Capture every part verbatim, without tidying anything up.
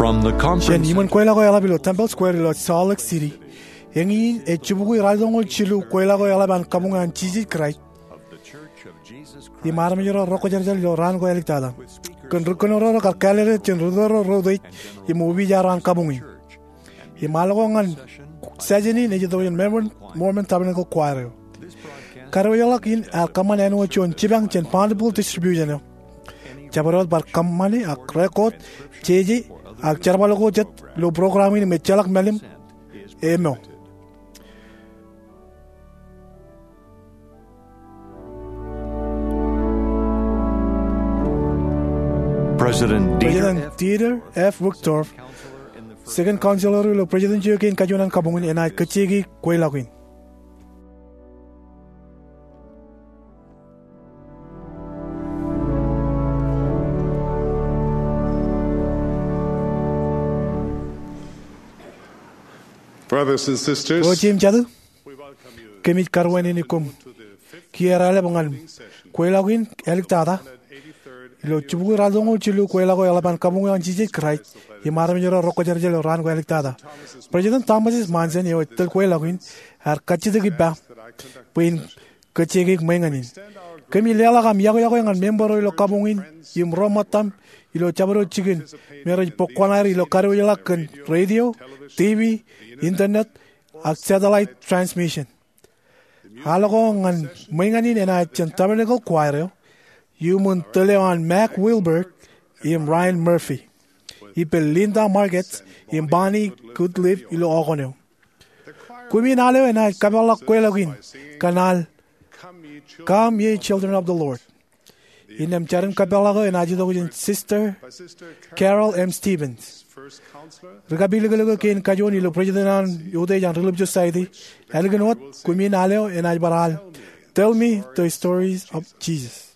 From the conference Jān iṃōn kweilọk eo eḷap ilo Temple Square ilo Salt Lake City, eñin ej jibukwi ralitōñoul jilu kweilọk eo eḷap an Kabuñ an Jisōs Kraist im armej ro rekwōjarjar ilo raan ko āliktata. Kōn ri kōnono ro kar kāālōt jān ri tōl ro reutiej im opiij ro an kabuñ in. Im al ko ñan session in ej itok jān Mormon, Mormon Tabernacle Choir eo. Kadiwōjḷọk in ear kōṃṃan āinwōt juon jipañ jān Bountiful Distribution eo. Jabdewōt bar kōṃṃani ak record, jeje, ak jerbal ko jet ilo program in im ejjeḷọk mālim eo. President Dieter President F. Dieter F. Uchtdorf, Second Counselor ilo President eo kein kajuon an kabuñ in, enaaj kajjioñ kweilọk in. Brothers and sisters, Ro jeiū im jatū, kōmij karuwainene koṃ kiiō raelep ñan kweilọk in āliktata ilo jibukwi ralitōñoul jilu kweilọk eo eḷap an Kabuñ eo an Jisōs Kraist im armej ro rekwōjarjar ilo raan ko āliktata. President Thomas S. Monson eo ej tōl kweilọk in ear kajjitōk ippa bwe in kajjioñ ṃōñā ñan in. Kōmij leḷọk aṃ iọkwe ñan member ro ilo kabuñ in im ro ṃōttaṃ ilo jabdewōt jikin me rej bōk kuṇaer ilo kadiwōjḷọk kōn radio, TV, internet, ak satellite transmission. Al ko ñan ṃōñā in enaaj jān Tabernacle Choir eo, iuṃwin tōl eo an Mac Wilberg im Ryan Murphy, ippān Linda Margetts im Bonnie Goodliffe ilo okōn eo. Kumi in al eo enaaj kapeḷḷọk kweilọk in kōn al Come, Ye Children of the Lord. Innām jar in kapeḷḷọk eo enaaj itok jān Sister Carol M. Stephens. Ri kapilōklōk eo kein kajuon ilo President an Utiej an Relief Society, ālikin wōt, kumi in al eo enaaj bar al Tell Me the Stories of Jesus.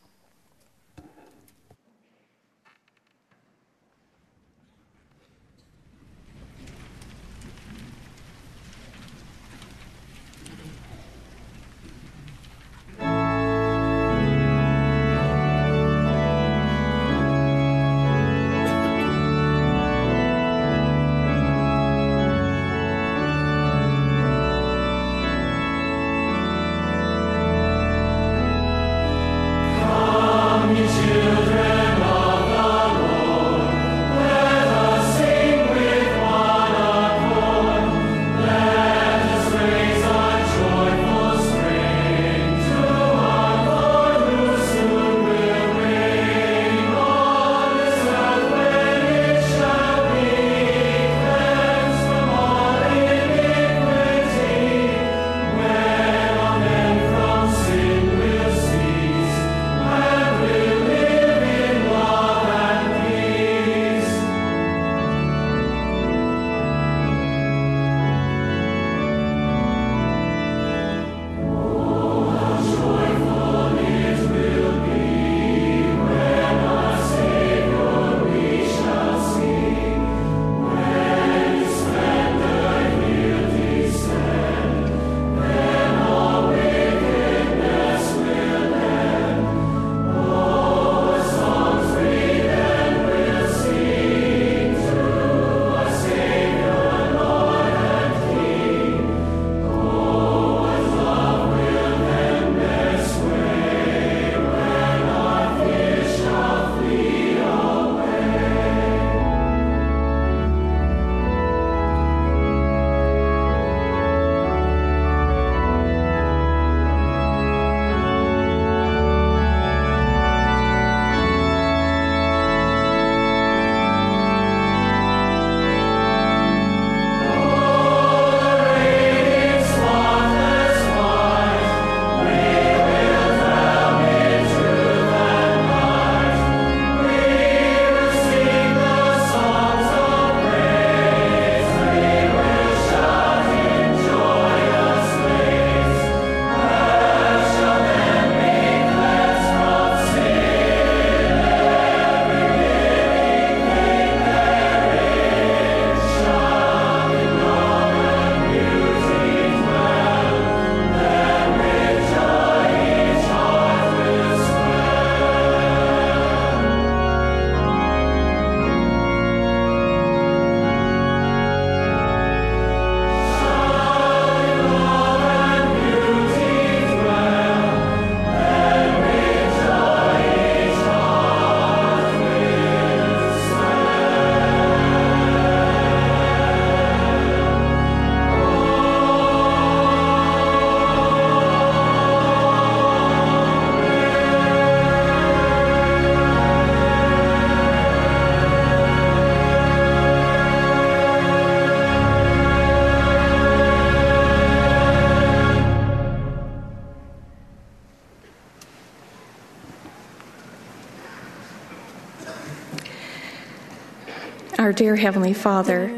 Our dear Heavenly Father,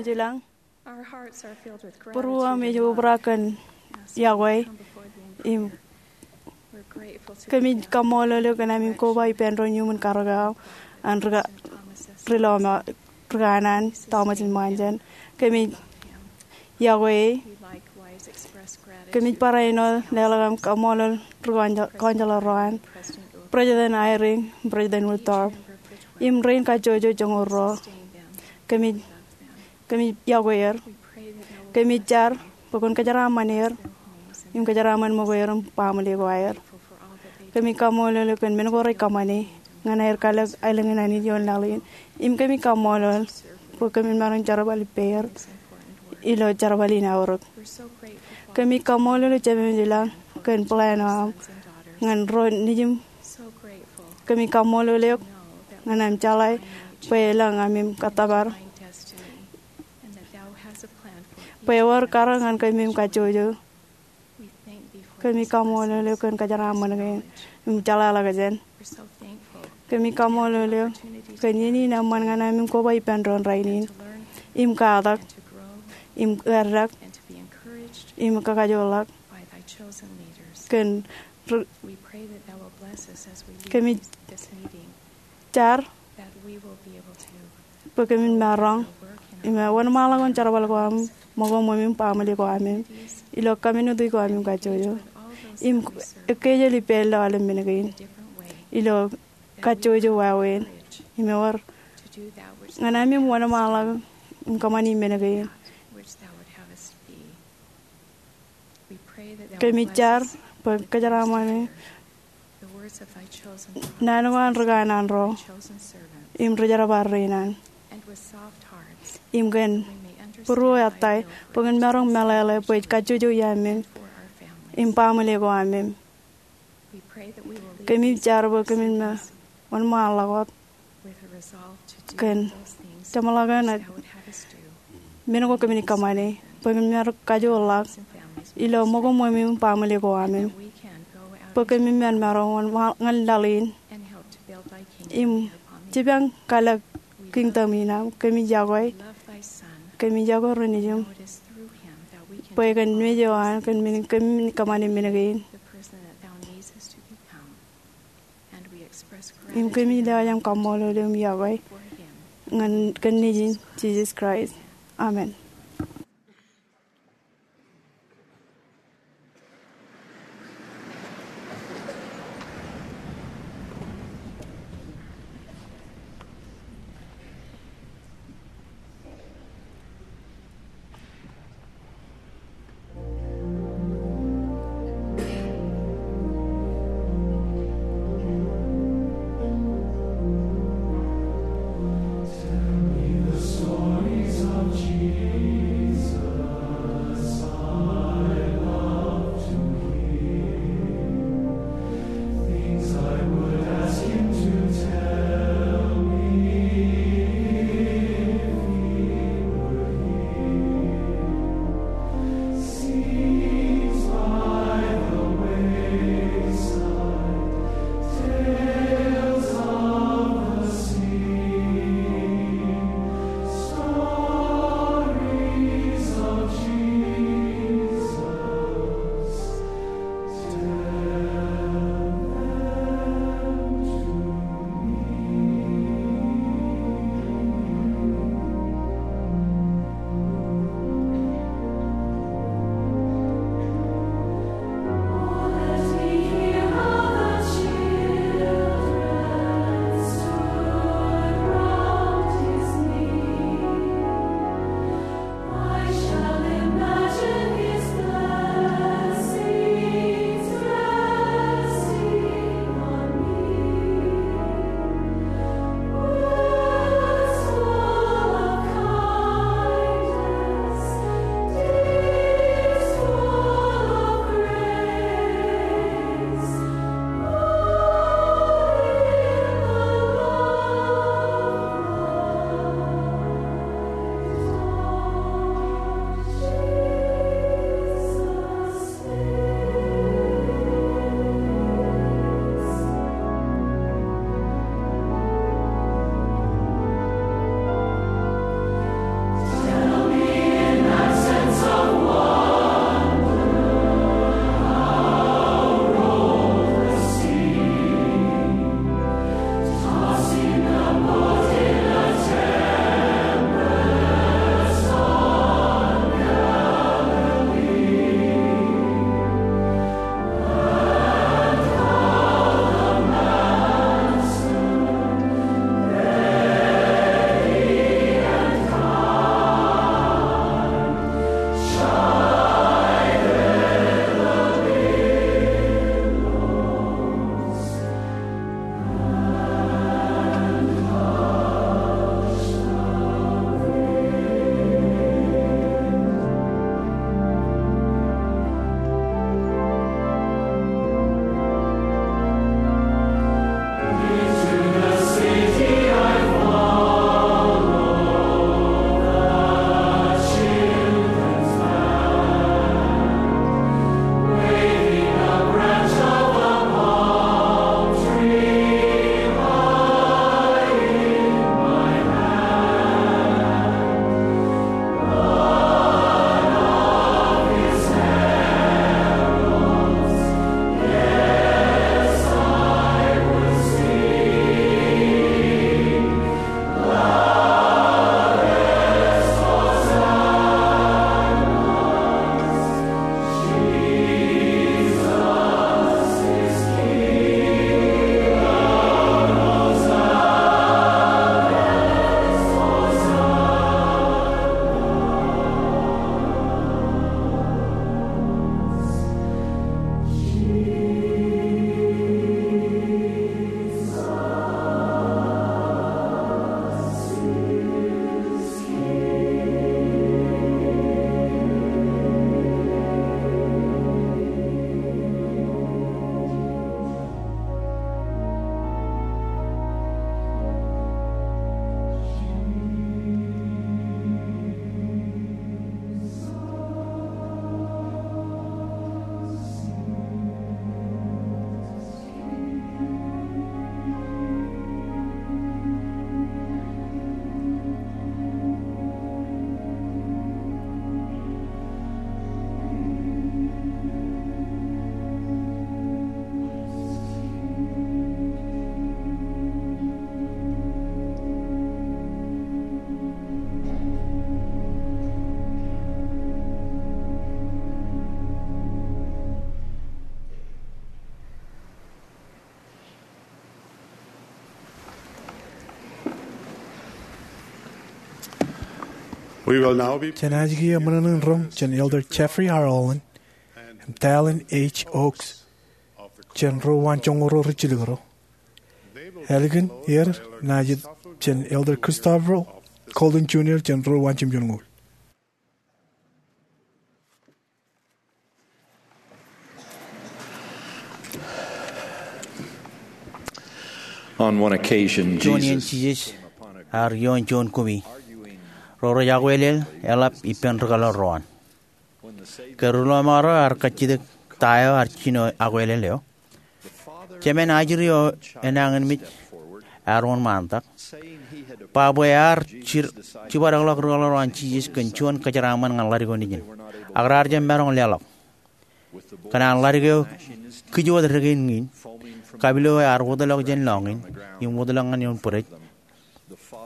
Būruōm ej obrak kōn yokwe im kōmij kaṃṃoolol eok kōn ami koba ippān doon iuṃwin karōk eo an ri-, ri-, ri-, ri-, ri-, Thomas Monson. Kōmij yokwe e. Kōmij barāinwōt leḷọk am kaṃṃoolol ri-kọwōnjeḷā ro an, President Eyring, President Uchtdorf, im rein kajjojo joñoul ruo. Kōmij, kōmij yokwe er. Kōmij jar bwe kwōn kōjeraaṃṃan er im kōjeraaṃṃan ṃōko er im baaṃle ko aer. Kōmij kaṃṃoolol eok kōn men ko rej kōṃṃane ñan aer kalōk aelōñ in Anij ioon laḷ in. Im kōmij kaṃṃoolol bwe kōmin maroñ jerbal ippāer ilo jerbal in aorōk. Kōmij kaṃṃoolol eok Jemem ilañ kōn plan eo aṃ ñan ro nejiṃ. Kōmij kaṃṃoolol eok ñan am jeḷā bwe elōñ amem kōttōpar bwe ewōr karōk ñan kōmemem kajjojo. Kōmij kaṃṃoolol eok kōn kōjeraaṃṃan kein im jeḷāḷọkjeṇ. Kōmij kaṃṃoolol eok kōn iien in eṃṃan ñan amem koba ippān doon rainin im katak im eddek im kakajoorḷọk kōn ri-, kōmij jar bwe kōmin maroñ im wōnṃaanḷọk wōn jerbal ko aṃ ṃōko ṃweo im baaṃle ko aṃ ilo kōmmitmetik ko aṃ im kajjojo. Im ekkejel ippāer ilo aolep men kein ilo kajjojo wāween im ewōr ñan amem wōnṃaanḷọk im kōṃṃani men kein. Kōmij jar bwe kōjeraaṃṃan naan ko an ri kanaan ro im ri jerbal rein an im kōn būruō ettā bwe kwōn maroñ meḷeḷe bwe ej kajjojo iaamem im baaṃle ko aṃ. Kōmij jar bwe kōmin wōnṃaanḷọk wōt kōn jeṃḷọkin men ko kōmij kōṃṃane bwe kōmin maroñ kajoorḷọk ilo ṃōko ṃweo im baaṃle ko aṃ bwe kōmin maroñ wōnṃaanḷọk ñan laḷ in im jipañ kalōk kingdom in aṃ. Kōmij yokwe, kōmij yokwe ri nejiṃ bwe kōn mej eo an kōn men kōmij kōṃṃane men kein. Im kōmij lewōj aṃ kaṃṃoolol im yokwe ñan kōn Nejin Jisōs Kraist. Amen. Jen aje kiiō ṃōṇōṇō in roñ jān Elder Jeffrey R. Holland im Dallin H. Oaks jān ro waanjoñoul ro rijjilōk ro. Ālikin er, naaj jet jān Elder Christopher Golden Junior jān ro waanjoñoul. On one occasion, Juon iien Jesus Jisōs ear ioon juon kumi ro rej akwelel eḷap ippān rūkaḷoor ro an. Ke ri ḷōṃaro ear kajjitōk ta eo ear jino akwelel eo, Jemān ajri eo enañin mej ear wōnṃaantak, ba bwe ear jibadekḷọk rūkaḷoor ro an Jisōs kōn juon kōjeraaṃṃan ñan ḷadik eo nejin, ak raar jab maroñ leḷọk. Kōn an ḷadik eo kijootdikdik in, kapilōk eo ear wōtlọk jān lọñiin im wōtlọk ñan ioon bwidej,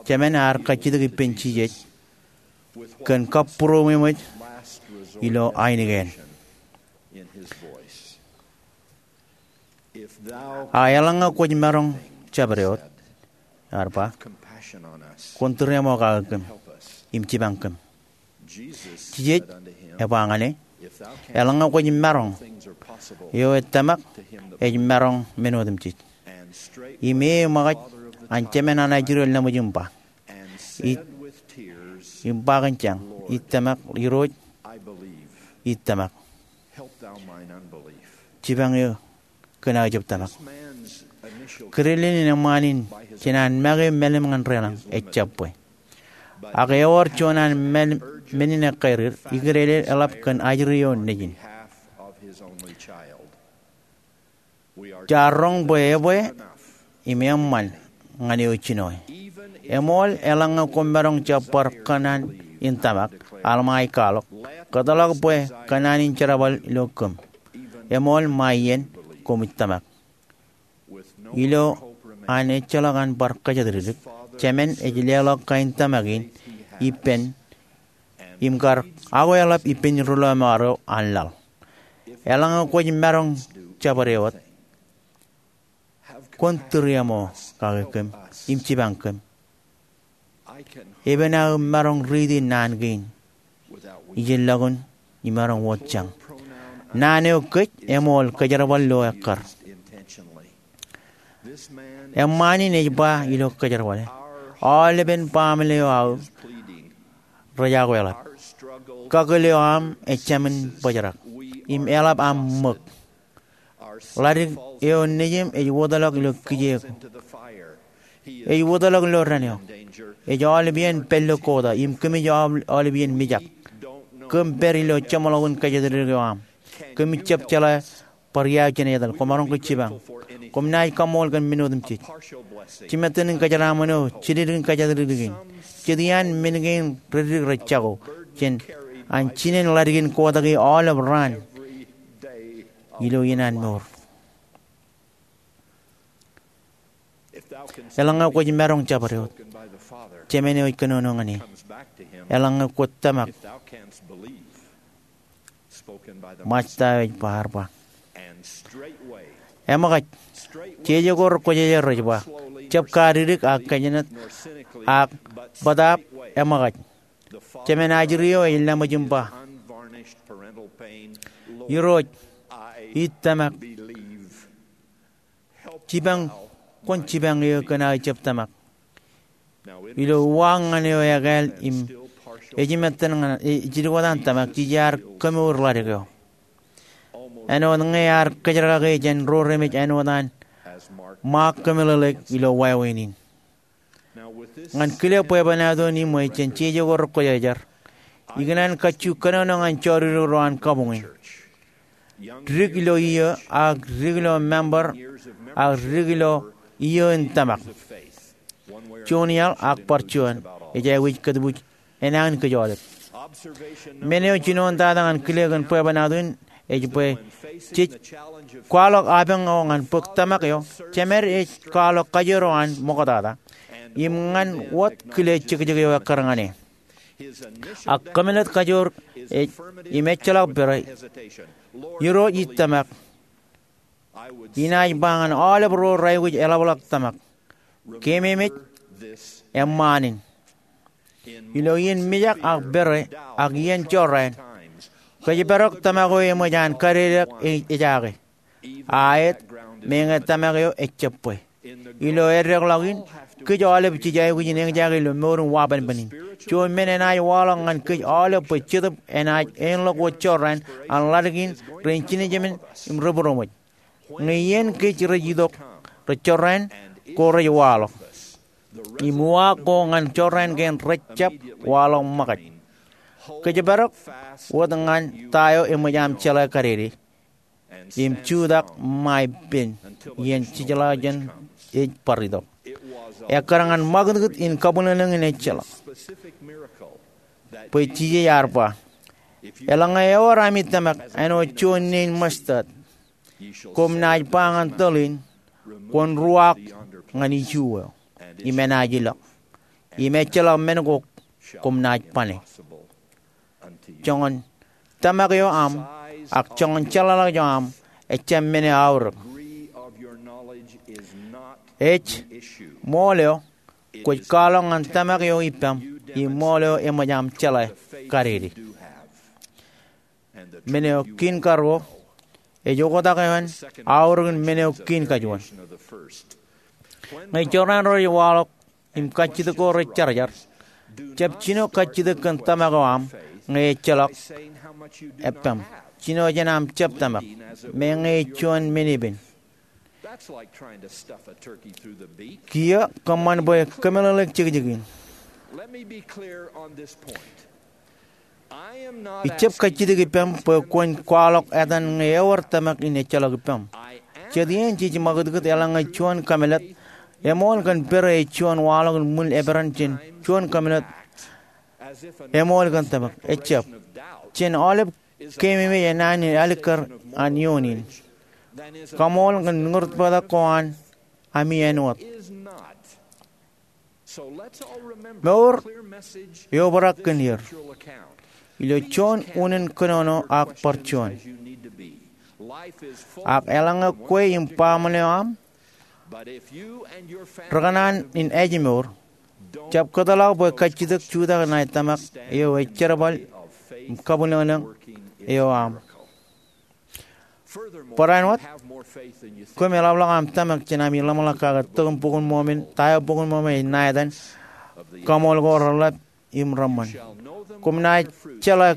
Jemān ear kajjitōk ippān Jisōs kōn kabbūroṃōj ilo ainikien. A eḷaññe kwōj maroñ jabdewōt, ear ba, kwōn tūriaṃo kake kōm im jipañ kōm. Jisōs ej ba ñan e, eḷaññe kwōj maroñ, eo ej tōmak ej maroñ men otemjej. Im e ṃōkaj an Jemān an ajri eo laṃōj im ba, im ba kōn jañ, ij tōmak Irooj, ij tōmak. Jipañ eō kōn aō jab tōmak. Kūrelelin eṃṃaan in jān an make mālim ñan deḷọñ ejjab bwe. Ak ewōr juon an mālim men in ekkāerūr, ikūrelel eḷap kōn ajri eo nejin. Jaar roñ bwe ebwe im eṃṃan ñan eo jinoe. Eṃool eḷaññe kwōmaroñ jab bar kōṇaan in tōmak, Alma ej kwaḷọk, kōtḷọk bwe kōṇaan in jerbal ilo kōm. Eṃool ṃae iien koṃij tōmak. Ilo an ejjeḷọk an bar kōjatdikdik, Jemān ej leḷọk kain tōmak in ippān im kar akwelep ippān ri ḷōṃaro an laḷ. Eḷaññe kwōj maroñ jabdewōt, kwōn tūriaṃo kake kōm im jipañ kōm. Epen aō maroñ riiti naan kein ijellọkun imaroñ wōt jañ. Naan eo kōj eṃool kōjerbal lo ekkar. Eṃṃaan in ej ba ilo kōjerbale, aolepen baaṃle eo aō rej akwelep. Kakōl eo aṃ ejāmin bōjrak im eḷap aṃ ṃōk. Ḷadik eo nejūṃ ej wōtlọk ilo kijeek. Ej wōtlọk ilo dān eo. Ej aolep iien pād ilo kota im kōmij aolep iien mijak. Kōm pād ilo jeṃḷọkin kōjatdikdik eo aṃ. Kōmij jab jeḷā bar iaar jān etal. Kwōmaroñ ke jipañ. Kwōm naaj kaṃṃool kōn men otemjej. Jimātinin kōjeraaṃṃan eo, jidikdik in kōjatdikdik in. Jet iaan men kein reddik rej jako jān an jinen ḷadikin kota ke aolep raan ilo iien an mour. Eḷaññe kwōj maroñ jabdewōt, Jemān eo ej kōnono ñan e. Eḷaññe kwōj tōmak, ṃaaj ta eo ej ba, ear ba, eṃōkaj. Jeje ko rekwōjarjar rej ba, jab kadikdik ak kōjnat ak bōtaab, eṃōkaj. Jemān ajri eo ej laṃōj im ba, Irooj, ij tōmak. Jipañ, kwōn jipañ eō kōn aō jab tōmak. Ilo uwaak ñan eo ekāāl im ej jimāttan ñan, ej jidik wōt an tōmak, jej iar kōmour ḷadik eo. Āinwōt ñe ear kōjerkake jān ro remej āinwōt an ṃaak kōmeḷeḷeik ilo wāween in. Ñan kile bwebwenato in im ej jān jeje ko rekwōjarjar, ikōṇaan kajju kōnono ñan jodikdik ro an kabuñ in. Dik ilo iiō, ak dik ilo member, ak dik ilo iiō in tōmak. Juon iaḷ ak bar juon, ej aikuj kōtbuuj enañin kōj aolep. Men eo jinoin tata ñan kile kōn bwebwenato in ej bwe jej kwaḷọk apañ eo ñan bōk tōmak eo, Jemān ej kwaḷọk kajoor eo an ṃoktata im ñan wōt kile jekjek eo ekkar ñan e. Ak kōmālōt kajoor ej im ejjeḷọk pere, Irooj, ij tōmak. Inaaj ba ñan aolep ro raikuj eḷapḷọk tōmak, keememej eṃṃaan in. Ilo iien mijak ak pere ak iien jorrāān, kōjparok tōmak eo eṃōj an kadedeak e-, ejaake. Aet, meñe tōmak eo ejab bwe. Ilo eddeḷọk in, kōj aolep jej aikuj in eñjake ilo mour in wabanban in. Juon men enaaj waḷọk ñan kōj aolep bwe Jetōb enaaj āinḷọk wōt jorrāān an ḷadik in rein jinōjemān im rebūroṃōj. Ñe iien kōj rej itok, rej jorrāān, ko rej waḷọk. Im uwaak ko ñan jorrāān kein rej jab waḷọk ṃōkaj. Kōjparok wōt ñan ta eo eṃōj aṃ jeḷā kadede. Im jutak ṃae ippān iien jejeḷā jān ej bar itok. Ekkar ñan ṃakūtkūt in kabwilōñlōñ in ejjeḷọk. Bwe Jisōs ear ba, eḷaññe ewōr ami tōmak āinwōt juon nein mustard, koṃ naaj ba ñan tōl in, kwōn ruwaak ñan iju eo, im enaaj ilọk. Im ejjeḷọk men ko koṃ naaj bane. Joñan tōmak eo aṃ, ak joñan jeḷāḷọkjeṇ eo aṃ, ejjab men eo aorōk. Ej, ṃool eo, kwōj kwaḷọk ñan tōmak eo ippaṃ, im ṃool eo eṃōj aṃ jeḷā kadede. Men eo kein karuo, ej oktak eo an aorōkin men eo kein kajuon. Ñe jorrāān ro rej waḷọk, im kajjitōk ko rej jarjar, jab jino kajjitōk kōn tōmak eo aṃ, ñe ejjeḷọk eppaṃ. Jino jān aṃ jab tōmak, meñe ej juon men epen. Kiiō kōṃṃan bwe kōmeḷeḷe jekjekin. Ijab kajjitōk ippaṃ bwe kwōn kwaḷọk etan ñe ewōr tōmak in ejjeḷọk ippaṃ. Jet iien jej ṃakūtkūt eḷaññe juon kōmālōt, eṃool kōn pere ej juon waḷọk in ṃwiin eperan jān juon kōmālōt eṃool kōn tōmak. Ejjab. Jān aolep keememej enaan in alikkar an iioon in. Kaṃool kōn ñūrtbōktak ko an ami āinwōt. Mour eobrak kōn er. Ilo juon unin kōnono ak bar juon. Ak eḷaññe kwe im baaṃle eo aṃ rekōṇaan in ājmour, jab kōtḷọk bwe kajjitōk jutak ṇae tōmak eo ej jerbal im kabwilōñlōñ eo aṃ. Barāinwōt, koṃ eḷapḷọk aṃ tōmak jān ami ḷōmṇak kake tok in Bok in Mormon, ta eo Bok in Mormon ej ṇa etan, kaṃool ko reḷap im reṃṃan. Koṃ naaj jeḷā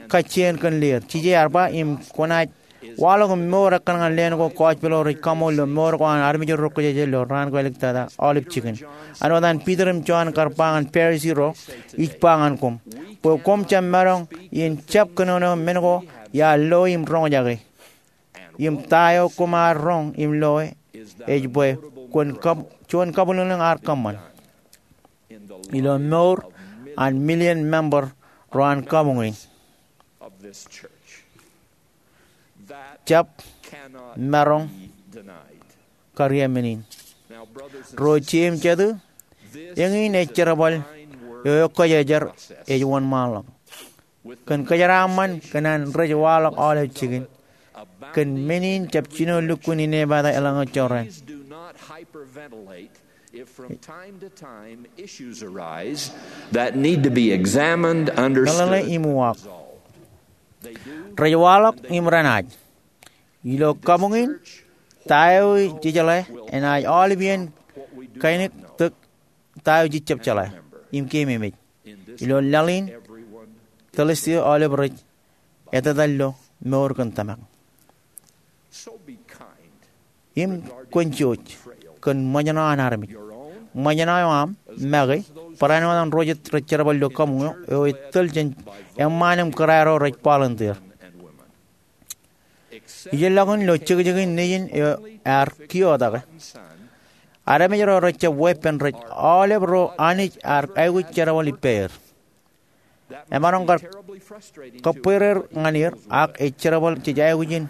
kajjien kōn leer. Jisōs ear ba, im kwōnaaj waḷọk im mour ekkar ñan leen ko gospel eo rej kaṃool ilo mour ko an armej ro rūkōjāje ilo raan ko āliktata aolep jikin. Āinwōt an Piter im Jon kar ba ñan Parisi ro, ij ba ñan koṃ, bwe koṃ jab maroñ in jab kōnono men ko iar loe im roñjake. Im ta eo koṃ ar roñ im loe, ej bwe kwōn kab-, juon kabwilōñlōñ ear kōṃṃan ilo mour an million member ro an kabuñ in. Jab maroñ kariaṃṃan in. Ro jeiū im jatū, eñin ej jerbal eo eokjājar ej wōnṃaanḷọk. Kōn kōjeraaṃṃan kōn an rej waḷọk aolep jikin, kōn men in jab jino lukkuun inepata eḷaññe jorrāān. If from time to time issues arise that need to be examined, understood, meḷeḷe im uwaak. Rej waḷọk im renaaj. Ilo kabuñ in, ta eo jej jeḷā enaaj aolep iien kainiktok ta eo jej jab jeḷā im keememej. Ilo laḷ in, Thursday aolep rej etetal ilo mour kōn tōmak. Im kwōn jouj kōn ṃōjṇọ an armej. Ṃōjṇọ eo aṃ, make, barāinwōt an ro jet rej jerbal ilo kabuñ eo, eo ej tōl jān eṃṃaan im kōrā ro rej volunteer. Ijellọkin ilo jekjekin nejin eo ear kiiōtake, armej ro rej jab weeppān rej aolep ro Anij ear aikuj jerbal ippāer. Emaroñ kar kōbwereer ñan er, ak ej jerbal jej aikuj in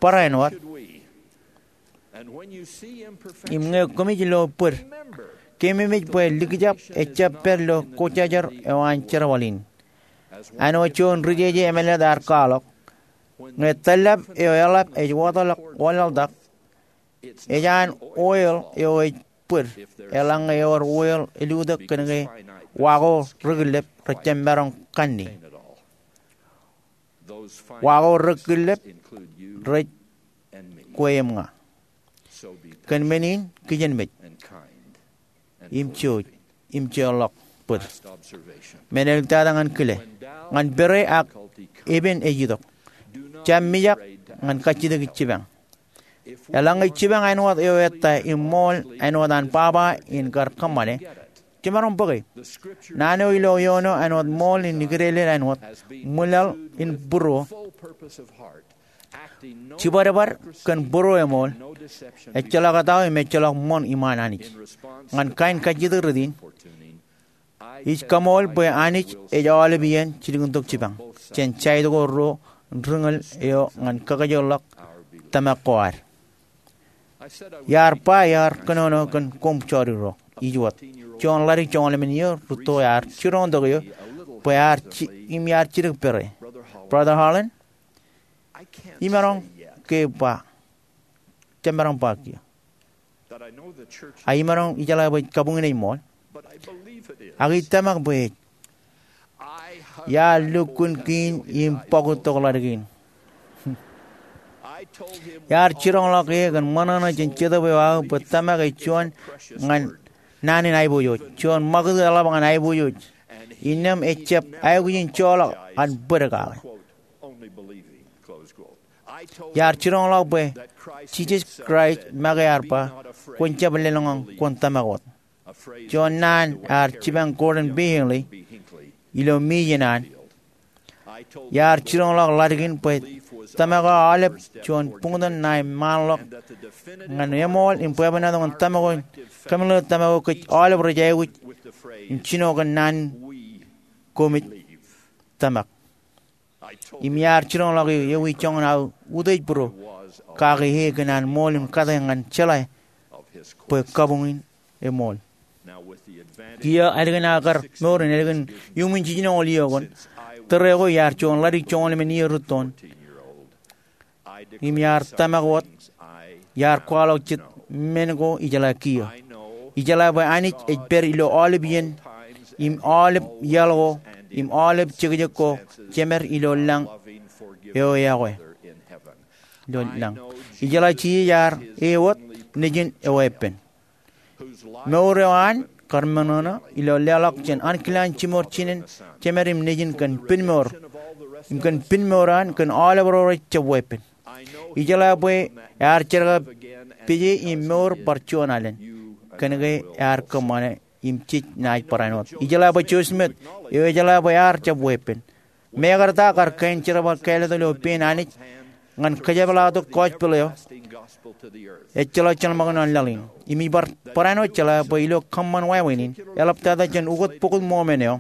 barāinwōt. Im ñe koṃij lo bōd, keememej bwe likjab ejjab pād ilo kōjjajar eo an jerbal in. Āinwōt juon ri-jeje emālōtlōt ear kwaḷọk, ñe tōllap eo eḷap ej wōtlọk wōnlaḷtak, ej an oil eo ej bōd eḷaññe ewōr whale elutōk kōn ke wa ko rekillep rej jab maroñ kanne. Wa ko rekillep rej kwe im ña. Kōn men in kijenmej im jouj im jeorḷọk bōd. Men eo eḷap tata ñan kile ñan pere ak epen ej itok. Jab mijak ñan kajjitōk jipañ. Eḷaññe jipañ āinwōt eo ettā im ṃool āinwōt an baba in kar kōṃṃane, jemaroñ bōke. Naan eo ilo eoon eo āinwōt ṃool in ikdeḷọñ āinwōt ṃwilaḷ in būruō jibadbad kōn būruō eṃool, ejjeḷọk etao im ejjeḷọk ṃoṇ iṃaan Anij. Ñan kain kajjitōk rot in, ij kaṃool bwe Anij ej aolep iien jilkintok jipañ jān jaid ko ruo ri ñūḷ eo ñan kakajoorḷọk tōmak ko ad. Iar ba iar kōnono kōn koṃ jodikdik ro, ij wōt juon ḷadik joñoul emān iiō rūtto ear jiroñtok eō bwe ear im iar jidik pere. Brother Holland, imaroñ ke ba, jemaroñ ba kiiō. A imaroñ ijeḷā bwe kabuñ in ej ṃool. Ak ij tōmak bwe ej. Iar lukkuun kein im bọkūttok ḷadik in. Iar jiroñḷọk e kōn ṃōṇōṇō jān Jetōb eo aō bwe tōmak ej juon ñan naan in aiboojoj, juon ṃakūt eḷap ñan aiboojoj. Innām ejjab aikuj in joḷọk an bōd kake. Iar jiroñḷọk bwe Jisōs Kraist make ear ba, kwōn jab lōḷñọñ, kwōn tōmak wōt. Juon naan ear jipañ Gordon B. Hinckley ilo Mission an. Iar jiroñḷọk ḷadik in bwe tōmak eo aolep juon buñtōn ṇae ṃaanḷọk ñan eṃool im bwebwenato ñan tōmak eo in kōmeḷeḷe tōmak eo kōj aolep rej aikuj in jino kōn naan in koṃij tōmak. Im iar jiroñḷọk eō ewi joñan aō utiej būruō kake e kōn an ṃool im kate ñan jeḷā bwe kabuñ in eṃool. Kiiō ālikin aō kar mour in ālikin iuṃwin jiljinoñoul iiō koṇ, tōre ko iar juon ḷadik joñoul emān iiō rūttoon. Im iar tōmak wōt, iar kwaḷọk jet men ko ijeḷā kiiō. Ijeḷā bwe Anij ej pād ilo aolep iien, im aolep iaḷ ko, im aolep jekjek ko, jemed ilo lañ eo eokwe. Ilo lañ. Ijeḷā Jisōs ear e wōt nejin eo epen. Mour eo an kar ṃōṇōṇō ilo leḷọk jān ankilaan jimor jinen jemed im nejin kōn pinmour, im kōn pinmour an kōn aolep ro rej jab weeppān. Ijeḷā bwe ear jerkakpeje im mour bar juon alen kōn ke ear kōṃṃane im jej naaj barāinwōt. Ijeḷā bwe Joseph Smith eo ejeḷā bwe ear jab weeppān. Mekarta kar kain jerbal kāālōt ilo pein Anij ñan kōjepḷaaktok gospel eo ejjeḷọk jeḷmakūṇ an laḷ in. Im ij bar barāinwōt jeḷā bwe ilo kōṃṃan wāween in, eḷaptata jān ukōt bokōt Mormon eo,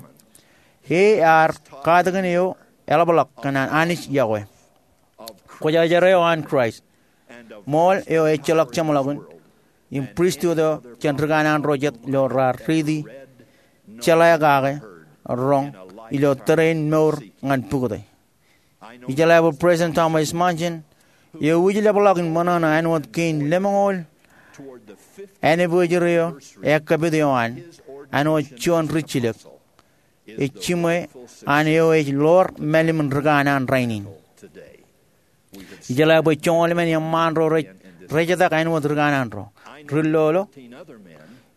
e ear katakin eo eḷapḷọk kōn an Anij iọkwe. Kwōjarjar eo an Kraist, ṃool eo ejjeḷọk jeṃḷọkin, im pristut eo jān ri kanaan ro jet ilo raar riiti jeḷā kake roñ ilo tōre in mour ñan pukot e. Ijeḷā bwe President Thomas S. Monson eo ij leḷọk in ṃōṇōṇō āinwōt kein lemñoul anniversary eo ekkapit eo an āinwōt juon rijjilōk ej jiṃwe an eo ej ḷoor mālim in ri kanaan rainin. Ijeḷā bwe joñoul emān eṃṃaan ro rej rejetak āinwōt ri kanaan ro, ri lolo,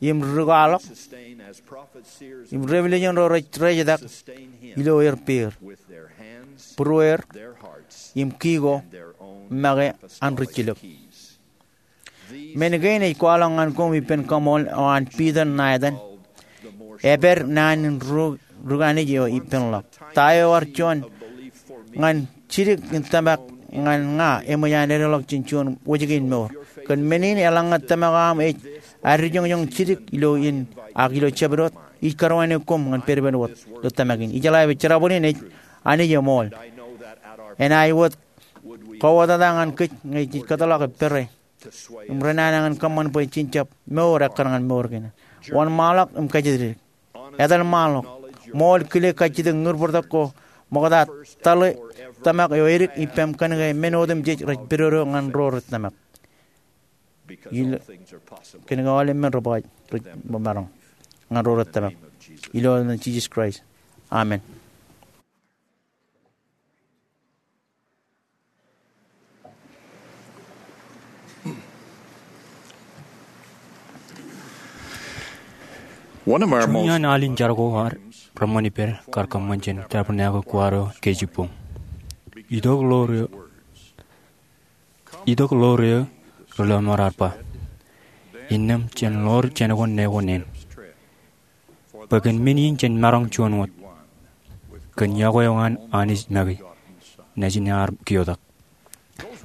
im ri kwaḷọk, im revelation ro rej rejetak ilo er peer, būrueer, im ki ko make an rijjilōk. Men kein ej kwaḷọk ñan koṃ ippān kaṃool eo an Peter Nathan, epād naan in ri kanaan eo ippānḷọk. Ta eo ear juon ñan jidik in tōmak ñan ña eṃōj an edeḷọk jān juon wōjke in mour. Kōn men in eḷaññe tōmak eo aṃ ej addijoñjoñ jidik ilo in ak ilo jabdewōt, ij karuwainwōt koṃ ñan pedped wōt ilo tōmak in. Ijeḷā bwe jerbal in ej Anij eṃool. Enaaj wōt kōwōtata ñan kōj ñe jej kōtḷọk pere im renana ñan kōṃṃan bwe jen jab mour ekkar ñan mour kein. Wōnṃaanḷọk im kajjitōk. Etal ṃaanḷọk. Ṃool kile kajjitōk ñūr bōrtok ko ṃokta tōḷe tōmak eo edik ippaṃ kōn ke men otemjej rej pedodo ñan ro rej tōmak. Ilo, kōnke aolep men rej ba, rej ba maroñ ñan ro rej tōmak. Ilo etan Jisōs Kraist. Amen. One of our Juon most iaan alin jar ko ad reṃṃan ippād kar kōṃṃan jān tabernacle kwaar eo kōjepboñ. Itok ḷoor eo, itok ḷoor eo ri lọmọọr ear ba, innām jān ḷoor jān ko ne ko neen. Bwe kōn men in jen maroñ juon wōt kōn yokwe eo an Anij make Nejin ear kiotak.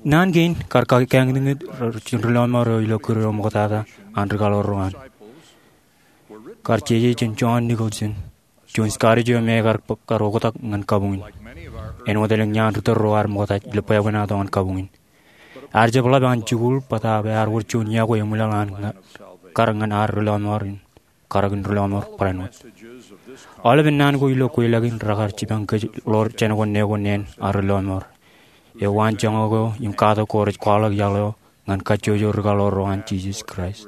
Naan kein kar kakeñtñit jān ri lọmọọr eo ilo kūr eo ṃoktata an ri kaḷoor ro an. Kar jeje jān John Nicholson, juon Scottish eo me kar, kar oktak ñan kabuñ in. Āinwōt elōñ iaan ri tōl ro ad ṃokta ilo bwebwenato ñan kabuñ in. Ear jab ḷap an jikuuḷ bōtaab ear wōr juon yokwe eṃwilaḷ an kar ñan ad ri lọmọọr in karōk in ri lọmọọr barāinwōt. Aolepen naan ko ilo kweilọk in rekar jipañ kōj ḷoor jān ko ne ko neen ad ri lọmọọr. Eo waan joñak eo im katak ko rej kwaḷọk iaḷ eo ñan kajjojo ri kaḷoor ro an Jisōs Kraist.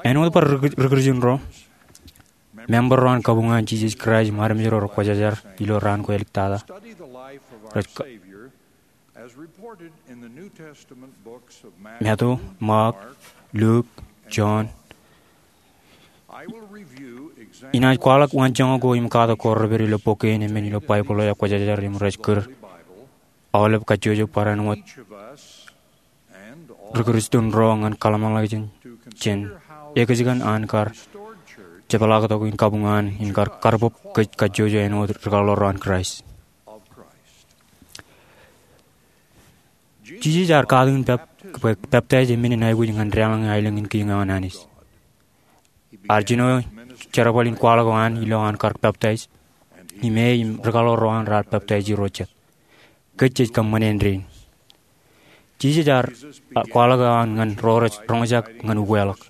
Āinwōt bar ri, ri Kūrjin ro, member ro an kabuñ an Jisōs Kraist im armej ro rekwōjarjar ilo raan ko āliktata, rej ka, Matu, Mak, Luk, John. Inaaj kwaḷọk waanjoñak ko im katak ko rej pād ilo bok kein emān ilo Baibōḷ eo ekwōjarjar im rej kūr aolep kajjojo barāinwōt ri Kūrjin ro ñan kōḷmānḷọkjeṇ jān ekōjkan an kar jepḷaaktok in kabuñ an in kar karbōb kōj kajjojo āinwōt ri kaḷoor ro an Kraist. Jisōs ear katakin pep, bwe peptaij e men in aikuj ñan deḷọñ aelōñ in kiiñ eo an Anij. Ear jino jerbal in kwaḷọk eo an ilo an kar peptaij, im e im ri kaḷoor ro an raar peptaij Irooj jet. Kōj jej kōṃṃane āindein. Jisōs ear, a, kwaḷọk eo an ñan ro rej roñjake ñan ukeḷọk.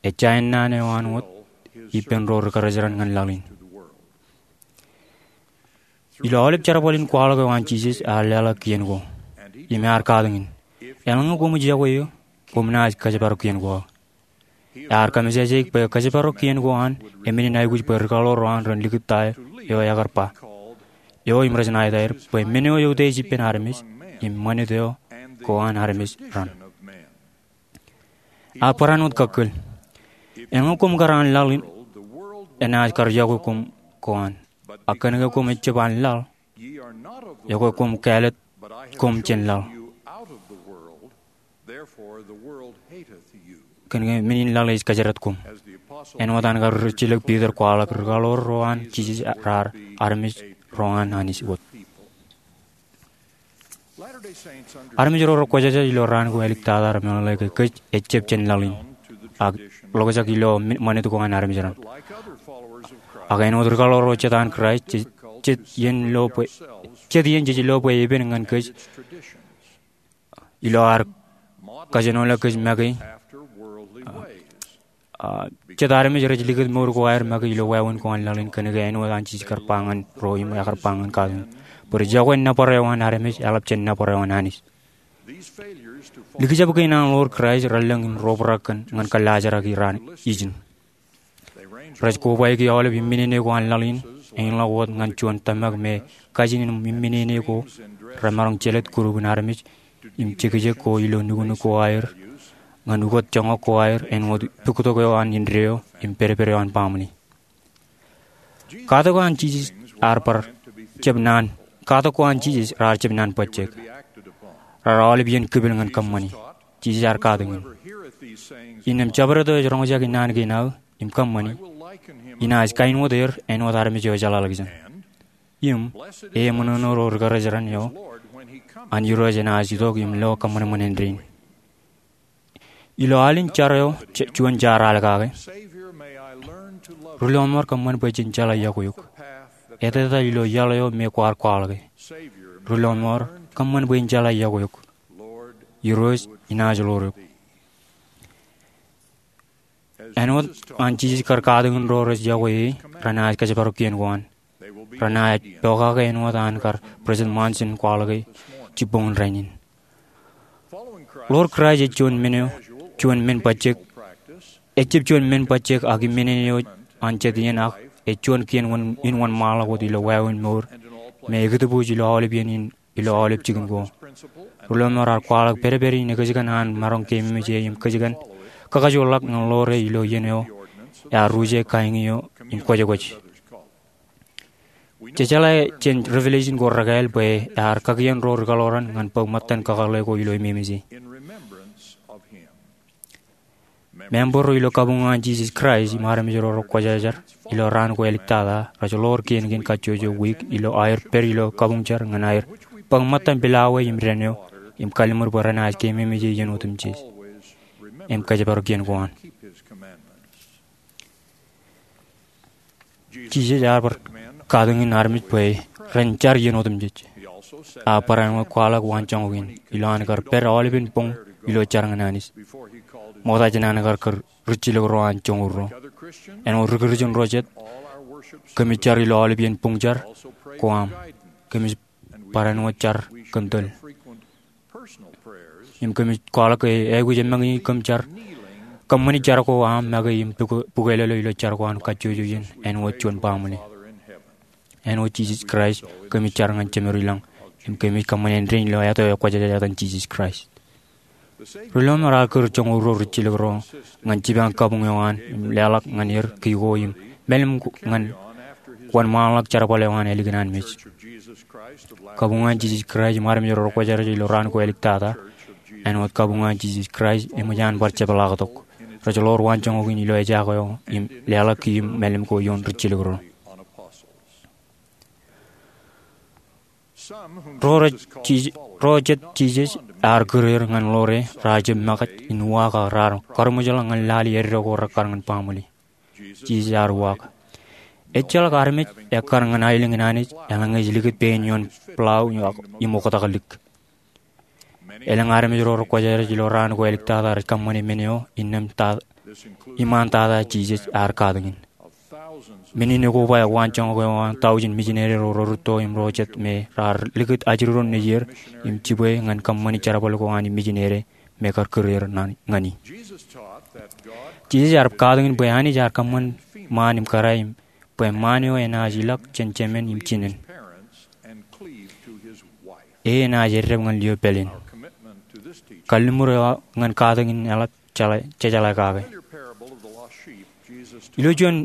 Ej jañin naan eo an wōt ippān ro ri kōrejeraṇ ñan laḷ in. Ilo aolep jerbal in kwaḷọk eo an Jisōs ear leḷọk kien ko. Im ear katakin, eḷaññe koṃij yokwe eō, koṃ naaj kōjparok kien ko aō. Ear kōmejaje bwe kōjparok kien ko an e men in aikuj bwe ri kaḷoor ro an ren likūt ta eo ekar ba, eo im rej ṇa etaer, bwe men eo eutiej ippān armej, im ṃanit eo ko an armej raṇ. Ear barāinwōt kakkōl. Eḷaññe koṃ kar an laḷ in, enaaj kar yokwe koṃ ko an. A kōnke koṃ ejjab an laḷ, ekwe koṃ kāālōt koṃ jān laḷ. Kōnke men in laḷ ej kōjdat koṃ. Āinwōt an kar rijjilōk Piter kwaḷọk ri kaḷoor ro an Jisōs raar armej ro an Anij wōt. Armej ro rekwōjarjar ilo raan ko āliktata remeḷeḷe ke kōj ejjab jān laḷ in, ak ḷokjak ilo ṃanit ko an armej raṇ. Ak āinwōt ri kaḷoor ro jet an Kraist, jet, jet iien lo bwe, jet iien jej lo bwe epen ñan kōj ilo ad kajenoḷọk kōj make, a, jet armej rej likūt mour ko aer make ilo wāween ko an laḷ in, kōnke āinwōt an Jisōs kar ba ñan ro im ekar ba ñan katakin, bwe ri yokwe nōbar eo an armej eḷap jān nōbar eo an Anij. Likjab kein an ḷoor Kraist relōñ im robrak kōn ñan kōllaajrak raan ijin. Rej kobaiki aolep imminene ko an laḷ in, āinḷọk wōt ñan juon tōmak me kajin im imminene ko remaroñ jelōt kurupin armej im jekjek ko ilo nuknuk ko aer, ñan ukōt joñak ko aer āinwōt puktok eo an indeeo im pedped eo an baaṃle. Katak ko an Jisōs ear bar jab naan, katak ko an Jisōs raar jab naan bajjek. Raar aolep iien kipel ñan kōṃṃani. Jisōs ear katakin, innām jabdewōt eo ej roñjake naan kein aō im kōṃṃani, inaaj kain wōt er āinwōt armej eo ejeḷāḷọkjeṇ. Im e eṃōṇōṇō ro ri kōrejeraṇ eo an Irooj enaaj itok im lo kōṃanṃan āindein. Ilo alin jar eo, juon jaar al kake, ri lọmọọr kōṃṃan bwe jen jeḷā yokwe eok. Etetal ilo iaḷ eo me kwaar kwaḷọke. Ri lọmọọr kōṃṃan bwe jen jeḷā yokwe eok. Irooj, inaaj ḷoor eok. Āinwōt an Jisōs kar katakin ro rej yokwe e, renaaj kōjparok kien ko an. Renaaj pokake āinwōt an kar President Monson kwaḷọke jibboñin rainin. Ḷoor Kraist ej juon men eo, juon men bajjek, ejjab juon men bajjek ak im men eo an jet iien ak ej juon kien in wōnṃaanḷọk wōt ilo wāween mour me ekitōpwōj ilo aolep iien in ilo aolep jikin ko. Ri lọmọọr ear kwaḷọk pedped in ekōjkan an maroñ keememej e im kōjkan kakajoorḷọk ñan ḷoor e ilo iien eo ear ruje kain eo im kwōjkwōj. Jejeḷā jān Revelation ko rekāāl bwe ear kakien ro ri kaḷoran ñan bōk ṃōttan kakōḷḷe ko ilo ememej e. Member ro ilo kabuñ an Jisōs Kraist im armej ro rekwōjarjar ilo raan ko āliktata rej ḷoor kien kein kajjojo wiik ilo aer pād ilo kabuñ jar ñan aer bōk ṃōttan pilawā im dān eo im kalliṃur bwe renaaj keememej e iien otemjej im kōjparok kien ko an. Jisōs ear bar katakin armej bwe ren jar iien otemjej. Ear barāinwōt kwaḷọk waanjoñak in ilo an kar pād aolepen boñ ilo jar ñan Anij ṃokta jān an kar kūr rijjilōk ro an joñoul ruo. Āinwōt ri-Kūrjin ro jet, kōmij jar ilo aolepen boñ jar ko aṃ. Kōmij barāinwōt jar kōn tōl im kōmij kwaḷọk ke aikuj eṃṃan in kōm jar, kōṃṃani jar ko aṃ make im bukwelōlō ilo jar ko an kajjojo iien āinwōt juon baaṃle. Āinwōt Jisōs Kraist kōmij jar ñan Jemedwōj ilañ im kōmij kōṃṃan āindein ilo etan eo ekwōjarjar, etan Jisōs Kraist. Ri lọmọọr ear kūr joñoul ruo rijjilōk ro ñan jipañ kabuñ eo an im leḷọk ñan er ki ko im mālim ñan wōnṃaanḷọk jerbal eo an ālikin an mej. Kabuñ an Jisōs Kraist im armej ro rekwōjarjar ilo raan ko āliktata, āinwōt kabuñ an Jisōs Kraist, eṃōj an bar jepḷaaktok. Rej ḷoor waanjoñak in ilo ejaak eo im leḷọk ki im mālim ko ioon rijjilōk ro. Ro rej Jis-, ro jet Jisōs ear kūr er ñan ḷoor e raar jab makaj in uwaak ak raar karuṃwijḷọk ñan lale eddo ko rekkar ñan baaṃle. Jisōs ear uwaak. Ejjeḷọk armej ekkar ñan aelōñ in Anij eḷaññe ej likūt pein ioon plao im oktak lik. Elōñ armej ro rekwōjarjar ilo raan ko āliktata rej kōṃṃane men eo innām ta-, iṃaan tata Jisōs ear katakin. Men in ekoba waanjoñak eo an taujin mijinere ro rerūtto im ro jet me raar likūt ajri ro nejier im jibwe ñan kōṃṃani jerbal ko an mijinere me kar kūr er ñani. Jisōs ear katakin bwe Anij ear kōṃṃan ṃaan im kōrā im bwe ṃaan eo enaaj ilọk jān jemān im jinōn. E enaaj eddāp ñan lio pāleen. Kalliṃur eo ñan katakin in eḷap jeḷā-, jejeḷā kake. Ilo juon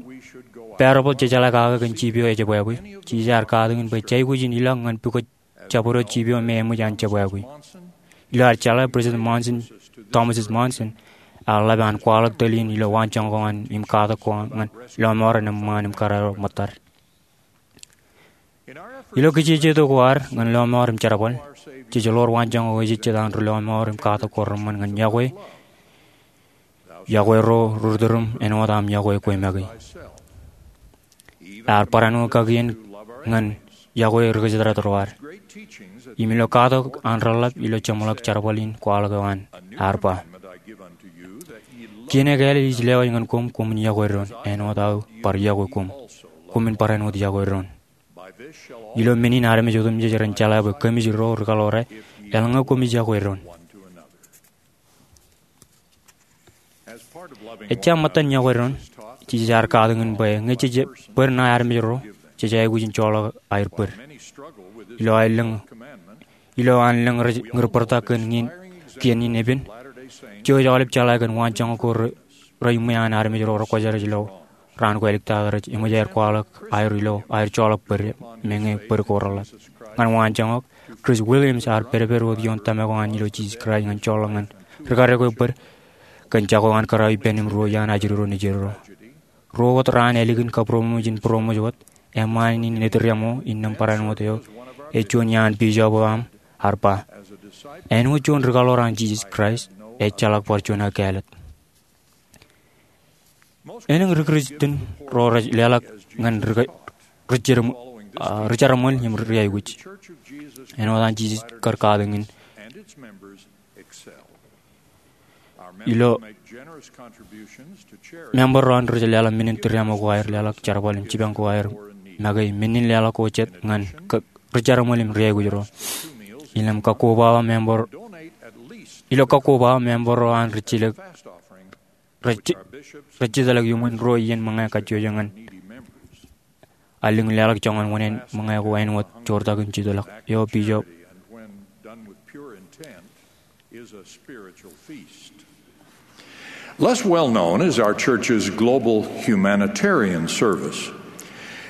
parable jejeḷā kake kōn jiip eo ejebwābwe, Jisōs ear katakin bwe jej aikuj in ilọk ñan pukot jabdewōt jiip eo me eṃōj an jebwābwe. Ilo ad jeḷā, President Monson, Thomas S. Monson, ear ḷap an kwaḷọk tōl in ilo waanjoñak ko an im katak ko an ñan lọmọọr ṇe ṃaan im kōrā ro ṃōttad. Ilo kijejeto ko ad ñan lọmọọr im jerbal, jej ḷoor waanjoñak eo ejejjet an ri lọmọọr im katak ko reṃṃan ñan yokwe, yokwe ro ri-tūrūṃ āinwōt aṃ yokwe kwe make. Ear barāinwōt kakien ñan yokwe ri-kōjatdāt ro ad. Im ilo katak an reḷḷap ilo jeṃḷọk jerbal in kwaḷọk eo an, ear ba, Kien ekāāl ij lewōj ñan koṃ, koṃwin yokwe doon, āinwōt aō bar yokwe koṃ. Koṃwin barāinwōt yokwe doon. Ilo men in armej otemjej ren jeḷā bwe kōmij ro ri kaḷoor e, eḷaññe koṃij yokwe doon. Ejja ṃōttan yokwe doon, Jisōs ear katakin bwe ñe jej bōd ṇae armej ro, jej aikuj in joḷọk aer bōd. Ilo an lōñ, ilo an lōñ rej ñūr bōrta kōn kien in epen, jouj aolep jeḷā kōn waanjoñak ko rej iṃwe an armej ro rekwōjarjar ilo raan ko āliktata rej eṃōj aer kwaḷọk aer ilo aer joḷọk bōd me ñe bōd ko reḷḷap. Ñan waanjoñak, Chris Williams ear pedped wōt ioon tōmak eo an ilo Jisōs Kraist ñan joḷọk ñan rikadek eo bōd kōn jako an kōrā ippān im ruo iaan ajri ro nejier ro. Ruo wōt raan ālikin kabūroṃōj in būroṃōj wōt, eṃṃaan in Ned Riamo, innām barāinwōt eo ej juon iaan bishop eo aṃ, ear ba, āinwōt juon ri kaḷoor an Jisōs Kraist, ejjeḷọk bar juon aō kāālōt. Elōñ ri-Kūrjin ro rej leḷọk ñan ri-, ri-, ri-jeramṃool im ri-aikuj. Āinwōt an Jisōs kar katakin ilo member ro an rej leḷọk men in tūriaṃo ko aer leḷọk jerbal im jipañ ko aer make, men in leḷọk ko jet ñan ri-jeramṃool im ri-aikuj ro. Ilo kakkobaba member, ilo kakkobaba member ro an rijjilōk, rej-, rej jitōnḷọk iuṃwin ruo iien ṃōñā kajjojo ñan allōñ in leḷọk joñan wōṇāān ṃōñā ko āinwōt joortak im jitōnḷọk. Eo bishop. Less well known is our church's global humanitarian service.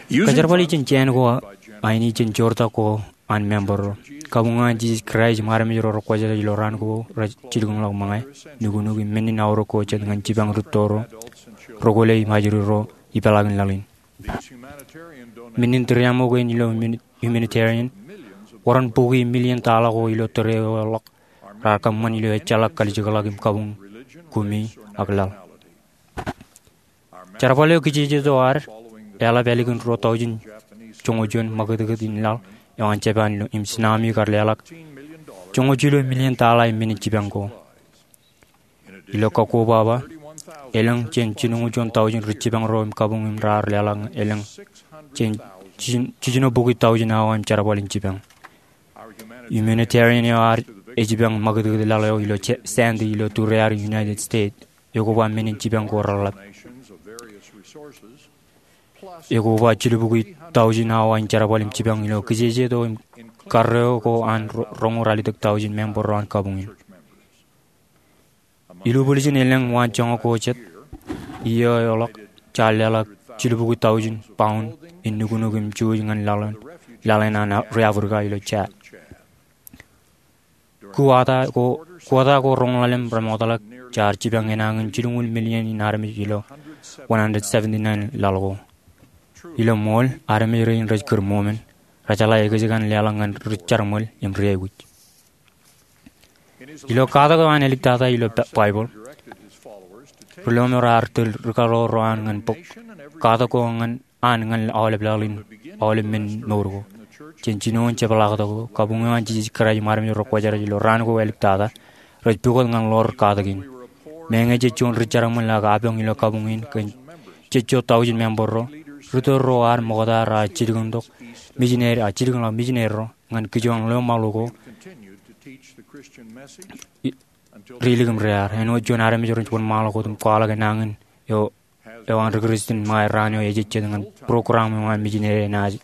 Kōjerbali jān jāān ko aini jān joortak ko an member ro. Kabuñ eo an Jisōs Kraist im armej ro rekwōjarjar ilo raan ko rej jilkinḷọk ṃōñā, nuknuk im men in aorōk ko jet ñan jipañ rūtto ro, roñoul im ajri ro ipeḷaakin laḷ in. Men in tūriaṃo kein ilo humanitarian, wōr an bukwi million tala ko ilo tōre eo ḷọk raar kōṃṃan ilo ejjeḷọk kalijekḷọk im kabuñ kumi ak laḷ. Jerbal eo kijeje eo ad eḷap ālikin ruo taujin joñoul juon ṃakūtkūt in laḷ eo an Japan ilo im tsunami kar leḷọk joñoul jilu million tala im men in jipañ ko. Ilo kakkobaba, elōñ jān jilñuul juon taujin ri jipañ ro im kabuñ im raar leḷọk elōñ jān jiljino bukwi taujin awa im jerbal in jipañ. Humanitarian eo ad ejipañ ṃakūtkūt laḷ eo ilo Sandy ilo tūrear United States ekoba men in jipañ ko reḷḷap. Ekoba jilubukwi taujin awa in jerbal im jipañ ilo kijeje eo im karreo ko an roñoul ralitōk taujin member ro an kabuñ in. Ilubwiljin elōñ waanjoñak ko jet, iiō eo ḷọk, jaar leḷọk jilubukwi taujin pound in nuknuk im juuj ñan laḷ in an ri Africa ilo Chad. Kuwata ko, kuwata ko roñoul ḷalem remootḷọk, jaar jipañ enañin jilñuul million in armej ilo one hundred seventy-nine laḷ ko. Ilo ṃool, armej rein rej kūr ṃool men, rejeḷā ekōjkan leḷọk ñan ri jerbal im ri aikuj. Ilo katak eo an āliktata ilo Baibōḷ, ri lọmọọr ear tōl ri kaḷoor ro an ñan bōk katak ko ñan an ñan aolep laḷ in aolep men mour ko. Jān jinoin jepḷaaktok eo, kabuñ eo an Jisōs Kraist im armej ro rekwōjarjar ilo raan ko āliktata rej pukot ñan ḷoor katak in. Meñe jej juon ri jerbal ak apañ ilo kabuñ in kōn jej jo taujin member ro, ri tōl ro ad ṃokta raar jilkintok mijineri, a jilkinḷọk mijineri ro ñan kijoñ lọmọọr ko ri ilikin rear. Āinwōt juon armej rej wōnṃaanḷọk wōt im kwaḷọk enañin eo eo an ri Kristian ṃae raan eo ejejjet ñan program eo an mijineri enaaj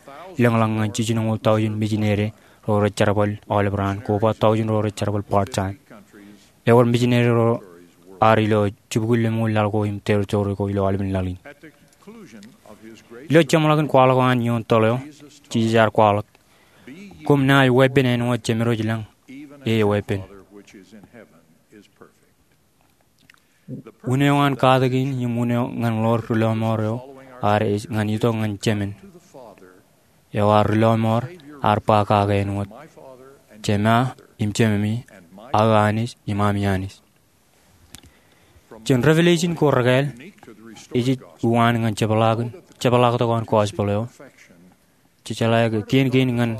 lōñḷọk ñan jiljinoñoul taujin mijineri ro rej jerbal aolep raan, koba taujin ro rej jerbal part-time. Ewōr mijineri ro ad ilo jibukwi lemñoul laḷ ko im territory ko ilo aolepen laḷ in. Ilo jeṃḷọkin kwaḷọk eo an ioon toḷ eo, Jisōs ear kwaḷọk, koṃ naaj weeppān āinwōt Jemedwōj lañ e eweeppān. Wūn eo an katak in im wūn eo ñan ḷoor ri lọmọọr eo ad ej ñan itok ñan Jemān. Eo ad ri lọmọọr ear ba kake āinwōt, Jema im Jememi, aō Anij im ami Anij. Jān Revelation ko rekāāl, ej ej uwaan ñan jepḷaaktok an gospel eo. Jejeḷā ke kien kein ñan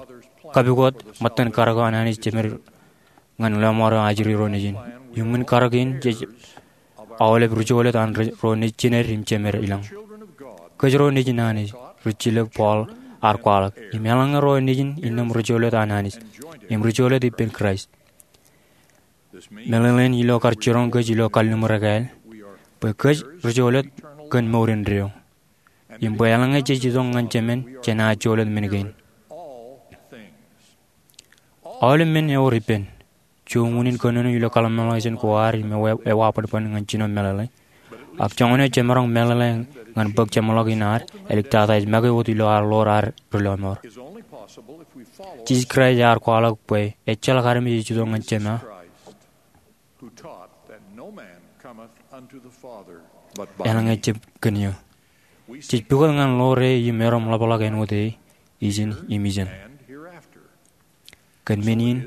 kapukot ṃōttan karōk eo an Anij Jemed ñan lọmọọr eo ajri ro nejin. Iuṃwin karōk in jej aolep ri jolōt an ro nejin, jined im jemed ilañ. Kōj ro nejin Anij, rijjilōk Paul ear kwaḷọk, im eḷaññe ro nejin innām ri jolōt an Anij im ri jolōt ippān Kraist. Meḷeḷein ilo kar jiroñ kōj ilo kalliṃur ekāāl bwe kōj ri jolōt kōn mour indeeo. Im bwe eḷaññe jej itok ñan Jemān jenaaj jolōt men kein. Aolep men ewōr ippān. Juon unin kōnono ilo kōḷmānḷọkjeṇ ko ad im ewa, ewa bōnbōn ñan jino meḷeḷe. Ak joñan eo jemaroñ meḷeḷe ñan bōk jeṃḷọk in ad, āliktata ej make wōt ilo ad ḷoor ad ri lọmọọr. Jisōs Kraist ear kwaḷọk bwe ejjeḷọk armej ej itok ñan Jema eḷaññe jab kōn eō. Jej pukot ñan ḷoor e im erom ḷapḷọk āinwōt e ijin im ijeṇ. Kōn men in,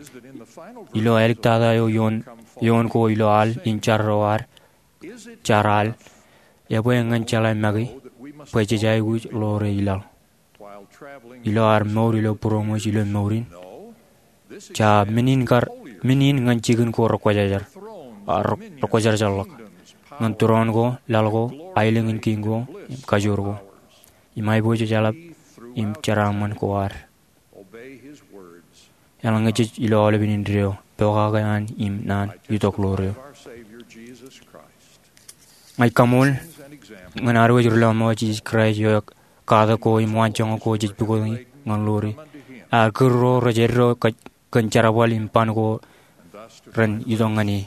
ilo āliktata eo eoon, eoon ko ilo al in jar ro ad, jar al, ebwe ñan jeḷā make bwe jej aikuj ḷoor e ilaḷ ilo ad mour ilo būroṃōj ilo mour in? Jab men in kar, men in ñan jikin ko rekwōjarjar, a, re, rekwōjarjarḷọk ñan tūroon ko, laḷ ko, aelōñ in kiiñ ko, im kajoor ko, im aiboojoj eḷap im jeraaṃṃan ko ad. eḷaññe jej ilo aolepen indeeo, pokake an im naan itok ḷoor eo. Ña ij kaṃool ñan ad wōj ri lọmọọr Jisōs Kraist eo ekatak ko im waanjoñak ko jej pukot ñan ḷoor e. Ad kūr ro rej eddo kōn jerbal im ban ko ren itok ñan e.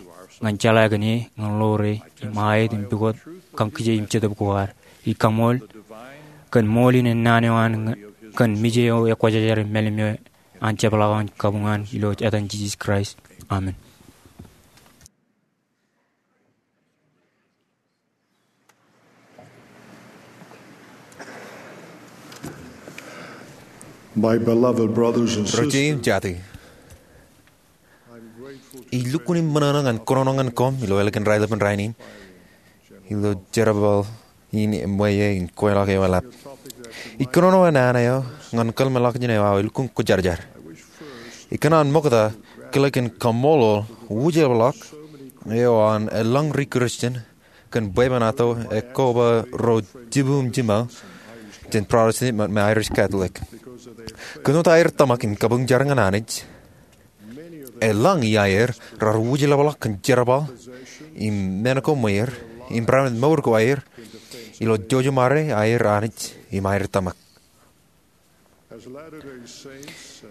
Ñan jeḷā kōn e ñan ḷoor e im aet im pukot kañkije im jetōb ko ad, ij kaṃool kōn ṃool in ennaan eo an kōn mije eo ekwōjarjar im mālim eo an jepḷaak eo an kabuñ an ilo etan Jisōs Kraist, amen. My beloved brothers and sisters, ij lukkuun im ṃōṇōṇō ñan kōnono ñan koṃ ilo ālikin raelepen rainin ilo jerbal in eṃṃan in kweilọk eo eḷap. Ij kōnono ennaan eo ñan kōḷmānḷọkjeṇ eo aō elukkuun kwōjarjar. Ikōṇaan ṃokta kile kōn kaṃṃoolol wūjeḷapḷọk eo an elōñ ri Kristian kōn bwebwenato ekkoba ro jibu im jiṃao jān Protestant me Irish Catholic. Kōn wōt aer tōmak im kabuñjar ñan Anij, elōñ iaer raar wūjeḷapḷọk kōn jerbal im men ko ṃweer im barāinwōt mour ko aer ilo jouj im ṃare aer Anij im aer tōmak.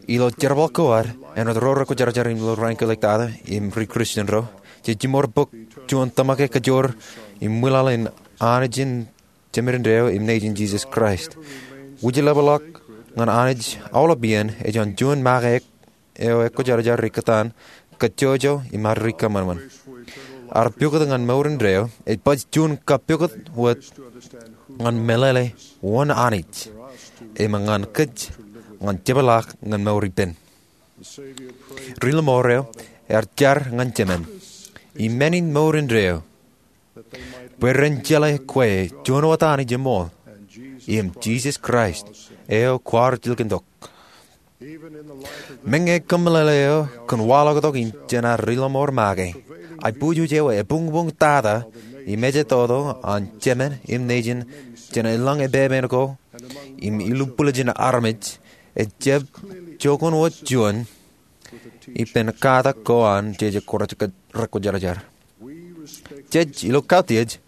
Ilo jerbal ko ad āinwōt ro rekwōjarjar ilo raan kein ḷọk tata im ri Kristian ro, jej jiṃor bōk juon tōmak ekajoor im ṃwilaḷ in Anij in Jemān indeeo im Nejin Jisōs Kraist. Wūjeḷapḷọk ñan Anij aolep iien ej juon make eo ekwōjarjar ikōtaan kajjojo im ad ri kōṃanṃan. Ad pukot ñan mour indeeo ej baj juon kapukot wōt ñan meḷeḷe wōn Anij im ñan kōj ñan jepḷaak ñan mour ippān. Ri lọmọọr eo ear jar ñan Jemān im men in mour indeeo bwe ren jeḷā kwe juon wōt Anij eṃool im Jisōs Kraist eo kwaar jilkintok. Meñe kōmeḷeḷe eo kōn waḷọktok in jān ad ri lọmọọr make, aiboojoj eo ebuñbuñ tata im ejetoto an Jemān im Nejin jān elōñ epepen ko im ilubwiljin armej ejjab jokwan wōt juon ippān katak ko an jeje rekwōjarjar. Jej ilo kautiej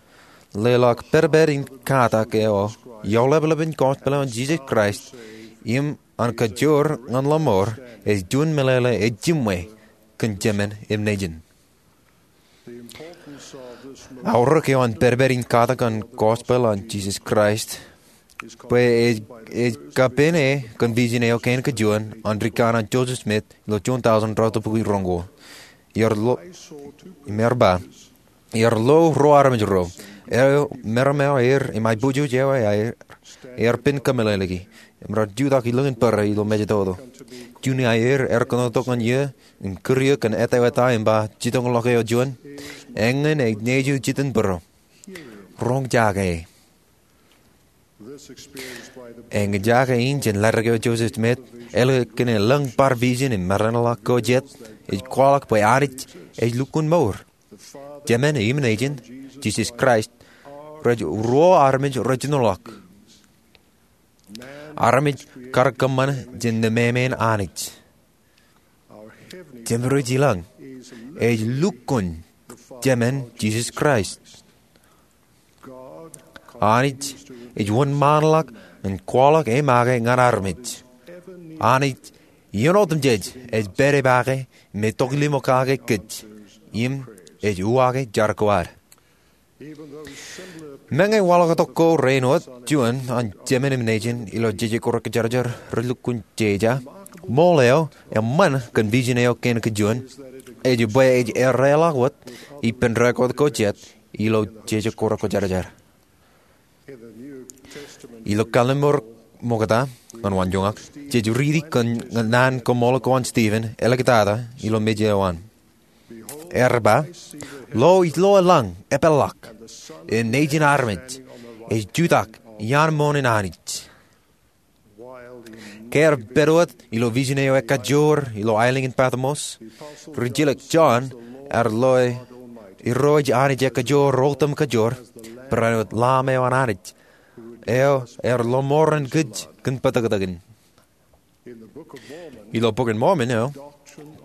leḷọk pedped in katak eo eoḷapḷap in gospel eo an Jisōs Kraist im an kajoor ñan lọmọọr ej juon meḷeḷe ej jiṃwe kōn Jemān im Nejin. Aorōk eo an pedped in katak an gospel an Jisōs Kraist bwe ej, ej kappāne kōn vision eo kein kajuon an rikanaan Joseph Smith ilo juon tọujin ruo tōpukwi roñoul. Im ear ba, ear lo ruo armej ro, eo meram eo aer im aiboojoj eo aer, ear pen kōmeḷeḷeiki im raar jutak ilōñ in bōrā ilo mejatoto. Juon aer ear kōnono tok ñan eō im kūr eō kōn ettā wōt aō im ba, jitōñḷọk eo juon, eñin ej nejū jitin bōro. Roñjake. Eñjake in jān ḷaddik eo Joseph Smith, eḷap kōn elōñ bar vision im meranḷọk ko jet, ej kwaḷọk bwe Anij ej lukkuun mour. Jemān im Nejin, Jisōs Kraist, rej ruo armej rejenoḷọk. Armej kar kōṃṃan jān nemāmein Anij. Jemān rej ilọñ ej lukkuun Jemān Jisōs Kraist. Anij ej wōnṃaanḷọk im kwaḷọk e make ñan armej. Anij iien otemjej ej pād e make im ej tokḷimo kake kōj im ej uwaake jar ko ad. Meñe waḷọktok ko rein wōt juon an Jemān im Nejin ilo jeje ko rekwōjarjar rej lukkuun jeja, ṃool eo eṃṃan kōn vision eo kein kajuon ej bwe ej erreḷọk wōt ippān record ko jet ilo jeje ko rekwōjarjar. Ilo Kallim̧ur Ṃokta ñan Waanjoñak, jej riiti kōn naan koṃṃool ko an Stephen āliktata ilo mej eo an. Ear ba, lo, ij lo elōñ epeḷḷọk, im nejin armej ej jutak iaan moṇ in Anij. Ke ear pād wōt ilo vision eo ekajoor ilo aelōñ in Patmos, rijilōk Jon ear lo e, Irooj Anij ekajoor otemkajoor, barāinwōt Lamb eo an Anij, eo ear lọmọọren kōj kōn bōtōktōkin. Ilo Bok in Mormon eo,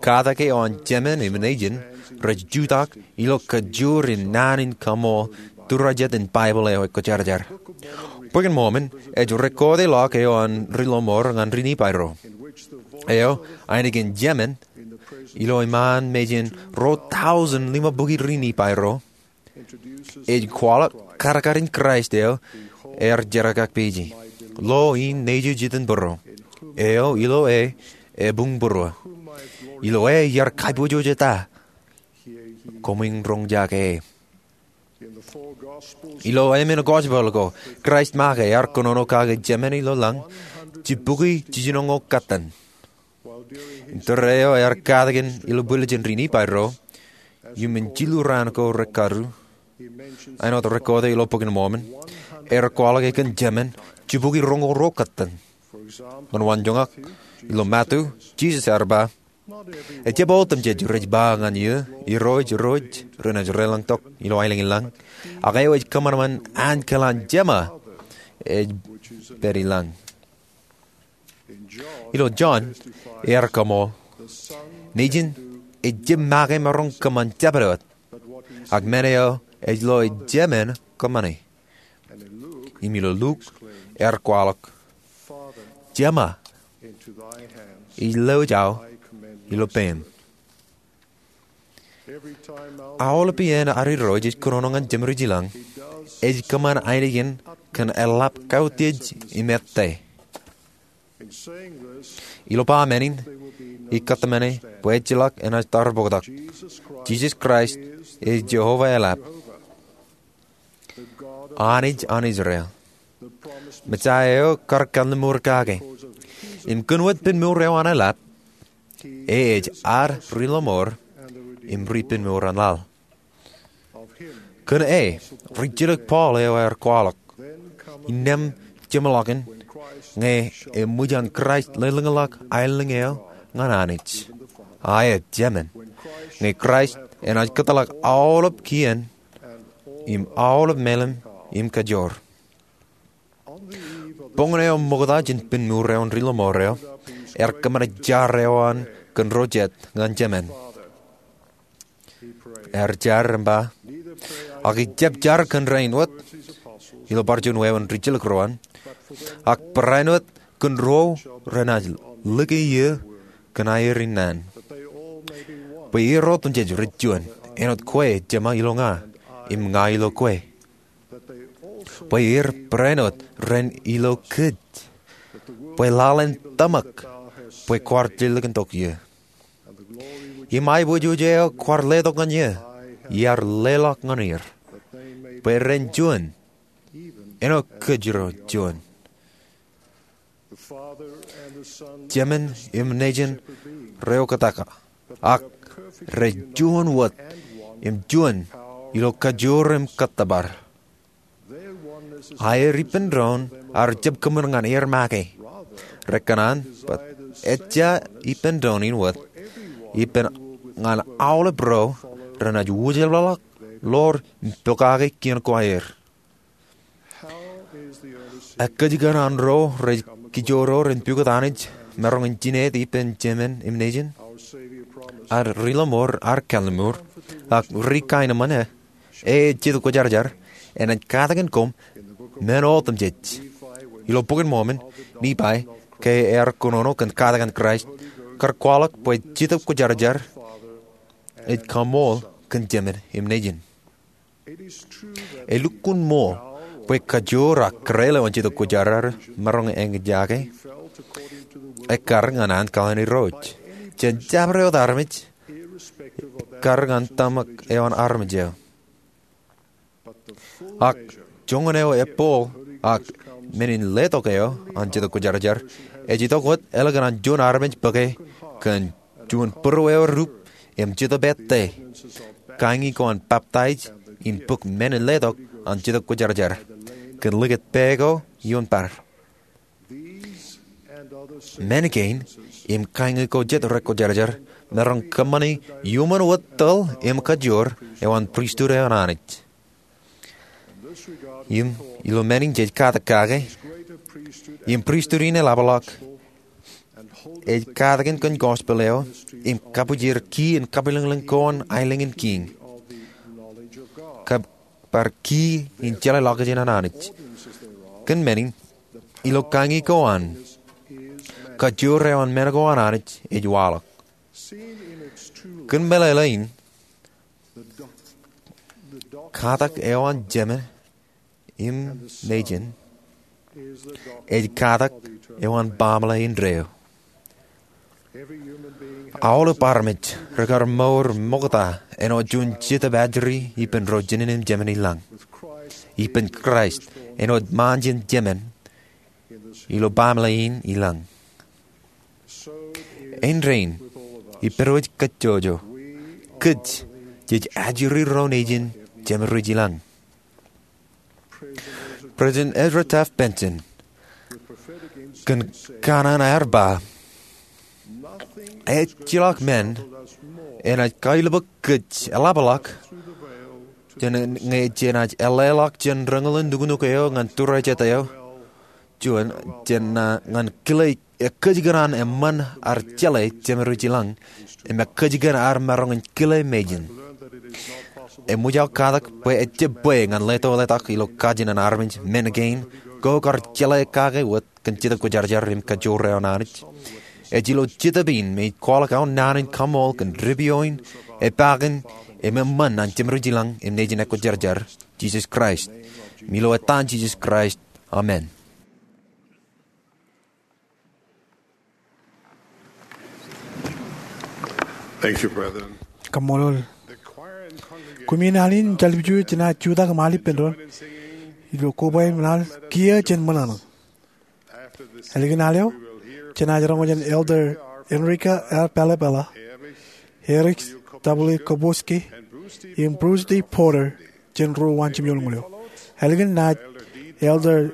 katak eo an jemān im nejin rej jutak ilo kajoor in naan in kaṃool tūrjeet in Baibōḷ eo ekwōjarjar. Bok in Mormon ej rekood ḷọk eo an ri Ḷōṃoor ñan ri Nifai ro, eo ainikien jemān ilo iṃaan mejān ruo tọujin ḷimabukwi ri Nifai ro, ej kwaḷọk kadkadin Kraist eo ear jerkakpeje, lo in nejū jitin būruō, eo ilo e ebuñ būruō, ilo e iar kaiboojoj eta, koṃwin roñjake e. Ilo emān gospel ko, Kraist make ear kōnono kake jemān ilo lañ jibukwi jiljinoñoul kattan. Im tōre eo ear katakin ilo bwiljin ri Nifai ro, iuṃwin jilu raan ko rekaru, āinwōt rekood ilo Bok in Mormon, ear kwaḷọk e kōn jemān jibukwi roñoul ruo kattan. Ñan wanjoñak, ilo Matu, Jisōs ear ba, ejjab otemjej rej ba ñan eō, Irooj, Irooj, renaaj deḷọñtok ilo aelōñ in lañ, ak eo ej kōṃanṃan ankilaan Jema ej pād i lañ. Ilo Jon, ear kaṃool, Nejin ejjab make maroñ kōṃṃan jabdewōt, ak men eo ej lo ejemān kōṃṃane. Im ilo Luk, ear kwaḷọk, Jema, ij lewōj aō ilo peiṃ. Aolep iien ad Irooj ej kōnono ñan jemdewōt ilañ, ej kōṃṃan ainikien kōn eḷap kautiej im ettā. Ilo ba men in, ikōtmāne bwe ejjeḷọk enaaj tarboktak, Jisōs Kraist ej Jeova eḷap, Anij an Israel, Mesaia eo kar kalliṃur kake. Im kōn wōt pinmour eo an eḷap, e ej ad ri Ḷōṃoor im ri pinmour an laḷ. Kōn e, rijjilōk Paul eo ear kwaḷọk, innām jeṃḷọkin, ñe eṃōj an Kraist lelōñḷọk aelōñ eo ñan Anij, a e jemān, ñe Kraist enaaj kōtḷọk aolep kien im aolep meḷeḷe im kajoor. Boñōn eo ṃokta jān pinmour eo an ri Ḷōṃoor eo, ear kōṃṃane jar eo an kōn ro jet ñan jemān. Ear jar im ba, Ak ijjab jar kōn rainin wōt, ilo bar juon wāween rijjilōk ro an, ak barāinwōt kōn ro renaaj lōke eō kōn aer in naan, bwe er otemjej rej juon, āinwōt kwe Jema ilo ña, im ña ilo kwe, bwe er barāinwōt ren ilo kōj, bwe laḷ en tōmak bwe kwaar lelōñtok eō. Im aiboojoj eo kwaar letok ñan eō, iar leḷọk ñan er, bwe ren juon, āinwōt kōj ro juon. Jemān im nejin reoktak, ak rej juon wōt, im juon ilo kajoor im kōttōpar. Aer ippān doon ear jab kōṃṃan ñan er make. Rekōṇaan bwe ejja ippān doon in wōt, ippān ñan aolep ro renaaj wūjeḷḷọk ḷọk im pokake kien ko aer. Ekkōjkan an ro rej kijoror in pukot Anij maroñ in jined ippān jemān im nejin? Ad ri Ḷōṃoor ear kalliṃur, ak ri kaenōṃṃan e, e Jetōb Kwōjarjar, enaaj katakin koṃ men otemjej. Ilo Bok in Mormon, Nifai, ke ear kōnono kōn katakin Kraist, kar kwaḷọk bwe Jetōb Kwōjarjar ej kaṃool kōn jemān im nejin. Elukkuun ṃool bwe kajoor ak kōrā eo an Jetōb Kwōjarjar maroñ eñjake ekkar ñan ankilaan Irooj jān jabdewōt armej, ekkar ñan tōmak eo an armej eo. Ak joñan eo ebboḷ ak men in letok eo an Jetōb Kwōjarjar ej itok wōt ālikin an juon armej bōke kōn juon būruō eo erup im Jetōb ettā, kañi ko an baptaij im bōk men in letok an Jetōb Kwōjarjar kōn likūt pā ko ioon bar. Men kein im kañi ko jet rekwōjarjar maroñ kōṃṃani iuṃwin wōt tōl im kajoor eo an pristut eo an Anij. Im ilo men in jej katak kake im pristut in eḷapḷọk ej katakin kōn gospel eo im kabwijin key in kabwilōñlōñ ko an aelōñ in kiiñ, kab bar key in jeḷāḷọkjeṇ an Anij. Kōn men in, ilo kañi ko an, kajoor eo an men ko an Anij ej waḷọk. Kōn meḷeḷe in, katak eo an Jemān im Nejin ej katak eo an baaṃle indeeo. Aolep armej rekar mour ṃokta āinwōt juon Jetōb ajri ippān ro jinen im jemān ilañ, ippān Kraist āinwōt ṃaanjin Jemān ilo baaṃle in ilañ. Āindein, ippād wōj kajjojo, kōj jej ajri ro nejin jemān ro ilañ. President Ezra Taft Benson kōn kanaan ear ba, ejjeḷọk men enaaj kailbōk kōj eḷapḷọk jān ñe jenaaj eḷḷāḷọk jān rōñoul in nuknuk eo ñan tūrijet eo juon, jān ñan kile ekkōjkan an eṃṃan ar jeḷā jemān ro ilañ im ekkōjkan ar maroñ in kile mejān. Eṃōj aō katak bwe ejjab bwe ñan leto letak ilo kajin an armej men kein ko kar jeḷā kake wōt kōn Jetōb Kwōjarjar im kajoor eo an Anij. Ej ilo Jetōb in me ij kwaḷọk aō naan in kaṃool kōn dipioin, epaakin, im eṃṃan an jemān ro ilañ im nejin ekwōjarjar, Jisōs Kraist. Im ilo etan Jisōs Kraist, amen. Thank you, brethren. Kaṃṃoolol. Kumi in al in im jalbiju jenaaj jutak im al ippān doon ilo koba im al kiiō jān ṃōṇōṇō. Ālikin al eo, jenaaj roñ jān Elder Enrique R. Palabella, Eric W. Koposki, im Bruce D. Porter, jān ro waan jimjuonñoul eo. Ālikin naaj Elder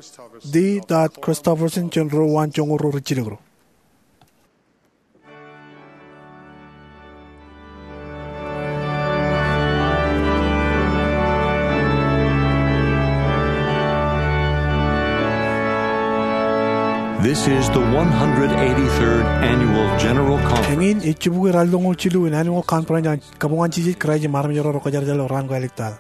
D. Todd Christofferson jān ro waan joñoul ro rijjilōk ro. This is the one hundred eighty-third Annual General Conference. Eñin ej jibukwi ralitōñoul jilu in Annual Conference an Kabuñ an Jisōs Kraist im Armej ro Kwōjarjar ilo Raan ko Āliktata.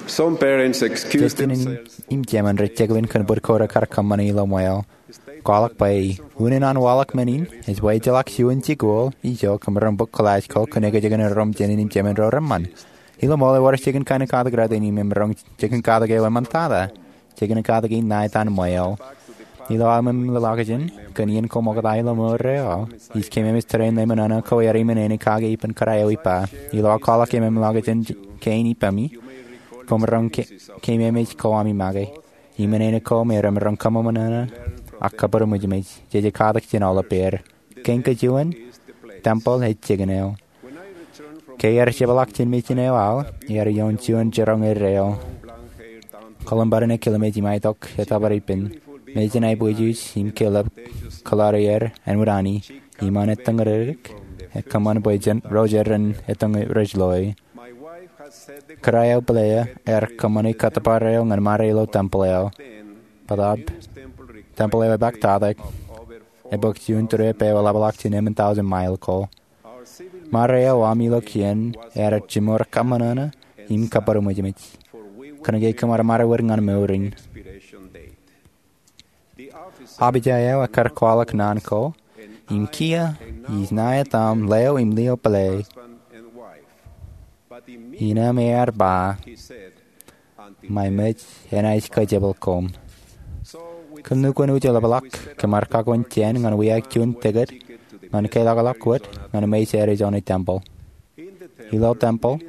Some parents excuse Jet jān im, themselves. Im jemān rej jekpen kōn bōd ko rekar kōṃṃane ilo ṃweo. Kwaḷọk bwe unin an waḷọk men in ej bwe ejjeḷọk juon jikuuḷ ijo kōm maroñ bōk Glasgow kōn ekōjkan ro im jān im jemān ro reṃṃan. Ilo ṃool ewōr jikin kain katak rot in im maroñ jikin katak eo eṃṃantata. Jikin katak in ṇa etan ṃweo. Ilo aō ṃōṃ ḷọkjeṇ kōn iien ko ṃokta ilo ṃweo ro aō, ij keememej tōre in ḷōṃōṇōṇō ko aer iṃōṇōṇō kake ippān kōrā eo ippa. Ilo aō kwaḷọk eo ṃōṃ ḷọkjeṇ kein ippemi, koṃ maroñ ke-, keememej ko ami make. Iṃōṇōṇō ko me remaroñ kōṃṃōṇōṇō ak kabūroṃōjṃōj. Jeje katak jān aolep er. Kein kajuon, tempeḷ ej jikin eo. Ke iar jepḷaak jān mejān eo aō, iar ioon juon jiroñ erreo. Kōḷmānḷọkjeṇ ekilmeej im aetok etōpar ippān. Mejān aebwijwij im kelōb kōḷareer āinwōt ani. Iṃaan ettōñrōdik, ekōṃṃan bwe jen ro jeran ettōñ rej loe. Kōrā eo pāleo ear kōṃṃane kōttōpar eo ñan Mare ilo tempeḷ eo. Bōtab, tempeḷ eo epaaktatak, ebōk juon tūrep eo eḷapḷọk jān emān thousand mile ko. Mare eo aṃ ilo kien ear jiṃor kōṃṃōṇōṇō im kabūroṃōjṃōj. Kōnke kōm ar ṃare wōt ñan mour in. Abijay eo ekkar kwaḷọk naan ko, im kiiō, ij ṇa etaṃ leo im lio pālle. Innām ear ba, Ṃae mej enaaj kōjepel koṃ. Kōn lukkuun uj eḷapḷọk, kōm ar kakwōn jān ñan wiaik juon ticket ñan keḷọkḷọk wōt ñan Mesa Arizona Temple. Ilo tempeḷ,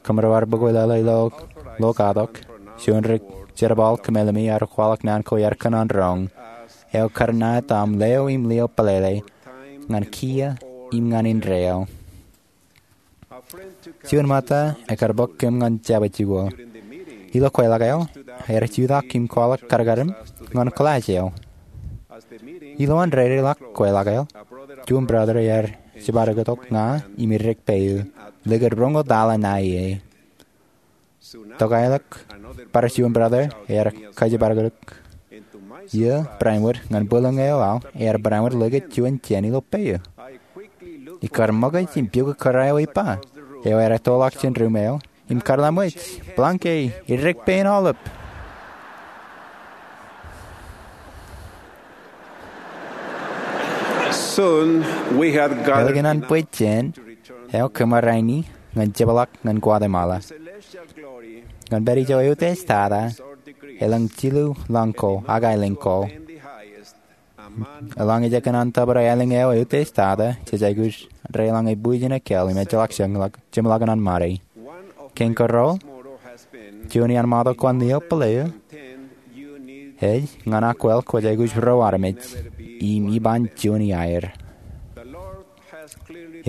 kōmro ar bōk leḷọk ilo lo katok, juon ri jerbal kōmeḷeḷe me ear kwaḷọk naan ko ear kōṇaan roñ. Eo kar ṇa etaṃ leo im lio pālle, ñan kiiō im ñan indeeo. Juon ṃōtta ekkar bōk kōm ñan jabōt jikuuḷ. Ilo kweilọk eo, ear jutak im kwaḷọk karkarōk ñan class eo. Ilowaan dedeḷọk kweilọk eo, juon brother ear jibadektok ña im eddek peiū, likūt roñoul taḷa ṇae ie. Tokālik, bar juon brother ear kajibadektok eō barāinwōt ñan bwilōñ eo aō, ear barāinwōt likūt juon jān ilo peiū. Ikkar ṃōkaj im pukot kōrā eo ippa, eo ear ettoḷọk jān ruum eo, im kar ḷōmṇak, Blanke, eddek pein aolep. Soon we had gathered Ālikin an bwe jān, eo kōm ar aini ñan jepḷaak ñan Guatemala. Ñan pād ijo eutiej tata, elōñ jilu lañ ko, ak aelōñ ko. Elōñ ej kōṇaan tōpar aelōñ eo eutiej tata, jej aikuj deḷọñ ebwijin ekāāl im ejjeḷọk jeṃḷọkin an Mare. Kein karuo, juon iaan ṃōttan lio pālle eo, ej ñan akwāāl kwōj aikuj ro armej, im iban juon iaer.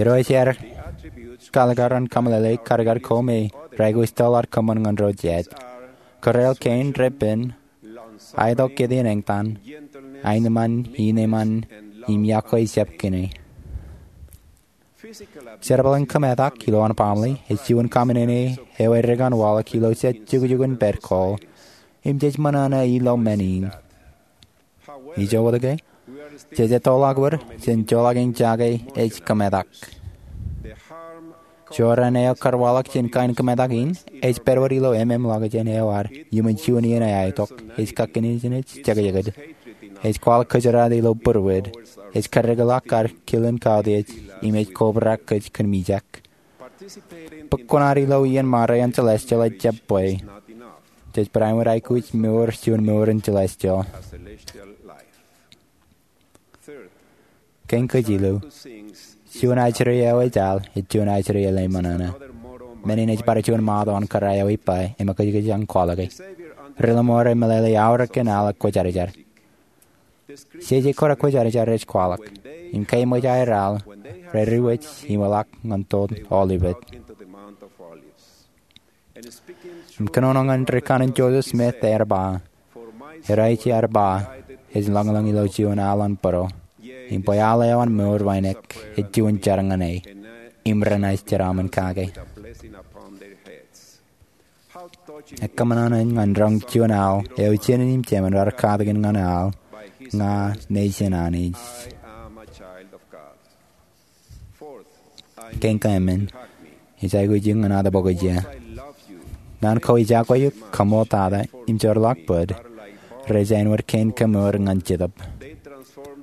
Irooj ear kaalikkar an kameḷeḷe karkar ko me rej aikuj tōl ad kōṃṃan ñan ro jet. Kōrā eo kein repen, aetok kōtaan eñtaan, aenōṃṃan, inōṃṃan, im yokwe jab kine. Jerbal in kōmetak ilowaan baaṃle ej juon kaṃōṇōṇō eo eddek an waḷọk ilo jet jukjukun pād ko, im jej ṃōṇōṇō ilo men in. Ijo wōt ke, jej ettoḷọk wōt jān joḷọk in jake ej kōmetak. Jorrāān eo kar waḷọk jān kain kōmetak in, ej pād wōt ilo ememḷọkjeṇ eo ad iuṃwin juon iien eo aetok, ej kakinejnej jekjekid. Ej kwaḷọk kōjeraadik ilo būruod. Ej kaddekḷọk ad kilen kautiej, im ej kobrak kōj kōn mijak. Bōk kuṇaad ilo iien Mare an celestial ej jab bwe. Jej barāinwōt aikuj mour juon mour in celestial. Kein kajilu. Juon ajri eo ej al, ej juon ajri eḷap ṃōṇōṇō. Men in ej bar juon ṃōtto an kōrā eo ippa, im ekōjkōj an kwaḷọke. Ri ḷōṃaro meḷeḷe aorōk in al ekwōjarjar. Jeje ko rekwōjarjar ej kwaḷọk. Im ke eṃōj aer al, rediwōj im eḷak ñan Toḷ Aolep. Im kōnono ñan ri kanaan Joseph Smith ear ba, Eo ij ear ba, ej lōñlōñ ilo juon al an būruō, im bwe al eo an mour wānōk ej juon jar ñan e, im renaaj jeraaṃṃan kake. Ekōṃṃan ñan roñ juon al eo jenin im jemān rar katakin ñan al, Ña nejin Anij. Kein kaemān, ij aikuj eñin ad bōk ije. Naan ko ej iọkwe eok, kaṃootata im joorḷọk bōd, rej āinwōt kein kemour ñan Jetōb.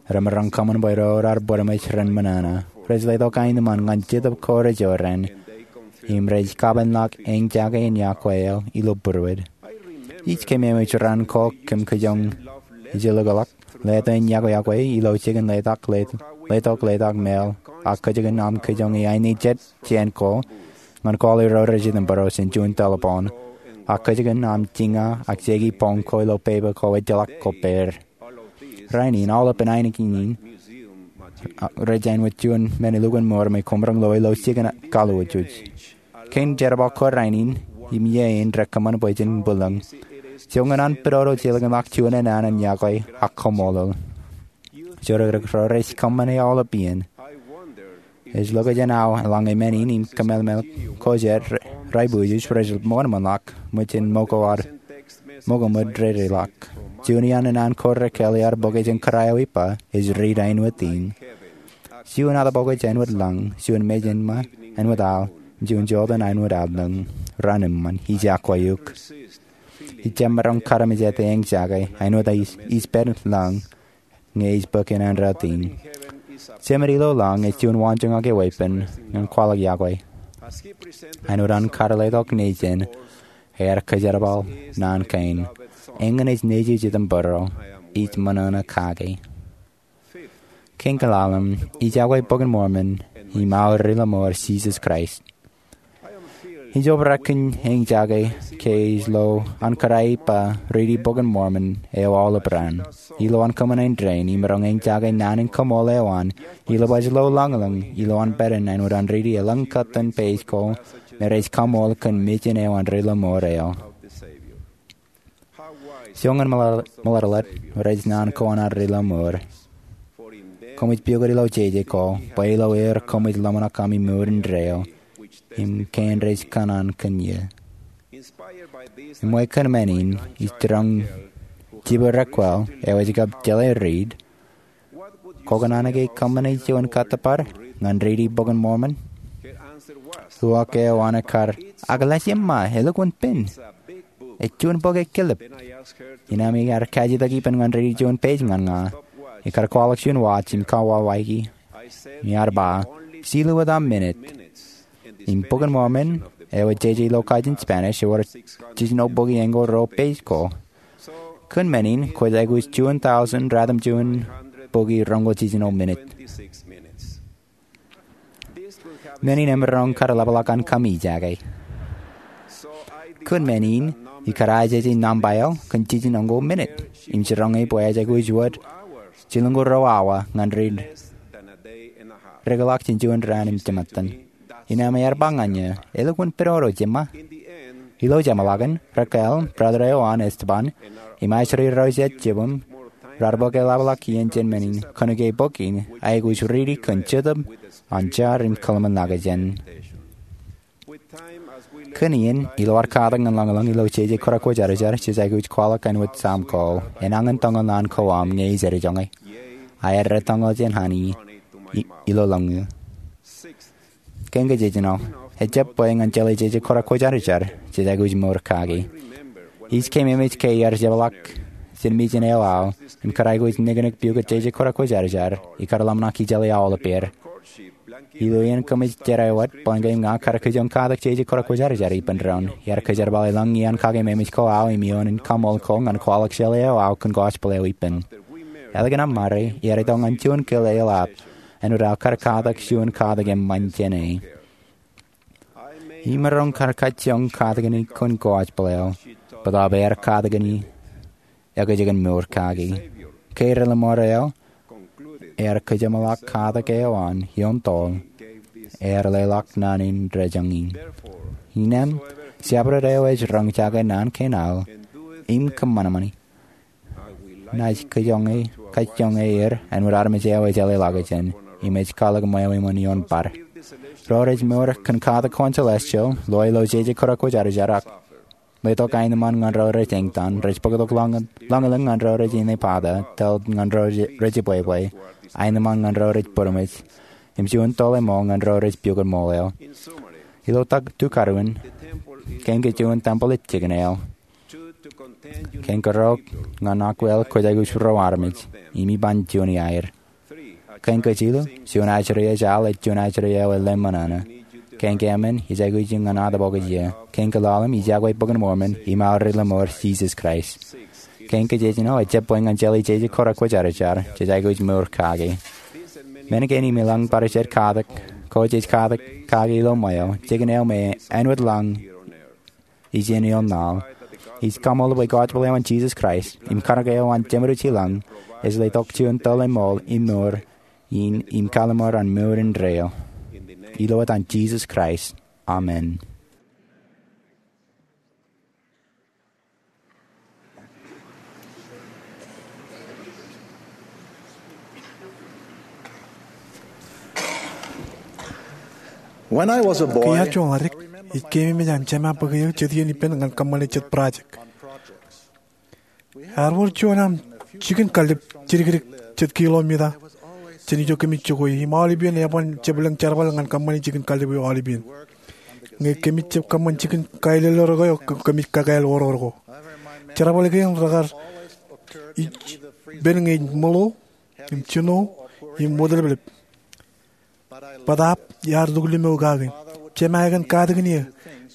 Remaroñ kōṃṃan bwe ro raar bōd eṃōj ren ṃōṇōṇō. Rej letok aenōṃṃan ñan Jetōb ko rejoor in, im rej kapenḷọk eñjake in iọkwe eo ilo būruod. Ij keememej raan ko kōm kajoñ ijellọkḷọk letok in iọkwe ilo jikin letok letok meḷeḷe, ak kajjien aṃ kajoñe aini jet jān ko ñan kwaḷọk ro rej itok būruod jān juon telepon, ak kajjien aṃ jiña ak jeki bōñ ko ilo pepa ko ejjeḷọk kopeer. Rainin, aolep in ainikien in rej āinwōt juon men elukkuun mour me koṃ maroñ lo ilo jikin kaḷooj. Kein jerbal ko rainin im iien rekōṃṃan bwe jen bwilōñ. Joñan an pidodo, jelōñḷọk juon enana in iọkwe ak kaṃṃoolol. Jodikdik ro rej kōṃṃane aolep iien. Ej lokjān aō eḷaññe men in im kōmālmāl ko jet, ri-, ribuujuj rej ṃōṇōṇōḷọk, ṃōjin ṃōko ad, ṃōko ṃōd dedeḷọk. Juon iaan enana ko Raquel ear bōke jān kōrā eo ippa, ej riit āinwōt in. Juon atbokōj āinwōt lañ, juon mejānṃa āinwōt al, juon jota āinwōt allōñ. Raan eṃṃan, ij iọkwe eok. Ij jab maroñ karamejāte eñjake, āinwōt ij, ij pād lañ, ñe ij bōk inanrāt in. Jemān ilo lañ ej juon waanjoñak eo epen ñan kwaḷọk iọkwe. Āinwōt an kar letok nejin, ear kōjerbal naan kein. Eñin ej nejū ej itok būruod, ij ṃōṇōṇō kake. Kein kaḷalem, ij iọkwe Bok in Mormon, im aō Ri-lọmọọr Jisōs Kraist. Ij obrak kōn eñjake ke ij lo an kōrā eo ippa riiti Bok in Mormon eo aolep raan. Ilo an kōṃṃane indein, imaroñ eñjake naan in kaṃool eo an, ilo baj lo lañlōñ, ilo an pād in āinwōt an riiti elōñ kōttan page ko me rej kaṃool kōn mejān eo an Ri-lọmọọr eo. Joñan ṃōḷar-, ṃōḷarḷọk rej naan ko an ad Ri-lọmọọr. Koṃij piukūt ilo jeje ko, bwe ilo er koṃij ḷōmṇak ami mour indeeo, im kein rej kōṇaan kōn eō. Im bwe kōn men in, ij jiroñ jibwe Raquel, eo ej kab jeḷā riit, Kwō kōṇaan ke kōṃṃane juon kōttōpar ñan riiti Bok in Mormon? Uwaak eo an ekkar, ak lale jemṃa, elukkuun pen. Ej juon bok ekkilep. Innām iar kajitak ippān ñan riiti juon page ñan ña. Ikar kwaḷọk juon watch im kawāwaiki. Im iar ba, jilu wōt aṃ minit. Im Bok in Mormon, eo ej jeje ilo kajin Spanish, ewōr jiljino bukwi eñoul ruo page ko. Kōn men in, kwōj aikuj juon tọujin ratimjuon bukwi roñoul jiljino minit. Men in emaroñ kar ḷapḷọk an kōmijake. Kōn men in, ikar ajeje nōṃba eo kōn jiljino eñoul minit. Im jiroñ e bwe ej aikuj wōt jilñoul ruo awa ñan riit. Rōkḷọk jān juon raan im jemātan. Innām iar ba ñan eō, elukkuun pidodo jemṃa. Ilo jeṃḷọkin, Raquel, brother eo an Esteban, im ajri ro jet jibwim, raar bōk eḷapḷọk iien jān men in, kōnke bok in, aikuj riiti kōn jetōb, an jar im kōḷmānḷọkjeṇ. Kōn iien, ilo ad katak ñan lañlōñ ilo jeje kōrā kwōjarjar, jej aikuj kwaḷọk āinwōt Sam ko, enañin tōñal naan ko aṃ ñe ij eddōñe. Aer rej tōñal jān hani, i-, ilo lañ eō. Kein kajjitōk eo, ejjab bwe ñan jeḷā jeje kōrā kwōjarjar, jej aikuj mour kaki. Ij keememej ke iar jeṃḷọk jān mejān eo aō, im kar aikuj niknik piukūt jeje kōrā kwōjarjar, ikar ḷōmṇak ijeḷā aolepād. Ilo iien kōmij jerā wōt, bōlen ña kar kajoñ katak jeje kōrā kwōjarjar ippān doon, iar kōjerbale lañ iaan kakeememej ko aō im ioon in kaṃool ko ñan kwaḷọk jeḷā eo aō kōn gospel eo ippān. Ālikin aṃ ṃare, iar itok ñan juon kile eḷap, āinwōt aō kar katak juon katak eṃṃan jāne. Imaroñ kar kajoñ katak in kōn gospel eo, bōtaab ear katak in ekōjkan mour kaki. Ke Ri-lọmọọr eo ear kajeṃḷọk katak eo an ioon toḷ, ear leḷọk naan in dejañ in. Innām, jabdewōt eo ej roñjake naan kein aō, im kōṃanṃani, naaj kajoñe, kajoñe er āinwōt armej eo ejeḷā ḷọkjeṇ, im ej kwaḷọk ṃweo iṃōn ioon bar. Ro rej mour kōn katak ko an celestial, loe ilo jeje kōrā kwōjarjar ak letok aenōṃṃan ñan ro rej eñtaan, rej bōktok lañ, lañlōñ ñan ro rej inepata, tōl ñan ro rej, rej ibwebwe, aenōṃṃan ñan ro rej būroṃōj, im juon toḷ eṃool ñan ro rej piukūt ṃool eo. Ilo tak tukaruon, Kein ke juon tempeḷ ej jikin eo. Kein kerook, ñan akwāāl kwōj aikuj ro armej, im iban juon iaer. Kein kajjitōk, juon ajri ej al ej juon ajri eo ej lemñan ṇe. Kein keemān, ij aikuj ñan ad bōk ijin. Kein kaḷalem, ij iọkwe Bok in Mormon, im aorōk lemñoul Jisōs Kraist. Kein kajejeṇ eo, ejjab bwe ñan jeḷā jeje kōrā kwōjarjar, jej aikuj mour kaki. Men kein im ilañ bar jejjet katak, ko jej katak kaki ilo ṃweo, jikin eo me āinwōt lañ ijin ioon ña. Ij kaṃṃoolol bwe gospel eo an Jisōs Kraist, im kaṇak eo an Jemedwōj Ilañ, ej letok juon tōl eṃṃool im mour, in im kalimur an mour indeeo. Ilo etan Jisōs Kraist. Amen. When I was a boy, Ke iar juon ḷaddik, ij keememej aṃ jema bōk eō jet iien ippān ñan kōṃṃane jet project. Ear wōr juon aṃ jikin kallib jidikdik jet kilomita jān ijo kōmij jokwe im aolepān eban jab lōñ jerbal ñan kōṃṃane jikin kallib eo aolepān. Ñe kōmij jab kōṃṃan jikin kaelōlrōk eo, kōmij kakāāl oror ko. Jerbal kein rekar ippān ñe ej ṃōḷo im jino im wōtlōplōp. Bōtaab iar luklimokake. Jema ekōn katakin eō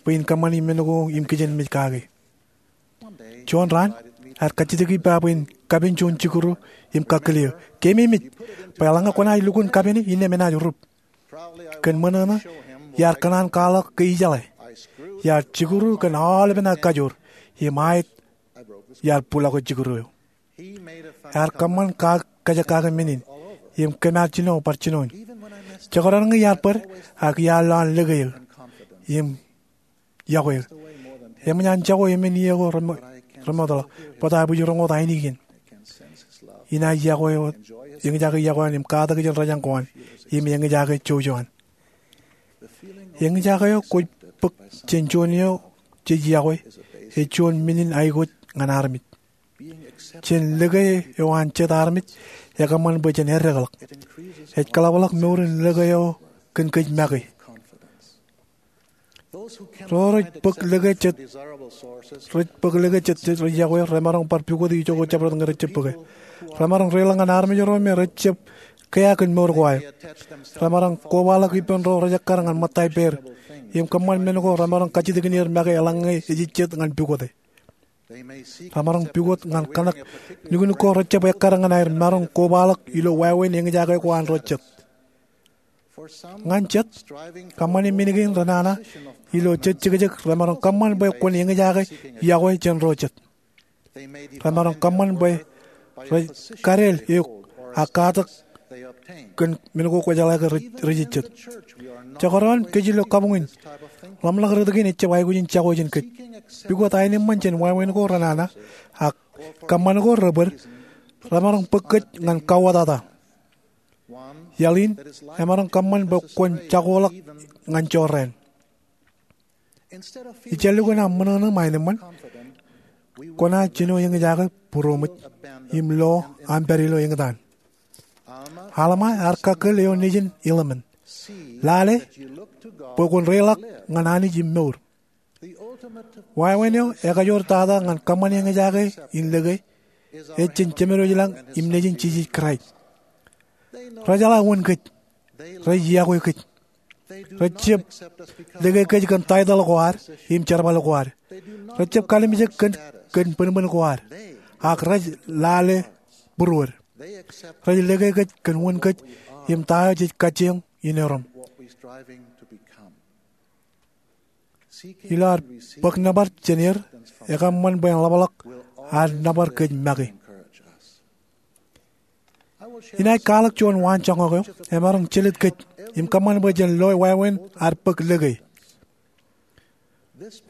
bwe in kōṃṃani men ko im kijenmej kake. Juon raan, ear kajjitōk ippa bwe in kapen juon jikuru im kakkōl eō, keememej bwe eḷaññe kwōnaaj lukkuun kapene, innām enaaj rup. Kōn ṃōṇōṇō, iar kōṇaan kwaḷọk ke ijeḷā. Iar jikuru kōn aolepen aō kajoor, im aet iar bulọke jikuru eo. Ear kōṃṃan kajekake men in im kōm ar jino bar jinoin. Jekdọọn ñe iar bōd, ak iar lo an lōke eō im iọkwe eō. Eṃōj an jako emān iiō ko remootḷọk, bōtaab ij roñoul ainikien. Inaaj iọkwe wōt, eñjake iọkwe an im katak jān rōjañ ko an im eñjake jouj eo an. Eñjake eo kwōj bōk jān juon eo jej iọkwe ej juon men in aikuj ñan armej. Jān lōke eo an jet armej, ekōṃṃan bwe jen eddekḷọk. Ej kōḷapḷọk mour in lōke eo kōn kōj make. Ro rej bōk lōke jet, rej bōk lōke jet rej iọkwe, remaroñ bar pukot ijoko jabdewōt ñe rejjab bōke. Remaroñ reiḷọk ñan armej ro me rejjab kea kōn mour ko aer. Remaroñ kobaḷọk ippān ro rejekkar ñan ṃōttan pād im kōṃṃan men ko remaroñ kajjitōkin er make eḷaññe ejejjet ñan pukote. Remaroñ pukot ñan kōṇak nuknuk ko rejjab ekkar ñan aer maroñ kobaḷọk ilo wāween eñjake ko an ro jet. Ñan jet, kōṃṃane men kein renana ilo jejjekjek remaroñ kōṃṃan bwe kwōn eñjake iọkwe jān ro jet. Remaroñ kōṃṃan bwe rej kadeel eok ak katak kōn men ko kwōjeḷā ke rej, rejejjet. Jekdọọn kōj ilo kabuñ in, ḷōmṇak rot kein ejjab aikuj in jako jān kōj. Pukot aenōṃṃan jān wāween ko renana, ak kōṃṃan ko rebōd, remaroñ bōk kōj ñan kauwōtata. Iaḷ in, emaroñ kōṃṃan bwe kwōn jakoḷọk ñan jorrāān. Ijellukkuun aṃ ṃōṇōṇō im aenōṃṃan, kwōnaaj jino eñjake būroṃōj im lo aṃ pād ilo eñtaan. Alma ear kakkōl eo nejin Helaman, lale bwe kwōn reiḷọk ñan Anij im mour. Wāween eo ekajoor tata ñan kōṃṃane eñjake in lōke ej jān Jemedwōj Ilañ im Nejin Jisōs Kraist. Rejeḷā wōn kōj. Rej iọkwe kōj. Rejjab lōke kōj kōn taitōḷ ko ad im jerbal ko ad. Rejjab kalimjek kōn, kōn bōnbōn ko ad. Ak rej lale būruod. Rej lōke kōj kōn wōn kōj im ta eo jej kajjioñ in erom. Ilo ad bōk nōbar jān er, ekōṃṃan bwe en ḷapḷọk ad nōbar kōj make. Inaaj kwaḷọk juon waanjoñak eo emaroñ jelōt kōj im kōṃṃan bwe jen loe wāween ad bōk lōke.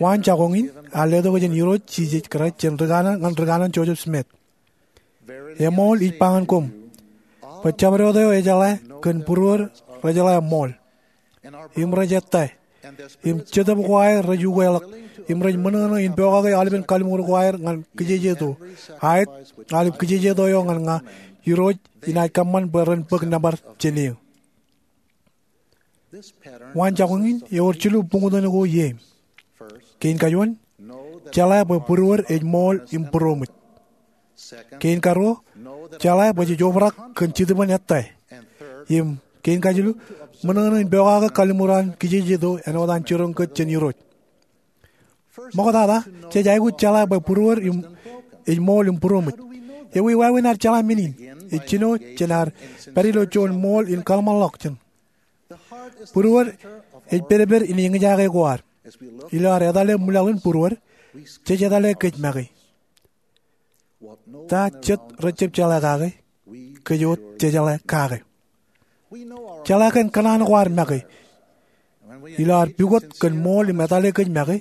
Waanjoñak in ear letok jān Irooj Jisōs Kraist jān ri kanaan, ñan ri kanaan Joseph Smith. Eṃool ij ba ñan koṃ bwe jabdewōt eo ejeḷā kōn būruod rejeḷā ṃool. Im rej ettā. Im jetōb ko aer rej ukeḷọk. Im rej ṃōṇōṇō in pokake aolepen kalliṃur ko aer ñan kijejeto. Aet, aolep kijejeto eo ñan ña, Irooj, inaaj kōṃṃan bwe ren bōk nōbar jān eō. Waanjoñak in ewōr jilu buñtōn ko iien. Kein kajuon, jeḷā bwe būruod ej ṃool im būroṃōj. Kein karuo, jeḷā bwe jej obrak kōn Jetōb in ettā. Im kein kajilu, ṃōṇōṇō in pokake kalliṃur an kijejeto āinwōt an jiroñ kōj jān Irooj. Ṃoktata, jej aikuj jeḷā bwe būruod ej ṃool im būroṃōj. Ewi wāween ad jeḷā men in? Ej jino jān ad pād ilo juon ṃool in kōḷmānḷọkjeṇ. Būruod ej pedped in eñjake ko ad. Ilo ad etale ṃwilaḷ in būruod, jej etale kōj make. Ta jet rej jab jeḷā kake? Kōj wōt jejeḷā kake. Jeḷā kōn kōṇaan ko ad make. Ilo ad pukot kōn ṃool im etale kōj make,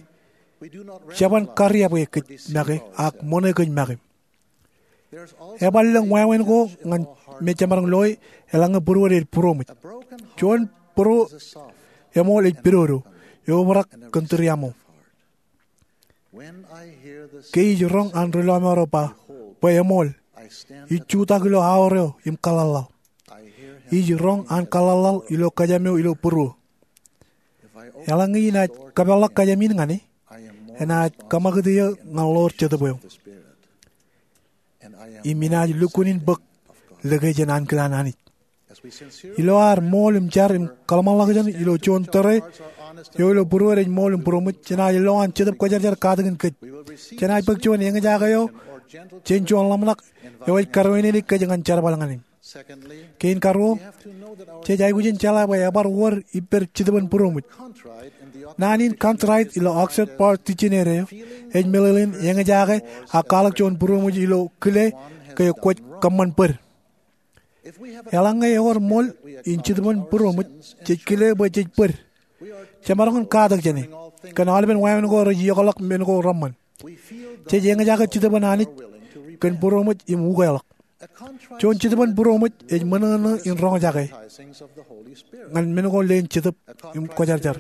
jeban kariab ke kōj make ak ṃōṇe kōj make. Eban lōñ wāween ko ñan me jemaroñ loe eḷaññe būruod ej būroṃōj. Juon būro eṃool ej pidodo, eobrak kōn tūriaṃo. Ke ij roñ an ri-lọmọọr eo ba, bwe eṃool, ij jutak ilo aor eo im kaḷḷaḷḷaḷ. Ij roñ an kaḷḷaḷḷaḷ ilo kōjām eo ilo būruō. Eḷaññe inaaj kōpeḷḷọk kōjām in ñan e, enaaj kōṃakūt eō ñan ḷoor Jetōb eo. Im inaaj lukkuun in bōk lōke jān ankilaan Anij. Ilo ad ṃool im jar im kōḷmānḷọkjeṇ ilo juon tōre eo ilo būruod ej ṃool im būroṃōj, jenaaj lo an Jetōb Kwōjarjar katakin kōj. Jenaaj bōk juon eñjake eo jān juon ḷōmṇak eo ej karuwainene kōj ñan jerbal ñan e. Kein karuo, jej aikuj in jeḷā bwe ebar wōr ippād Jetōb in būroṃōj. Naan in contrite ilo Oxford Dictionary eo ej meḷeḷein eñjake ak kwaḷọk juon būroṃōj ilo kile ke kwōj kōṃṃan bōd. Eḷaññe ewōr ṃool in Jetōb in būroṃōj, jej kile bwe jej bōd. Jemaroñ in katak jān e. Kōn aolepen wāween ko rej iokḷọk men ko reṃṃan, jej eñjake Jetōb in Anij kōn būroṃōj im ukeḷọk. Juon Jetōb in būroṃōj ej ṃōṇōṇō in roñjake ñan men ko leen Jetōb im Kwōjarjar.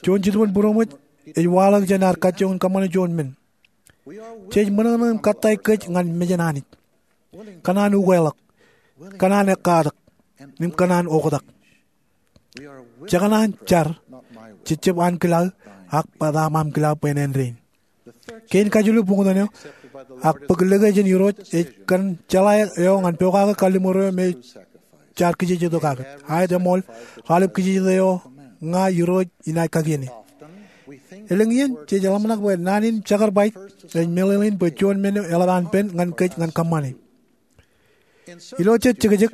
Juon Jetōb in būroṃōj ej waḷọk jān ad kajjioñ in kōṃṃane juon men. Jej ṃōṇōṇō im kōttāik kōj ñan mejān Anij. Kōṇaan ukeḷọk, kōṇaan ekkatak, im kōṇaan oktak. Jekōṇaan jar, jejjab ankilaō, ak bōtaab aṃkilaō bwe en āindein. Kein kajilu buñtōn eo, ak bōk lōke jān Irooj ej kōn jeḷā eo ñan pokake kalliṃur eo me jaar kijejeto kake. Aet, eṃool, aolep kijejeto eo ña Irooj inaaj kakien e. Elōñ iien jej ḷōmṇak bwe naan in sacrifice ej meḷeḷein bwe juon men eo eḷap an pen ñan kōj ñan kōṃṃane. Ilo jet jekjek,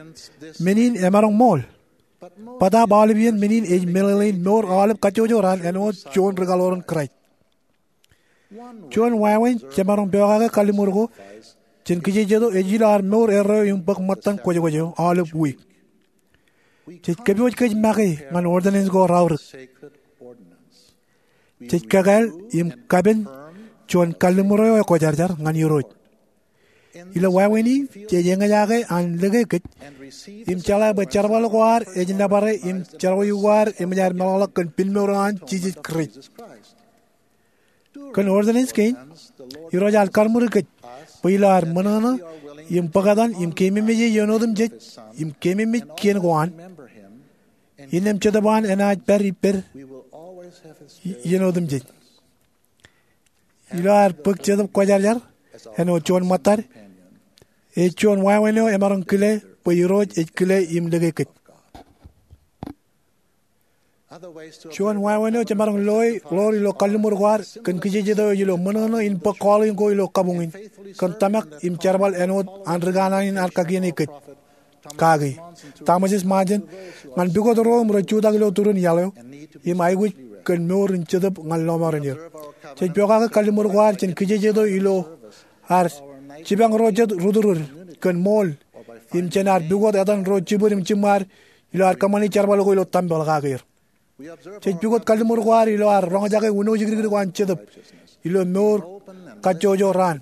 men in emaroñ ṃool. Bōtaab aolep iien men in ej meḷeḷein mour aolep kajjojo raan āinwōt juon ri-kaḷoor in Kraist. Juon wāween jemaroñ pokake kalliṃur ko jān kijejeto ej ilo ad mour erreo im bōk ṃōttan kwōjkwōj eo aolep wiik. Jej kōpooj kōj make ñan ordinance ko raorōk. Jej kakāāl im kapen juon kalliṃur eo ekwōjarjar ñan Irooj. Ilo wāween in, jej eñjake an lōke kōj im jeḷā bwe jerbal ko ad ej nōbare im jerọwiwi ko ad eṃōj aer meḷọkḷọk kōn pinmour eo an Jisōs Kraist. Kōn ordinance kein, Irooj ear kaṃṃoolol kōj bwe ilo ad ṃōṇōṇō im bōktan im keememej e iien otemjej im keememej kien ko an, innām Jetōb an enaaj pād ippād iien otemjej. Ilo ad bōk Jetōb Kwōjarjar āinwōt juon ṃōttad, ej juon wāween eo emaroñ kile bwe Irooj ej kile im lōke kōj. Juon wāween eo jemaroñ loe ḷoor ilo kalliṃur ko ad kōn kijejeto ej ilo ṃōṇōṇō in bōk calling ko ilo kabuñ in kōn tōmak im jerbal āinwōt an ri kanaan in ear kakiene kōj kaki, Thomas S. Monson, ñan pukot ro im rej jutak ilo turin iaḷ eo im aikuj kōn mour in jetōb ñan lọmọọren er. Jej pokake kalliṃur ko ad jān kijejeto ilo ad jipañ ro jet rūtdrūd kōn ṃool im jān ad pukot etan ro jibwid im jiṃṃaad ilo ad kōṃṃani jerbal ko ilo tempel kake er. Jej pukot kalliṃur ko ad ilo ad roñjake uno jekdikdik ko an Jetōb ilo mour kajjojo raan.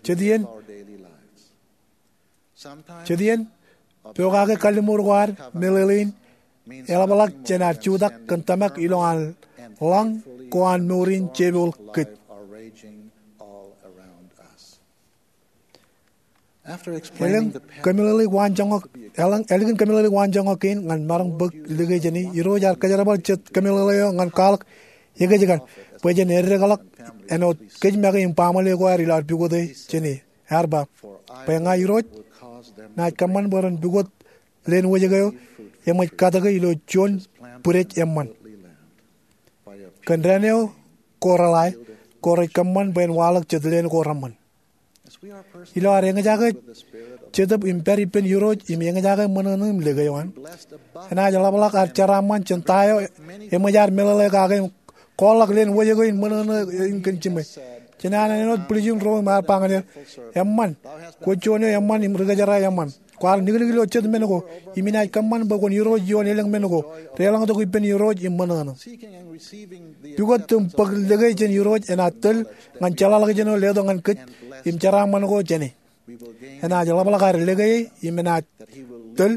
Jet iien, jet iien, pokake kalliṃur ko ad meḷeḷein eḷapḷọk jān ad jutak kōn tōmak ilo an ḷañ ko an mour in jepooḷ kōj. Ālikin kōmeḷeḷeik waanjoñak, ālikin kōmeḷeḷeik waanjoñak kein ñan maroñ bōk lōke jāne, Irooj ear kōjerbal jet kōmeḷeḷe eo ñan kwaḷọk ekōjkan bwe jen eddekḷọk āinwōt kōj make im baaṃle ko aer ilo ad pukote jāne. Ear ba, bwe ña Irooj, enaaj kōṃṃan bwe ren pukot leen wōjke eo eṃōj katōke ilo juon bwidej eṃṃan. Kōn dān eo ko reḷae, ko rej kōṃṃan bwe en waḷọk jet leen ko reṃṃan. Ilo ad eñjake Jetōb im pād ippān Irooj im eñjake ṃōṇōṇō im lōke eo an, enaaj ḷapḷọk ad jeraaṃṃan jān ta eo eṃōj ad meḷeḷe kake im kwaḷọk leen wōjke in ṃōṇōṇō in kōn jiṃwe. Jān an āinwōt bwiljin ro im ear ba ñan er, eṃṃan, kwōj juon eo eṃṃan im ri kōjera eṃṃan. Kwaar niknik ilo jet men ko, im inaaj kōṃṃan bwe kwōn irooj ioon elōñ men ko, deḷọñtok ippān Irooj im ṃōṇōṇō. Pukot im bōk lōke jān Irooj enaaj tōl ñan jeḷāḷọkjeṇ eo letok ñan kōj im jeraaṃṃan ko jāne. Enaaj ḷapḷọk ad lōke e im enaaj tōl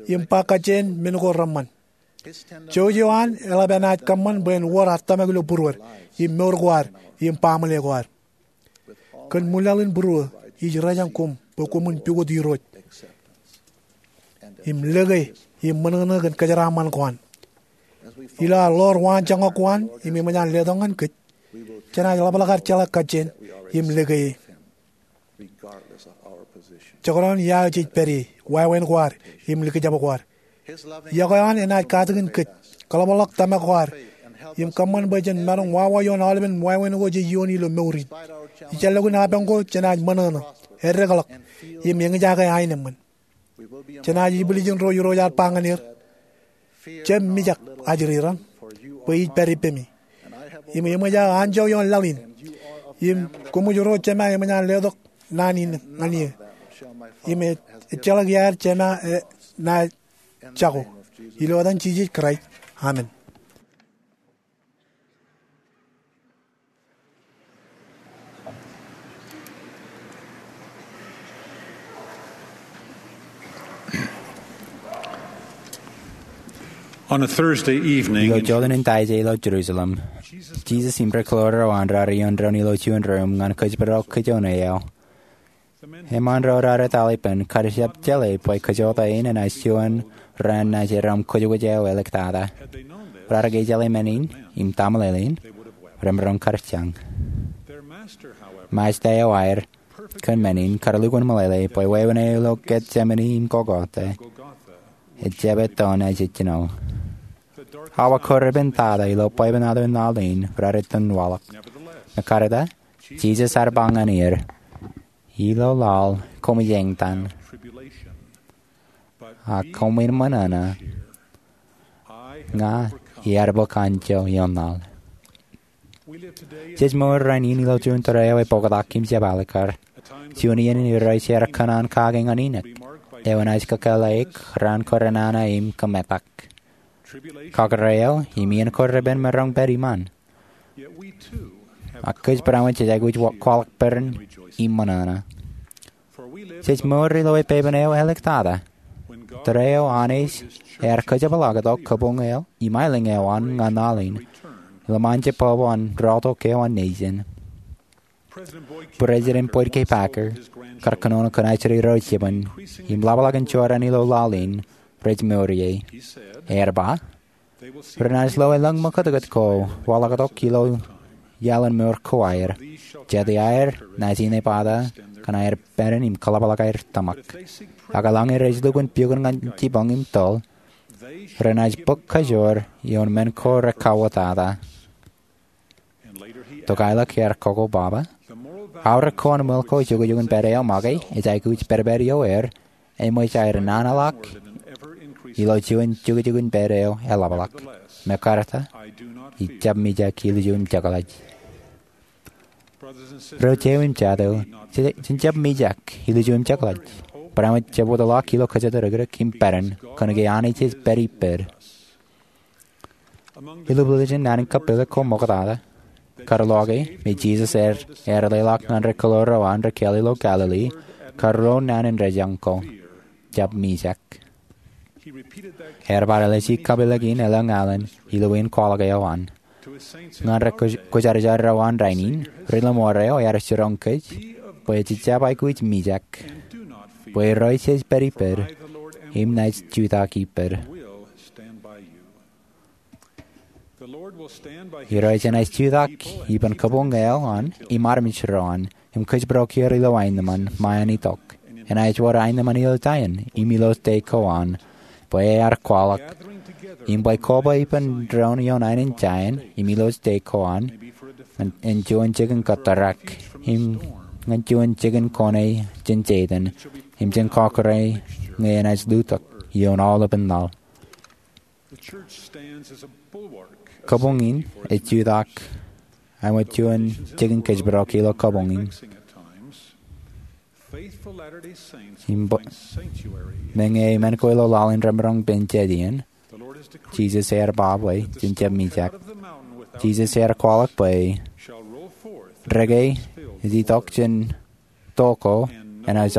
im ba kajjien men ko reṃṃan. Jouj eo an eḷap enaaj kōṃṃan bwe en wōr ad tōmak ilo būruod im mour ko ad im baaṃle ko ad. Kōn ṃwilaḷ in būruō, ij rōjañ koṃ bwe koṃwin pukot Irooj im lōke im ṃōṇōṇō kōn kōjeraaṃṃan ko an. Ilo ad ḷoor waanjoñak ko an im eṃōj an letok ñan kōj, jenaaj ḷapḷọk ad jeḷā kajjien im lōke e. Jekdọọn ia eo jej pād ie, wāween ko ad, im likjab ko ad, iọkwe eo an enaaj katakin kōj, kaḷapḷọk tōmak ko ad, im kōṃṃan bwe jen maroñ wawa ioon aolepen wāween ko jej iooni ilo mour in. Ijellọkin apañ ko, jenaaj ṃōṇōṇō, eddekḷọk, im eñjake aenōṃṃan. Jenaaj ibwiljin ro Irooj ear ba ñan er, jab mijak ajri raṇ, bwe ij pād ippemi. Im eṃōj aō anjọ ioon laḷ in. Im koṃij ro Jema eṃōj an letok naan in ñan eō. Im ejjeḷọk iaer Jema enaaj jako. Ilo etan Jisōs Kraist, amen. On a Thursday evening, ilo jọteen in Taije ilo Jerusalem, Jisōs im ri kōḷoor ro an raar iien doon ilo juon ruum ñan kōjparok kōj oṇeaō. Eṃṃan ro raar etal ippān kar jab jeḷā bwe kōjota in enaaj juon raan naaj erom kwōjkwōj eo āliktata. Raar ke jeḷā men in im taṃōḷeḷein, remaroñ kar jañ. Mājta eo aer kōn men in kar lukkuun meḷeḷe bwe wāween eo ilo Getsemane im Golgotha ejjab etto naaj ejjino. Awa ko repen tata ilo bwebwenato in laḷ in raar itok waḷọk. Im ekkar ta, Jisōs ear ba ñan er, ilo laḷ koṃij eñtaan, a koṃwin ṃōṇōṇō, ña iar bōk anjọ ioon laḷ. Jej mour rainin ilo juon tōre eo epoktak im jepālikar. Juon iien in Irooj ear kōṇaan kake ñan Inok, eo enaaj kōkālōk raan ko renana im kōmetak. Kakōrā eo im iien ko repen maroñ pād iṃaan. Ak kōj barāinwōt jej aikuj wa-, kwaḷọk peran im ṃōṇōṇō. Jej mour ilo epepen eo āliktata. Tōre eo Anij ear kōjepḷaaktok kabuñ eo im aelōñ eo an ñan laḷ in, ilo ṃaan jebwebwe an rọọltok eo an nejin. President Boyd K. Packer, kar kōnono kōn ajri ro jibwin im ḷapḷọk in jorrāān ilo laḷ in, rej mour ie. Ear ba, renaaj lo elōñ ṃōkūtkūt ko waḷọktok ilo iaḷ in mour ko aer. Jete aer naaj inepata kōn aer peran im kaḷapḷọk aer tōmak. Ak eḷaññe rej lukkuun pukot ñan jibboñ im toḷ, renaaj bōk kajoor ioon men ko rekauwōtata. Tokālik ear koko baba, aorōk ko an ṃool ko jukjuk in pād eo make ej aikuj pedped ioer, eṃōj aer naan ḷọk ilo juon jukjuk in pād eo eḷapḷọk. Im ekkar ta, ij jab mijak ilju im jekḷaj. Ro jeiū im jatū, je-, jen jab mijak ilju im jekḷaj. Barāinwōt jab wōtlọk ilo kōjatdikdik im peran, kōnke Anij ej pād ippād. Ilo bwiljin naan in kapilōk ko ṃoktata, kar loe ke me Jisōs ear, ear leḷọk ñan ri kōḷoor ro an ri kāāl ilo Galili, kar ro naan in rejañ ko, jab mijak. Ear bar ālij kapilōk in elōñ alen ilo iien kwaḷọk eo an. Ñan ri kwōjarjar ro an rainin, ri lemwōr eo ear jiroñ kōj bwe jej jab aikuj mijak. bwe Irooj ej pād ippād, im naaj jutak ippād. Irooj enaaj jutak ippān kabuñ eo an im armej ro an, im kōjparok er ilo aenōṃṃan ṃōṇōṇō. Enaaj wōr aenōṃṃan ilo Zion im ilo state ko an, bwe ear kwaḷọk, im bwe koba ippān doon ioon aenōṃṃan Zion im ilo state ko an, ñan juon jikin kōtōrak, im ñan juon jikin kone jān Setan, im jān kọkkure ñe enaaj lutōk ioon aolepān laḷ. Kabuñ in ej jutak āinwōt juon jikin kōjparok ilo kabuñ in. Im bwe, meñe men ko ilo laḷ in remaroñ pen jet iien, Jisōs ear ba bwe jen jab mijak. Jisōs ear kwaḷọk bwe, "Deke ej itok jān to ko, enaaj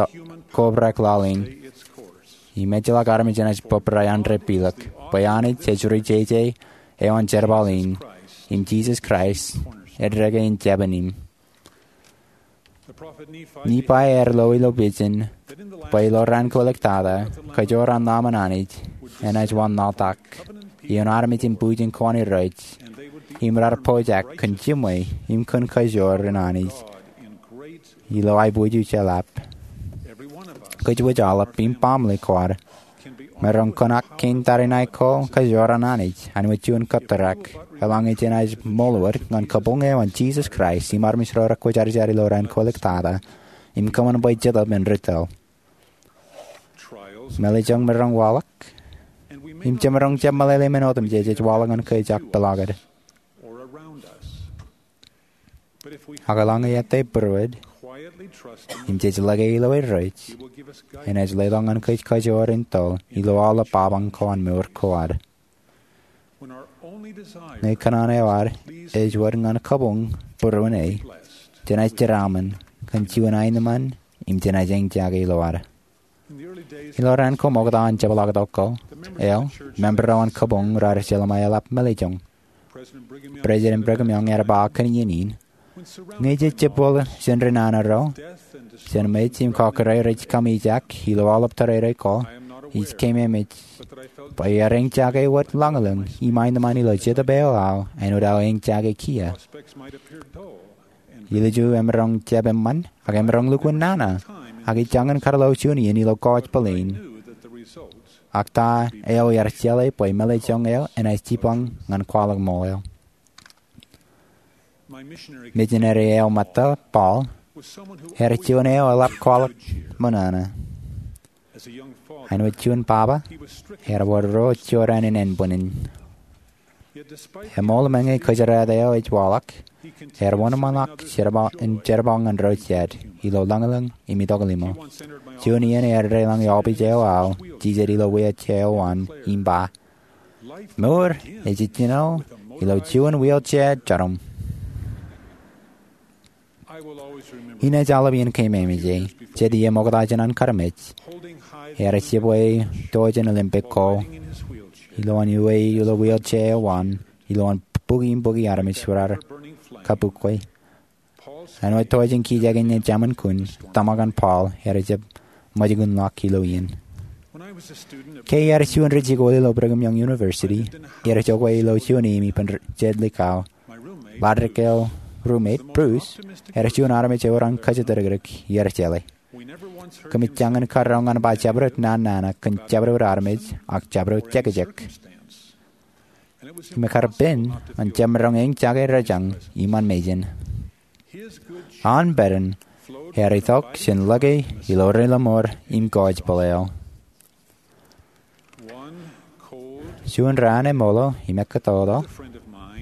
kobrak laḷ in, im ejjeḷọk armej enaaj bōbrae an depilōk, bwe Anij ej rijeje eo an jerbal in, im Jisōs Kraist ej deke in jabōn im." Nifai ear lo ilo pejin bwe ilo raan kōliktata, kajoor an ḷōmṇak an Anij enaaj wanlaḷtak ioon armej in bujen ko an Irooj, im raar pojak kōn jiṃwe im kōn kajoor an Anij ilo aiboojoj eḷap. Kōj wōj aolep im baaṃle ko ad, maroñ kōṇak kein tariṇae ko kajoor an Anij āinwōt juon kōtōrak eḷaññe jenaaj ṃool wōt ñan kabuñ eo an Jisōs Kraist im armej ro rekwōjarjar ilo raan kōliktata, im kōṃṃan bwe Jetōb en ri tōl. Mālejjoñ maroñ waḷọk, im jemaroñ jab meḷeḷe men otemjej ej waḷọk ñan kōj ak peḷaakid. Ak eḷaññe ej būruod, im jej lōke ilo Irooj, enaaj letok ñan kōj kajoor in tōl ilo aolep apañ ko an mour ko ad. Ñe kōṇaan eo ad ej wōt ñan kabuñ būruon e, jenaaj jeraaṃṃan kōn juon aenōṃṃan im jenaaj eñjake ilo ad. Ilo raan ko ṃokta an jepḷaaktok ko, eo, member ro an kabuñ raar jeḷā ṃōk eḷap mālejjoñ. President Brigham Young ear ba kōn iien in, ñe jej jepwōl jān ri nana ro, jān mej im kọkkure rej kamijak ilo aolep tōrereik ko, ij keememej bwe ear eñjake wōt lañlōñ im aenōṃṃan ilo Jetōb eo aō āinwōt aō eñjake kiiō. Ilju emaroñ jab eṃṃan, ak emaroñ lukkuun nana, ak ij jañin kar lo juon iien ilo kọọj plane. Ak ta eo ear jeḷā bwe mālejjoñ eo enaaj jipañ ñan kwaḷọk ṃool eo. Mijineri eo ṃōtta, Paul, ear juon eo eḷap kwaḷọk ṃōṇōṇō. Āinwōt juon baba, ear wōr ro jorrāān in ānbwinnin. Eṃool, meñe kōjeraaṃṃan eo ej waḷọk, ear wōnṃaanḷọk jerbal, in jerbal ñan ro jet, ilo lañlōñ im itok limo. Juon iien ear deḷọñ eofis eo aō, jijet ilo wheelchair eo an, im ba, "Mour ej jino ilo juon wheelchair joñan." Inaaj aolep iien keememej e, jet iiō ṃokta jān an armej, ear jibwe to jān Olympic ko, ilowaan uwe ilo wheelchair eo an, ilowaan bukwi im bukwi armej raar kabukwe. Āinwōt to jān kijeek in jemān kun, tōmak an Paul ear jab ṃōjkunḷọk ilo iien. Ke iar juon ri jikuuḷ ilo Brigham Young University, iar jokwe ilo juon eim ippān jet likao. Ḷaddik eo roommate, Bruce, ear juon armej eo ren kōjatdikdik iar jeḷā. Kōmij jañin karuo ñan ba jabdewōt nana kōn jabdewōt armej ak jabdewōt jekjek. Im ekar pen an jemaroñ eñjake rōjañ iṃaan mejān. An pād in ear itok jān lōke ilo ri lọmọọr im kọọj plane eo. Juon raan eṃool im ekkōtōtō,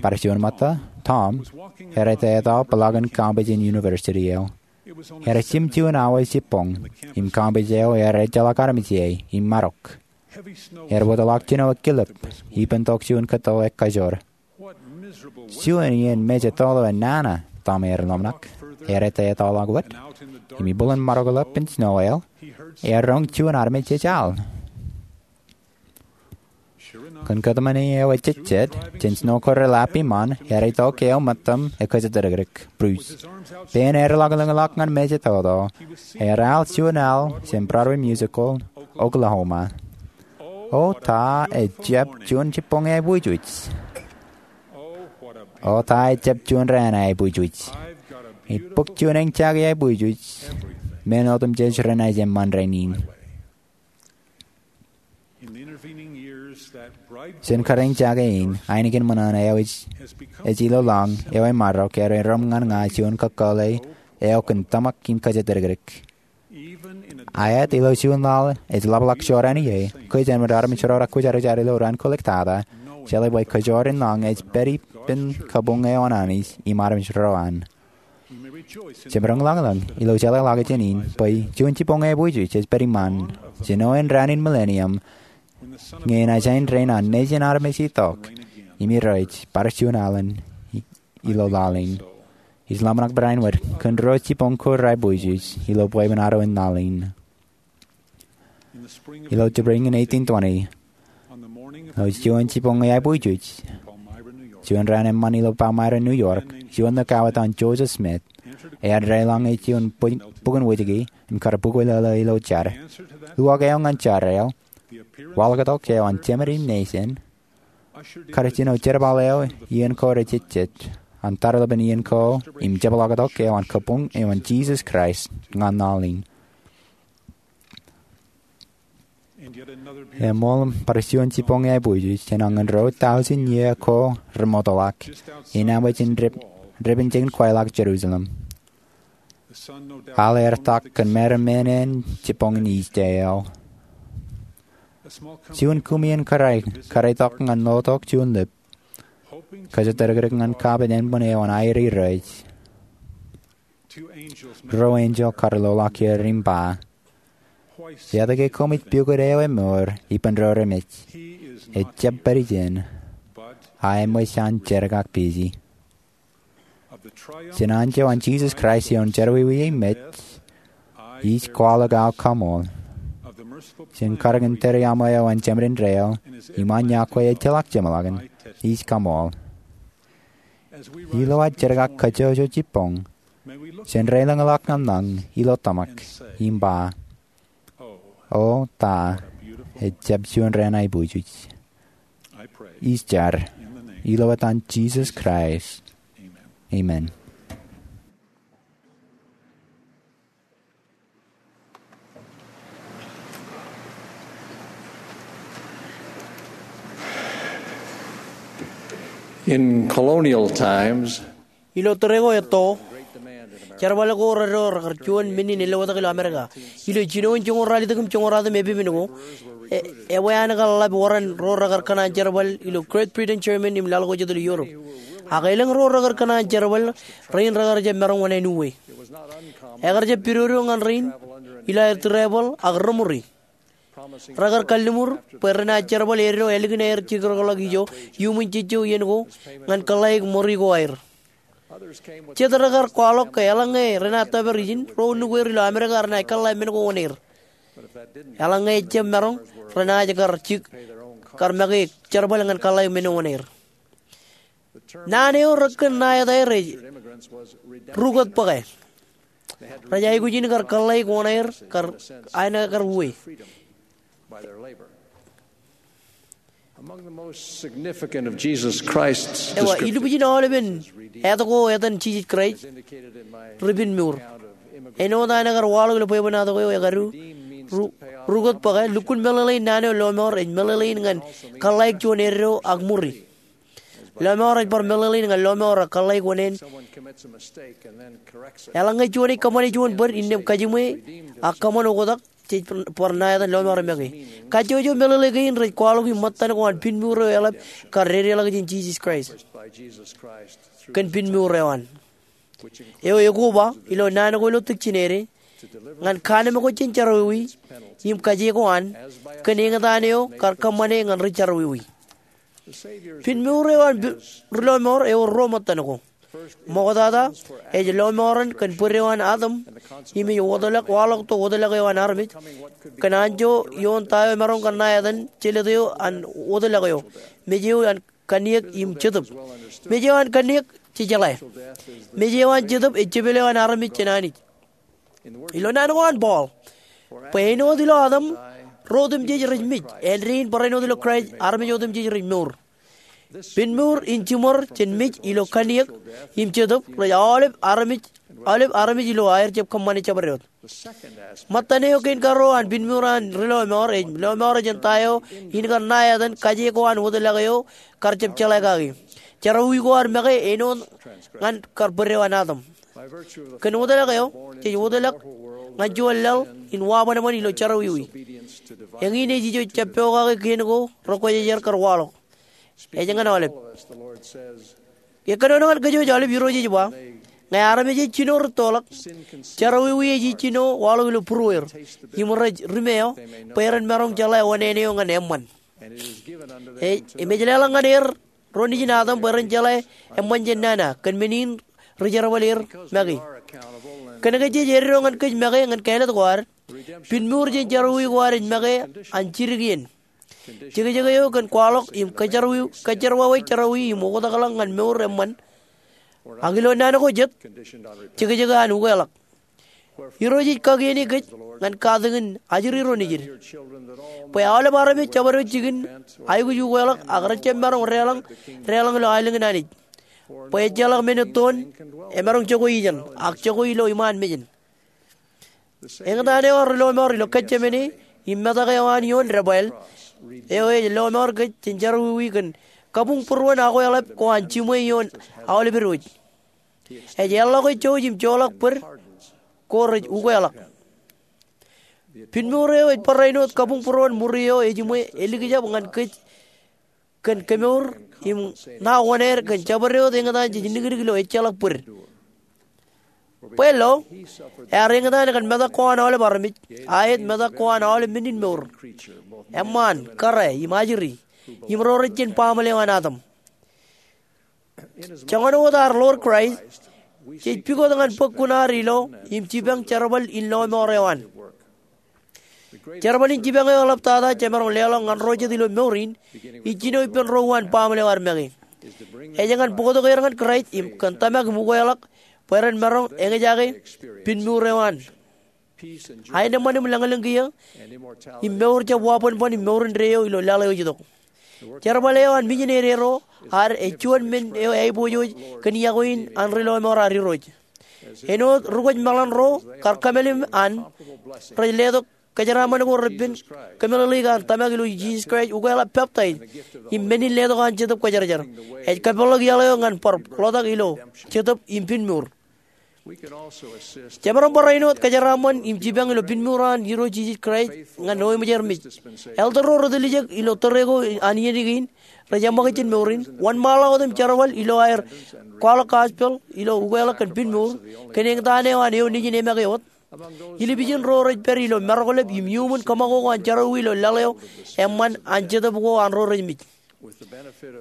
bar juon ṃōtta, Tom, ear etetal peḷaakin campus in university eo. Ear jimjuon awa jibboñ, im campus eo ear ejjeḷọk armej ie im marok. Ear wōtlọk jino ekkilep ippān tok juon kōttoḷ ekajoor. "Juon iien mej ettoḷ eo enana," Tom ear ḷōmṇak. Ear etetal wōt, im ibūḷōn maroñ ḷap in snow eo, ear roñ juon armej ej al. Kōn kōtmāne eo ejejjet jān snow ko relap iṃaan, ear itok eo ṃōttam ekōjatdikdik, Bruce, pein ear laḷ lōñḷọk ñan mejatoto. Ear al juon al jān Broadway musical Oklahoma. O ta ejjab juon jibboñ eaibwijuj! O ta ejjab juon raan eaibwijuj! Ij bōk juon eñjake eaibwijuj men otemjej renaaj eṃṃan rainin. Jān kar eñjake in, ainikien ṃōṇōṇō eo ej ilo lañ eo emarok ear erom ñan ña juon kakōḷḷe eo kōn tōmak im kōjatdikdik. Aet, ilo juon laḷ ej ḷapḷọk jorrāān ie, kōj āinwōt armej ro rekwōjarjar ilo raan kōliktata jeḷā bwe kōjwōr in lañ ej pād ippān kabuñ eo an Anij im armej ro an. Jemaroñ ḷañlōñ ilo jeḷāḷọkjeṇ in bwe juon jibboñ eaibwijuj ej pād iṃaan jān eo an raan in Millennium, ñe enaaj rein an nejin armej itok im irooj bar juon alen ilo laḷ in. Ij ḷōmṇak barāinwōt kōn ruo jibboñ ko reaibwijuj ilo bwebwenato in laḷ in. Ilo jibboñ in eighteen twenty, ilo juon jibboñ eaibwijuj, juon raan eṃṃan ilo Palmyra, New York, juon likao etan Joseph Smith ear deḷọñ juon bukwōn wōjke im kar bukwe lōḷō ilo jar. Uwaak eo ñan jar eo, waḷọktok eo an Jemān im Nejin, kar jino jerbal eo iien ko rejejjet an tarlepen iien ko im jepḷaaktok eo an kabuñ eo an Jisōs Kraist ñan laḷ in. Eṃool bar juon jibboñ eaibwijuj jān añin ruo tọujin iiō ko remootḷọk, innem ej in dāpin jikin kwaḷọk Jerusalem. Al ear tak kōn meram men in jibboñ in Easter eo. Juon kumi in kōrā kar itok ñan lotok juon lip, kōjatdikdik ñan kapit ānbwin eo an aer irooj. Ruo enjeḷ kar loḷọk er im ba, etke koṃij pukot eo emour ippān ro remej? Ejjab pād ijin, a eṃōj an jerkakpeje. Jān anjọ an Jisōs Kraist ioon jerọwiwi emej, ij kwaḷọk aō kaṃool. Jān karōk in tōre aṃ eo an Jemān in Deḷọñ im an yokwe ejjeḷọk jeṃḷọkin, ij kaṃool. Ilo ad jerkakkajojo jibboñ, jen deḷọñḷọk ñan lañ ilo tōmak im ba, O ta ejjab juon raan aibwijuj! Ij jar ilo etan Jisōs Kraist, amen. In colonial times, ilo tōre ko etto, jerbal ko reddo rekar juon men in elōtḷọk ilo Amerika. Ilo jinoin joñoul ralitōk im joñoul ratimjuon epepen ko, e, ewi an kar ḷap wōran ro rekar kōṇaan jerbal ilo Great Britain, Germany im laḷ ko jet ilo Europe. Ak elōñ ro rekar kōṇaan jerbal rein rekar jab maroñ wōṇāān uwe. Ekar jab pidodo ñan rein ilo aer travel ak reṃuri. Rekar kalliṃur bwe renaaj jerbal eddo ālikin aer jekdọkḷọk ijo iuṃwin jejjo iien ko ñan kōḷḷāik ṃuri ko aer. Jet rekar kwaḷọk ke eḷaññe renaaj tōpar ijin, ro nukweir ilo Amerika renaaj kōḷḷā men ko oṇāer. Eḷaññe ejjab maroñ, renaaj kar jik, kar make jerbal ñan kōḷḷāik men ko oṇāer. Naan eo rekkōn ṇa etaer ej rukōt bōke. Rej aikuj in kar kōḷḷāik oṇāer kar aenōkar uwe. Among the most significant of Jesus Christ's descriptions, ewa, ilubujin aolepen etok ko etan Jisōs Kraist ri pinmuur. Āinwōt an kar waḷọk ilo bwebwenato ko eo ekadu, ru-, rukōt bōke, lukkuun meḷeḷein naan eo lọmọọr ej meḷeḷein ñan kōḷḷāik juon eddo ak ṃuri. Lọmọọr ej bar meḷeḷein ñan lọmọọr ak kōḷḷāik oṇāān. Eḷaññe juon ej kōṃṃane juon bōd innām kajiṃwe ak kōṃṃan oktak, jej bar ṇa etan lọmọọr make. Kajjojo meḷeḷe kein rej kwaḷọk im ṃōttan ko an pinmuur eo eḷap kar dedeḷọk jān Jisōs Kraist kōn pinmuur eo an. Eo ekoba ilo naan ko ilo tikjin ede, ñan kannemkwōj jān jerọwiwi im kaje ko an, kōn eñtaan eo kar kōṃṃane ñan ri jerọwiwi. Pinmuur eo an ri lọmọọr ewōr ruo ṃōttan ko. Ṃoktata, ej lọmọọren kōn bōd eo an Adam im ej wōtlọk, waḷọk tok wōtlọk eo an armej kōn anjọ ioon ta eo emaroñ kar ṇa etan jelōt eo an wōtlọk eo, mej eo an kanniōk im jetōb. Mej eo an kanniōk, jejeḷā. Mej eo an jetōb ej jepel eo an armej jān Anij. Ilo naan ko an Paul, bwe āinwōt ilo Adam ro otemjej rej mej, āindein barāinwōt ilo Kraist armej otemjej rej mour. Pinmour in jiṃor jān mej ilo kanniōk im jetōb rej aolep armej, aolep armej ilo aer jab kōṃṃane jabdewōt. Ṃōttan eo kein karuo an pinmour an ri lọmọọr ej lọmọọr jān ta eo in kar ṇa etan kaje ko an wōtlọk eo kar jab jeḷā kaki. Jerọwiwi ko ad make āinwōt ñan kar bōd eo an Adam. Kōn wōtlọk eo, jej wōtlọk ñan juon laḷ in wabanban ilo jerọwiwi. Eñin ej ijo jab pokake kien ko rekwōjarjar kar waḷọk. Ej ñan aolep. Ekkōnono ñan kōj aolep. Irooj ej ba, ñe armej ej jino rūttoḷọk, jerọwiwi ej jino waḷọk ilo būrueir im rej ri meo, bwe ren maroñ jeḷā oṇāān eo ñan eṃṃan. Ej, im ej leḷọk ñan er ro nejin Adam bwe ren jeḷā eṃṃan jān nana, kōn men in ri jerbal er make. Kōnke jej eddo ñan kōj make ñan kāālōt ko ad, pinmour jān jerọwiwi ko ad ej make an jidik iien. Jekjek eo kōn kwaḷọk im kōjjerọwiwi, kōjjerọwiwi jerọwiwi im oktakḷọk ñan mour eṃṃan, ak ilo naan ko jet, jekjek an ukeḷọk. Irooj ej kakiene kōj ñan katakin ajri ro nejid, bwe aolep armej jabdewōt jikin aikuj ukeḷọk ak rej jab maroñ deḷọñ, deḷọñ ilo aelōñ in Anij. Bwe ejjeḷọk men ettoon emaroñ jokwe ijin, ak jokwe ilo iṃaan mejān. Eñtaan eo an ri lọmọọr ilo Getsemane im metak eo an ioon debwāāl eo ej lọmọọr kōj jān jerọwiwi kōn kabuñbūruon akweḷap ko an jiṃwe ioon aolep edwōj. Ej eḷḷọke jouj im joḷọk bōd ko rej ukeḷọk. Pinmour eo ej barāinwōt kabuñbūruon ṃuri eo ejiṃwe elikjab ñan kōj kōn kemour im ṇa oṇāān kōn jabdewōt eñtaan jej nikdik ilo ejjeḷọk bōd. Bwe lo, ear eñtaan kōn metak ko an aolep armej, aet metak ko an aolep men in mour, eṃṃaan, kōrā im ajri, im ro rej jān baaṃle eo an Adam. Joñan wōt ad ḷoor Kraist, jej pukot ñan bōk kuṇaad ilo im jipañ jerbal in lọmọọr eo an. Jerbal in jipañ eo eḷaptata jemaroñ leḷọk ñan ro jet ilo mour in, ij jino ippān ro uwaan baaṃle eo ad make. Ej ñan bōktok er ñan Kraist im kōn tōmak im ukeḷọk bwe ren maroñ eñjake pinmour eo an, aenōṃṃan im lañlōñ kiiō, im mour jab wabōnbōn im mour indeeo ilo laḷ eo ej itok. Jerbal eo an mijinede ro ad ej juon men eo aiboojoj kōn iọkwe in an ri lọmọọr ad Irooj. Āinwōt ri kwōj meḷan ro kar kōmālim an, rej letok kōjeraaṃṃan ko repen kōmeḷeḷeik an tōmak ilo Jisōs Kraist, ukeḷọk, peptaij, im men in letok an Jetōb Kwōjarjar, ej kapeḷḷọk iaḷ eo ñan bar ḷotak ilo jetōb im pinmour. Jemaroñ barāinwōt kōjeraaṃṃan im jipañ ilo pinmour an Irooj Jisōs Kraist ñan eo eṃōj er mej. Elder ro rej tiljek ilo tōre ko an iien kein rej eṃṃakūt jān mour in, wōnṃaanḷọk wōt im jerbal ilo aer kwaḷọk gospel ilo ukeḷọk kōn pinmour kōn eñtaan eo an eo nejin emake wōt. Ilbijin ro rej pād ilo maroḷọk im iuṃwin kōṃakoko an jerọwiwi ilo laḷ eo eṃṃan an jetōb ko an ro rej mej.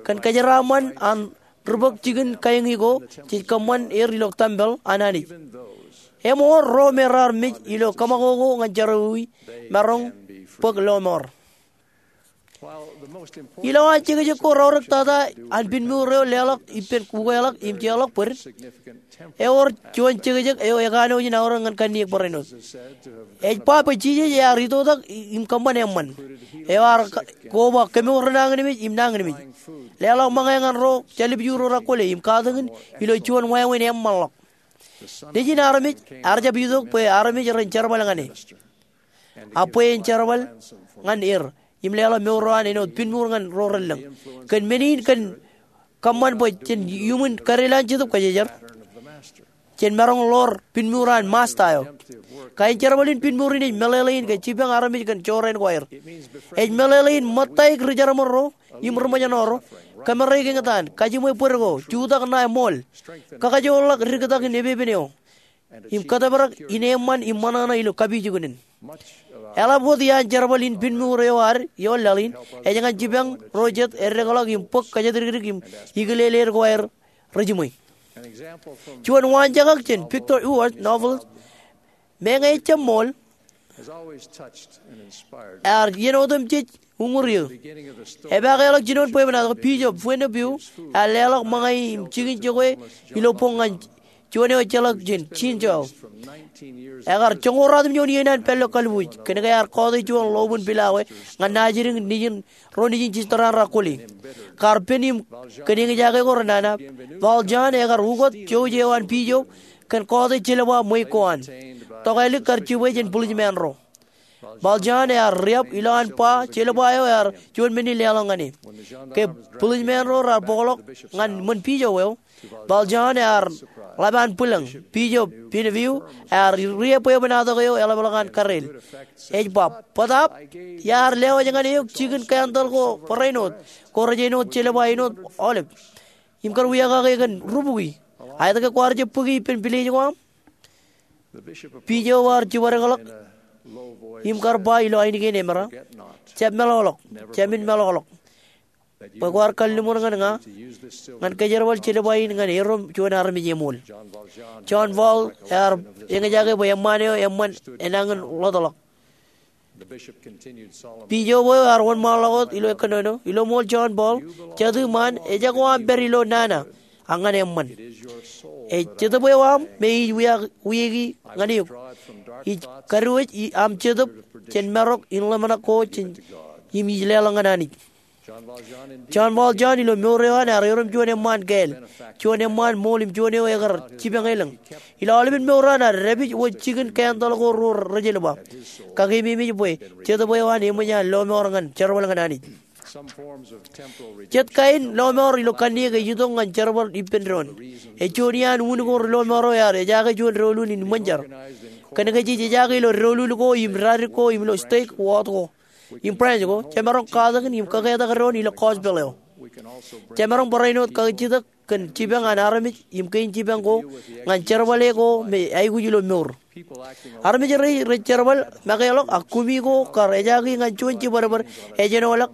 Kōn kōjeraaṃṃan an ri bōk jikin kaeñi ko jej kōṃṃan er ilo tempel an Anij, eṃool ro me raar mej ilo kōṃakoko ñan jerọwiwi, maroñ bōk lọmọọr. Ilowaan jekjek ko reorōktata an pinmour eo leḷọk ippān ukeḷọk im jeorḷọk bōd, ewōr juon jekjek eo ekanooj in aorōk ñan kanniōk barāinwōt. Ej ba bwe Jisōs ear itoitak im kōṃṃan eṃṃan. Eo ear ka-, koba kemour nañinmej im nañinmej, leḷọk ṃōñā ñan ro jālipju ro rakwōle im katakin ilo juon wāween eṃṃanḷọk. Nejin armej ear jab itok bwe armej ren jerbal ñan e. A bwe en jerbal ñan er im leḷọk mour eo an āinwōt pinmour ñan ro relōñ. Kōn men in kōn kōṃṃan bwe jen iuṃwin kadelan Jetōb Kwōjarjar, jen maroñ ḷoor pinmour an Masta eo. Kain jerbal in pinmour in ej meḷeḷein ke jipañ armej kōn jorrāān ko aer. Ej meḷeḷein ṃōttaik ri jerbal ro im ri ṃōjṇọ ro, kōmāreik eñtaan, kajiṃwe bōd ko, jutak ṇae ṃool, kakajoorḷọk diktak in epepen eo, im kōtōprak in eṃṃan im ṃōṇōṇō ilo kapijuknen. Eḷap wōt iaan jerbal in pinmour eo ad ioon laḷ in, ej ñan jipañ ro jet eddekḷọk im bōk kōjatdikdik im ikileled ko aer rejiṃwe. Juon waanjakak jān Victor Hugo's novel Meñe Ejjab Ṃool ear iien otemjej uñūr eō. Epaakḷọk jinoin bwebwenato, Bishop Fuente Beau ear leḷọk ṃōñā im jikin jokwe ilo boñ ñan juon eo ejjeḷọk jān Jean Chou. Ekar joñoul ruatimjuon iien an pād ilo kalbuuj kōnke ear kọọte juon ḷoobin pilawā ñan naajdik nejin ro nejin jisōraan raar kwōle. Kar pen im kōn eñjake ko renana, Valjean ekar ukōt jouj eo an Bishop kōn kọọte jelba ṃweiuk ko an. Tokālik kar jibwe jān bulijmāān ro. Valjean ear riab ilowaan ba jelba eo ear juon men in leḷọk ñan e. Ke bulijmāān ro raar bōkḷọk ñan ṃōn Bishop eo, Valjean ear ḷap an bwilōñ. Bishop Fuente Beau ear rie bwebwenato eo eḷapḷọk an kareel. Ej ba, "Bōtaab, iar lewōj ñan eok jikin candle ko barāinwōt, ko rej āinwōt jelba āinwōt aolep. Im kar wiakake kōn rubukwi. Aet ke kwaar jab bōki ippān pilej ko aṃ?" Bishop eo ear jibadekḷọk im kar ba ilo ainikien emera, "Jab meḷọkḷọk, jab men meḷọkḷọk, bwe kwaar kalliṃur ñan ña ñan kōjerbal jelba in ñan erom juon armej eṃool." Jean Valjean ear eñjake bwe eṃṃaan eo eṃṃan enañin ḷotḷọk. Bishop eo ear wōnṃaanḷọk wōt ilo kōnono, "Ilo ṃool Jean Paul, jatū ṃaan ejako aṃ pād ilo nana, ak ñan eṃṃan. Ej jetōb eo aṃ me ij wiaki ñan eok. Ij kadiwōj aṃ jetōb jān marok in ḷōmṇak ko im ij leḷọk ñan Anij." Jean Valjean ilo mour eo an ear erom juon eṃṃaan kāāl, juon eṃṃaan ṃool im juon eo ekar jipañ elōñ. Ilo aolepen mour an ear dāpij wōj jikin candle ko ruo rejelba. Kakeememej bwe jetōb eo an eṃōj an lọmọọr ñan jerbal ñan Anij. Jet kain lọmọọr ilo kanniōk ej itok ñan jerbal ippān doon. Ej juon iaan unin ko ri lọmọọr eo ear ejaake juon doulul in ṃōn jar. Kōnke jej ejaake ilo doulul ko im dadik ko im ilo stake, wōt ko im branch ko, jemaroñ katakin im kōketak doon ilo gospel eo. Jemaroñ barāinwōt kajjitōk kōn jipañ an armej im kein jipañ ko ñan jerbale ko me aikuj ilo mour. Armej rej jerbal, makeḷọk, ak kumi ko kar ejaake ñan juon jibadbad ejenoḷọk,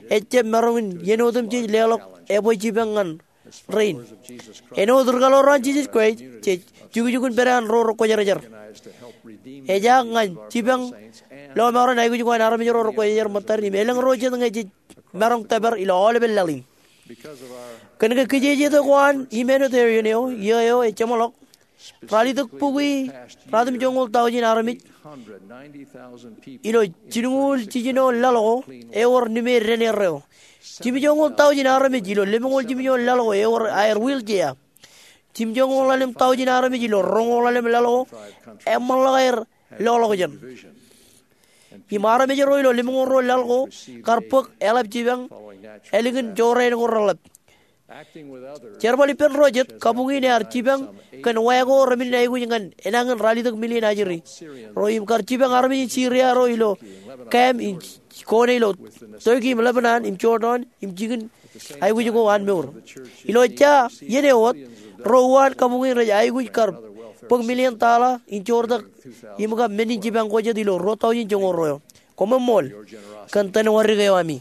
ejjab maroñ in iien otemjej leḷọk ebwe jipañ ñan rein. Āinwōt ri kaḷoor an Jisōs Kraist, jej jukjukun pād an ro rekwōjarjar. Ejaak ñan jipañ lọmọọren aikuj ko an armej ro rekwōjarjar ṃōttad im elōñ ro jet ñe jej maroñ tōpar ilo aolepen laḷ in. Kōnke kijejeto ko an humanitarian eo, iiō eo ej jeṃḷọk, ralitōk bukwi ruatimjuonñoul taujin armej ilo jilñuul jiljino laḷ ko ewōr nimeer dān erreo. Jimjuonñoul taujin armej ilo lemñoul jimjuon laḷ ko ewōr aer wheelchair. Jimjuonñoul ḷalem taujin armej ilo roñoul ḷalem laḷ ko eṃṃanḷọk aer loḷọkjeṇ. Im armej ro ilo lemñoul ruo laḷ ko kar bōk eḷap jipañ ālikin jorrāān ko reḷap. Jerbal ippān ro jet, kabuñ in ear jipañ kōn wā ko remen in aikuj ñan enañin ralitōk million ajri ro im kar jipañ armej in Syria ro ilo camp in kōṇe ilo Turkey im Lebanon im Jordan im jikin aikuj ko an mour. Ilo ejja iien eo wōt, ro uwaan kabuñ in rej aikuj kar bōk million dollar in joortak im kab men in jipañ ko jet ilo ruo taujin joñoul ruo eo. Koṃṃool kōn tōn wōr eo ami.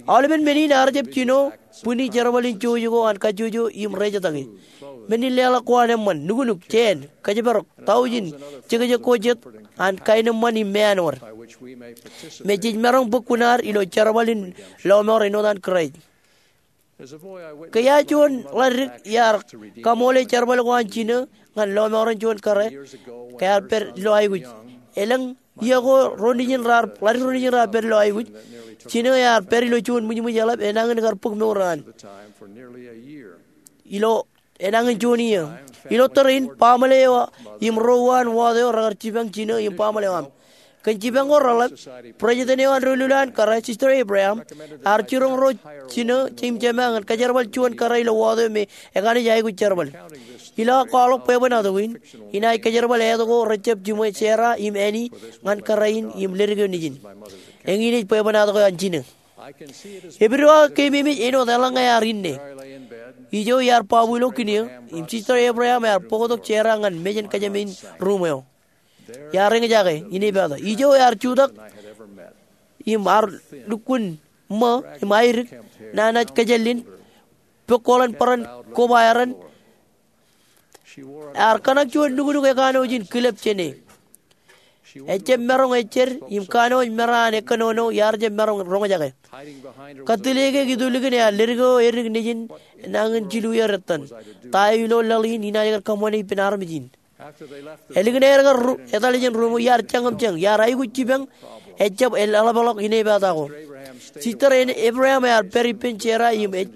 Aolepen men in ear jab jino bwini jerbal in jouj ko an kajjojo im rejetake. Men in leḷọk ko an eṃṃan, nuknuk, jāān, kōjparok, taujin jekjek ko jet an kaenōṃṃan im meanwōd me jej maroñ bōk kuṇaad ilo jerbal in lọmọọr āinwōt an Kraist. Ke iar juon ḷaddik iar kaṃoole jerbal ko an jinō ñan lọmọọren juon kōrā ke ear pād ilo aikuj. Elōñ iiō ko ḷaddik ro nejin raar pād ilo aikuj. Jinō ear pād ilo juon ṃwijṃwij eḷap enañin kar bōk mour eo an ilo enañin juon iiō. Ilo tōre in, baaṃle eo im ro uwaan wōt eo rekar jipañ jinō im baaṃle eo aṃ. Kōn jipañ ko reḷap, president eo an doulul an kōrā, Sister Abraham, ear jiroñ ro jinō im jema ñan kōjerbal juon kōrā ilo wōt eo me ekaṇ ej aikuj jerbal. Ilo aō kwaḷọk bwebwenato in, inaaj kōjerbal āt ko rejjab jiṃwe, Sarah im Annie, ñan kōrā in im ledik eo nejin. Eñin ej bwebwenato ko an jinō. Epidoak keememej āinwōt eḷaññe ear inne. Ijo iar babu ilo kine eo, im Sister Abraham ear bōktok Sarah ñan mejān kōjām in ruuṃ eo. Iar eñjake, inepata. Ijo ear jutak im ear lukkuun ṃō im aidik, nana kōjāllin pok koḷan bōran koba eran. Ear kōṇak juon nuknuk ekanooj in kilōb jāne. Ejab maroñ ejjed im kanooj mera an ekkōnono iar jab maroñ roñjake. Kōttāik eo itulikin ear ledik eo edik nejin nañin jilu iiō ettan. Ta eo ilo laḷ in inaaj kar kōṃṃane ippān armej in. Ālikin aer kar ru-, etal jān ruṃ eo iar jañṃōm jān, iar aikuj jipañ, ejab eḷapḷọk inepata ko. Sister Abraham ear pād ippān Sera im ej-,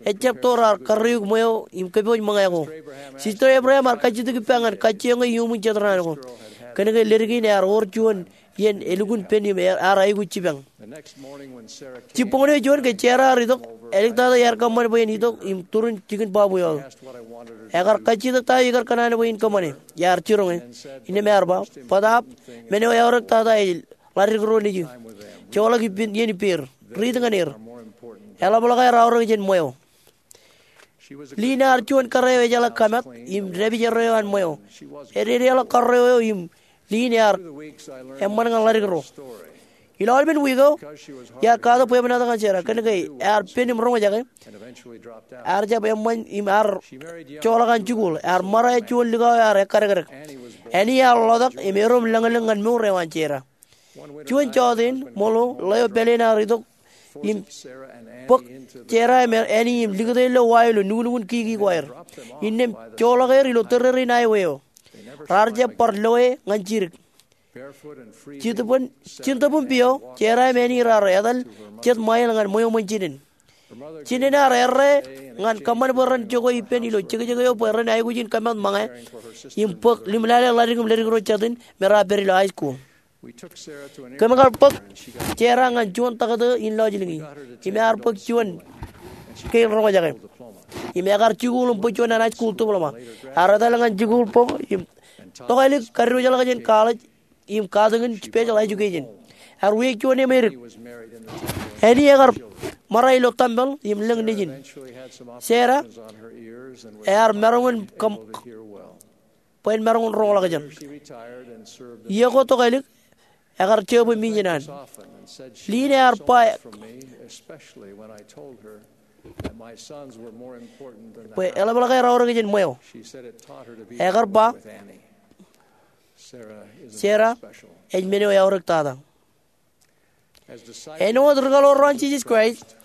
ejab to raar karreoik ṃweo im kōpooj ṃōñā ko. Sister Abraham ear kajjitōk ippa ñan kajjioñ e iuṃwin jet raan ko. Kōnke ledik in ear wōr juon iien elukkuun pen im ear aikuj jipañ. Jibboñōn eo juon ke Sera ear itok, āliktata iar kōṃṃan bwe en itok im turin jikin bwabwe eo. Ekar kajjitōk ta eo ikar kōṇaan bwe in kōṃṃane. Iar jiroñ e. Innām ear ba, bōtaab, men eo eaorōk tata ej ḷadik ro nejū. Joḷọk ippān iien ippāer. Riit ñan er. Eḷapḷọk aer aorōk jān ṃweo. Liin ear juon kōrā eo ejeḷā kōmat im dāpij erreo an ṃweo. Ededeḷọk kōrā eo im liin ear eṃṃan ñan ḷadik ro. Ilo aolepen wiik eo, iar katak bwebwenato ñan Sera, kōnke ear pen im roñjake. Ear jab eṃṃan im ear joḷọk an jikuuḷ. Ear ṃara juon likao eo ear ekkadekdek. Annie ear ḷotak im erom lañlōñ ñan mour eo an Sera. Juon jọteen ṃōḷo, ḷeo pāleen ear itok im bōk Sera im Annie im likūt e ilo wa ilo nuknukun kiki ko aer. Innām joḷọk er ilo tōrerein highway eo. Raar jab bar loe ñan jidik. Jintōpōn, jintōpōn pio, Sera im Annie raar etal jet ṃail ñan ṃweo ṃōn jinen. Jinen ear errā ñan kōṃṃan bwe ren jokwe ippān ilo jekjek eo bwe ren aikuj in kōmat ṃōñā im bōk limḷaḷe ḷadik im ledik ro jatūn me raar pād ilo high school. Kōm kar bōk Sera ñan juon taktō in lọjilñi im ear bōk juon kein roñjake. Im ekar jikuuḷ im bōk juon an high school diploma. Ear etal ñan jikuuḷ bōk im tokālik kadiwōjḷọk jān college im katakin special education. Ear wiaik juon eo me edik. Annie ekar ṃara ilo tempel im lōñ nejin. Sera ear maroñ in kōm bwe en maroñ in roñḷọk jān. Iiō ko tokālik, ekar jebwe mijin an. Liin ear ba bwe eḷapḷọk aer aorōk jān ṃweo. Ekar ba, Sera ej men eo eaorōk tata. Āinwōt ri kaḷoor ro an Jisōs Kraist,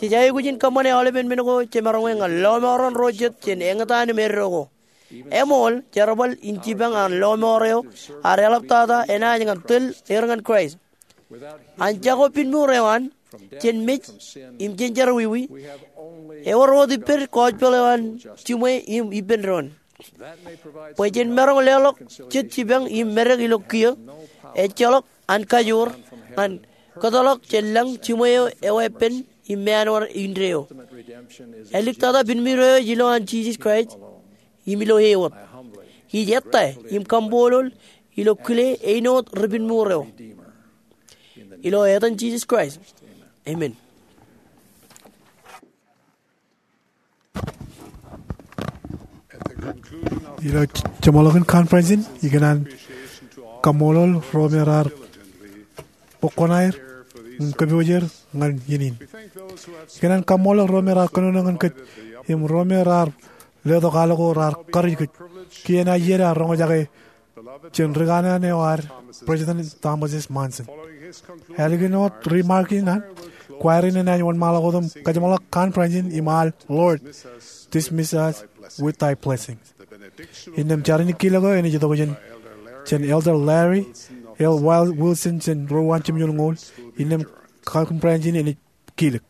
jej aikuj in kōṃṃane aolepen men ko jemaroñ e ñan lọmọọren ro jet jān eñtaan im eddo ko. Eṃool, jerbal in jipañ an lọmọọr eo ear eḷaptata enaaj ñan tōl er ñan Kraist. An jako pinmuur eo an, jān mej im jān jerọwiwi, ewōr wōt ippād gospel eo an jiṃwe im ippān doon. Bwe jen maroñ leḷọk jet jipañ im medek ilo kiiō, ejjeḷọk an kajoor ñan kōtḷọk jān lañ jiṃwe eo eweeppān im meanwōr indeeo. Āliktata pinmuur eo ej ilo an Jisōs Kraist im ilo e wōt. Ij ettā im kaṃṃoolol ilo kile āinwōt ri pinmuur eo. Ilo etan Jisōs Kraist. Amen. Ilo jeṃḷọkin conference in, ikōṇaan kaṃṃoolol ro me raar bōk kuṇaer im kōpoojer ñan iien in. Ikōṇaan kaṃṃoolol ro me raar kōnono ñan kōj im ro me raar letok al ko raar karuj kōj. Kien eo aer roñjake jān ri kanaan eo ad, President Thomas S. Monson. Ālikin wōt remark in an, choir in enaaj wōnṃaanḷọk wōt im kajeṃḷọk conference in im al Lord, dismiss us with thy blessing. Innām jar in kilōk eo enaaj itok jān, jān Elder Larry L. Wilson jān ruo an jimjuon ñoul, innām conference in enaaj kilōk.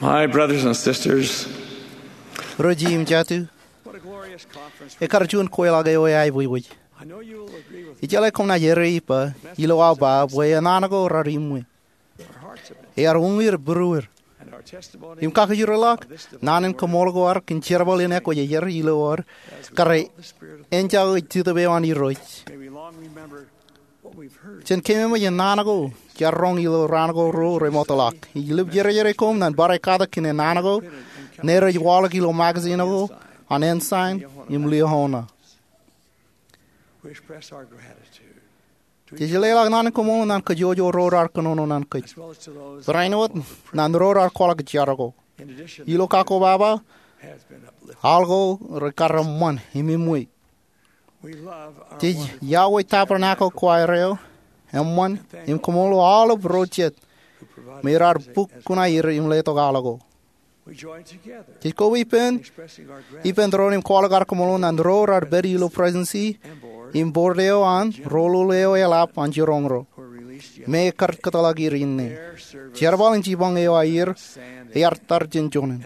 My brothers and sisters, ro jeiū im jatū, ekar juon kweilọk eo eaibwibwij. Ijeḷā koṃ naaj errā ippa ilo aō ba bwe enana ko raar iṃwe. Ear uññūr būruer. Im kakijerorḷọk naan in kaṃool ko ad kōn jerbal in ekwōjarjar ilo ad kar enjake Jetōb eo an Irooj. Jen keememej naan ko iar roñ ilo raan ko ruo remootḷọk. Ij lōb jerjere koṃ ñan bar katak kōn naan ko ṇe rej waḷọk ilo magazine ko an Ensign im Liahona. Jej leḷọk naan in koṃṃool ñan kōjwōj ro raar kōnono ñan kōj, barāinwōt ñan ro raar kwaḷọk jar ko. Ilo kakkobaba, al ko rekar eṃṃan im eṃṃan. Jej yokwe Tabernacle Choir eo eṃṃan im koṃṃool aolep ro jet me raar bōk kuṇaer im letok al ko. Jej koba ippān, ippān doon im kwaḷọk ad koṃṃool ñan ro raar pād ilo Presidency im Board eo an Roll eo eḷap an jiroñ ro me ekkar kōtḷọk er inne. Jerbal in jipañ eo aer ear tar jān joñan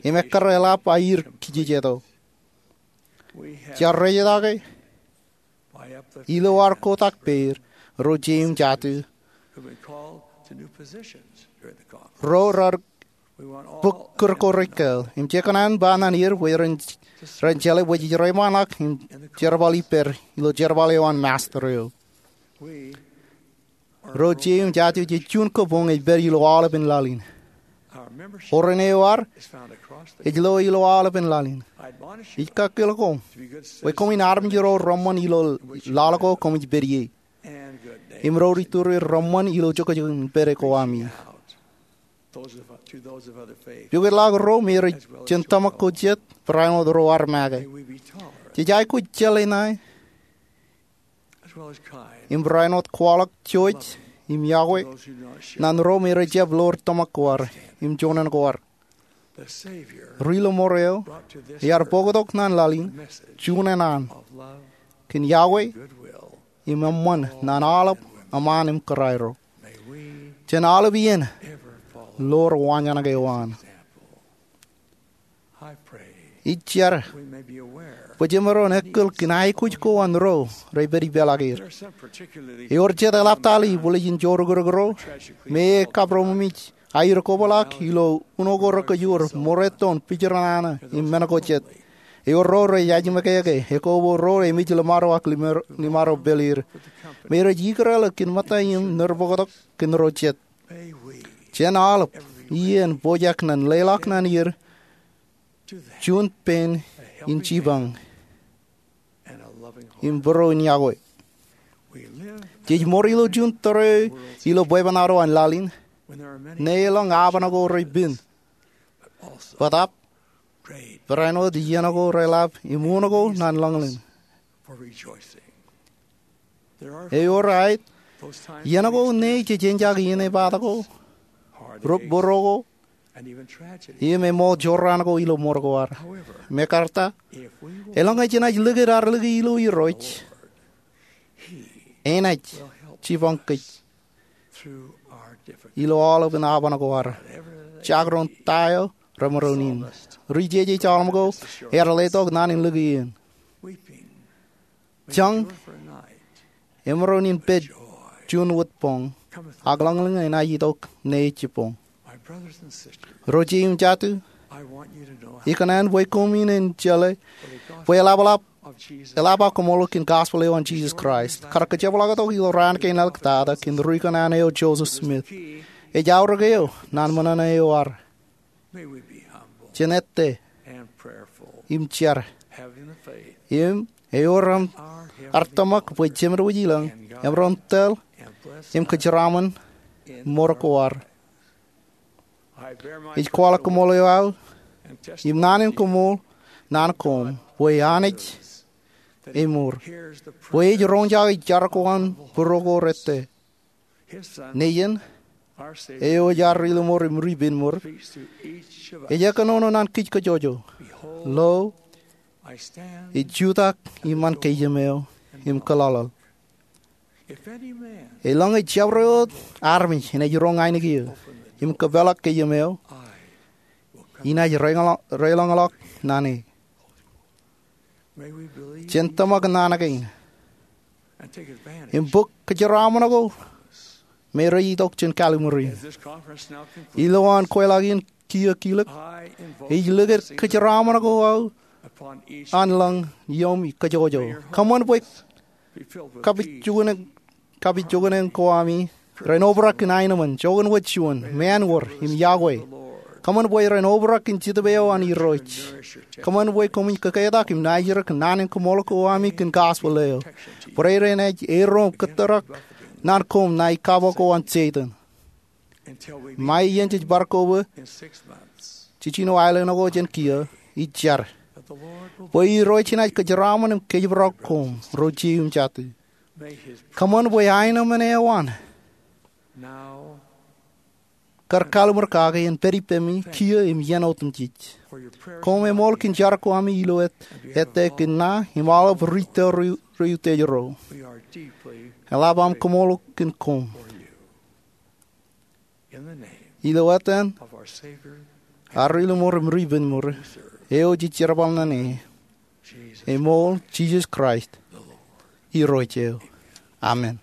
im ekkar eḷap aer kijejeto. Jaar rejjitōk ilo ad kotak pād ro jeiū im jatū ro raar bōk kūr ko rej kāāl im jej kōṇaan ba ñan er bwe ren jeḷā bwe jej reiṃaanḷọk im jerbal ippād ilo jerbal eo an Master eo. Ro jeiū im jatū jej juon kabuñ ej pād ilo aolepān laḷ in. Oren eo ad ej lo ilo aolepān laḷ in. Ij kakkōl koṃ bwe koṃwin armej ro reṃṃan ilo laḷ ko koṃij pād ie im ro ri turi reṃṃan ilo jokjok in pād ko ami. Pukotḷọk ro me rej jān tōmak ko jet barāinwōt ro ad make. Jej aikuj jeḷā ṇae im barāinwōt kwaḷọk jouj im yokwe ñan ro me rej jab lor tōmak ko ad im joñan ko ad. Ri-lọmọọr eo ear bōktok ñan laḷ in juon ennaan kōn yokwe im eṃṃan ñan aolep eṃṃaan im kōrā ro. Jen aolep iien lor waanjoñak eo an. Ij jar bwe jemaroñ in ekkal kōn aikuj ko an ro rej pād ipeḷaakier. Ewōr jet eḷaptale ibwiljin jorukūrōk ro me ekabdọmọmij aer kobrak ilo uno ko rekōjwōr, ṃōrā, tōn, pijernana im men ko jet. Ewōr ro rej ajiṃōkeake, ekobo ro emej liṃaro ak liṃaro pāleer me rej ikōrā ḷọk kōn ṃōtta im nōr bōktok kōn ro jet. Jen aolep iien pojak ñan leḷọk ñan er juon pen in jipañ im būruon yokwe. Jej ṃōr ilo juon tōre ilo bwebwenato an laḷ in ṇe elōñ aō ban ko rej pen, bōtab barāinwōt iien ko reḷap im uno ko ñan ḷōñḷōñ. Ewōr aet iien ko ṇe jej eñjake iien epaak ko, rūpbūro ko im eṃool jorrāān ko ilo ṃōr ko ad. Mekarta, elōñ ej jenaaj likūt ad lōke ilo Irooj, enaaj jipañ kōj ilo aolepān aō ban ko ad. Jaakdọọn ta eo remaroñ in, ri-jeje eo aolep ko ear letok ñan in lōke iien. Jañ emaroñ in pād juon wōt boñ, ak ḷōñḷōñ enaaj itok ṇe ejjab boñ. Ro jeiū im jatū, ikōṇaan bwe koṃwin en jeḷā bwe eḷap aō koṃṃool kōn gospel eo an Jisōs Kraist kar kōjepḷaaktok ilo raan kein āliktata kōn ri-kōṇaan eo Joseph Smith. Ej aorōk eo ñan ṃōṇōṇō eo ad. Jen ettā im jar im ewōr ad tōmak bwe Jemedwōj ilañ emaroñ tōl im kōjeraaṃṃan ṃōr ko ad. Ij kwaḷọk koṃṃool eo aō im naan in koṃṃool ñan koṃ bwe Anij eṃour, bwe ej roñjake jar ko an būruo ko rettā. Nejin, eo ej ad ri-lọmọọr im ri-penmour, ej kōnono ñan kij kajjojo. Lo, ij jutak iṃaan kōjām eo im kōḷaḷḷaḷ. Elōñ ejabdewōt armej enaaj roñ ainikien im kōpeḷḷọk kōjām eo, inaaj reiḷọñḷọk ñan e. Jen tōmak naan kein im bōk kōjeraaṃṃan ko me rej itok jān Calvary. Ilowaan kweḷaak in kiiō kilōk, ij likūt kōjeraaṃṃan ko aō an ḷōñ iuṃwin kajjojo. Kōṃṃan bwe kapijuknen ko ami ren obrak kōn aenōṃṃan, joñan wōt juon, mānwōr im yokwe. Kōṃṃan bwe ren obrak in jetōb eo an Irooj. Kōṃṃan bwe koṃij kōketak im naajrak naan in koṃṃool ko ami kōn gospel eo. Bwe ren ej erom kōttarōk naan koṃ ṇae kab ko an Setan. Ṃae iien jej bar koba jiljino aelōñ ko jān kiiō, ij jar bwe Irooj enaaj kōjeraaṃṃan im kōjparok koṃ ro jeiū im jatū. Kōṃṃan bwe aenōṃṃan eo an kar kalimur kake en pād ippemi kiiō im iien otemjej. Koṃ eṃool kōn jar ko ami ilo ettā kōn ṇa im aolep ri tōl ro utiej ro. Eḷap aṃ koṃṃool kōn koṃ. Ilo etan ad Rilọmọọr im Ripenmour eo jej jerbal ñan e, eṃool Jisōs Kraist Irooj eo. Amen.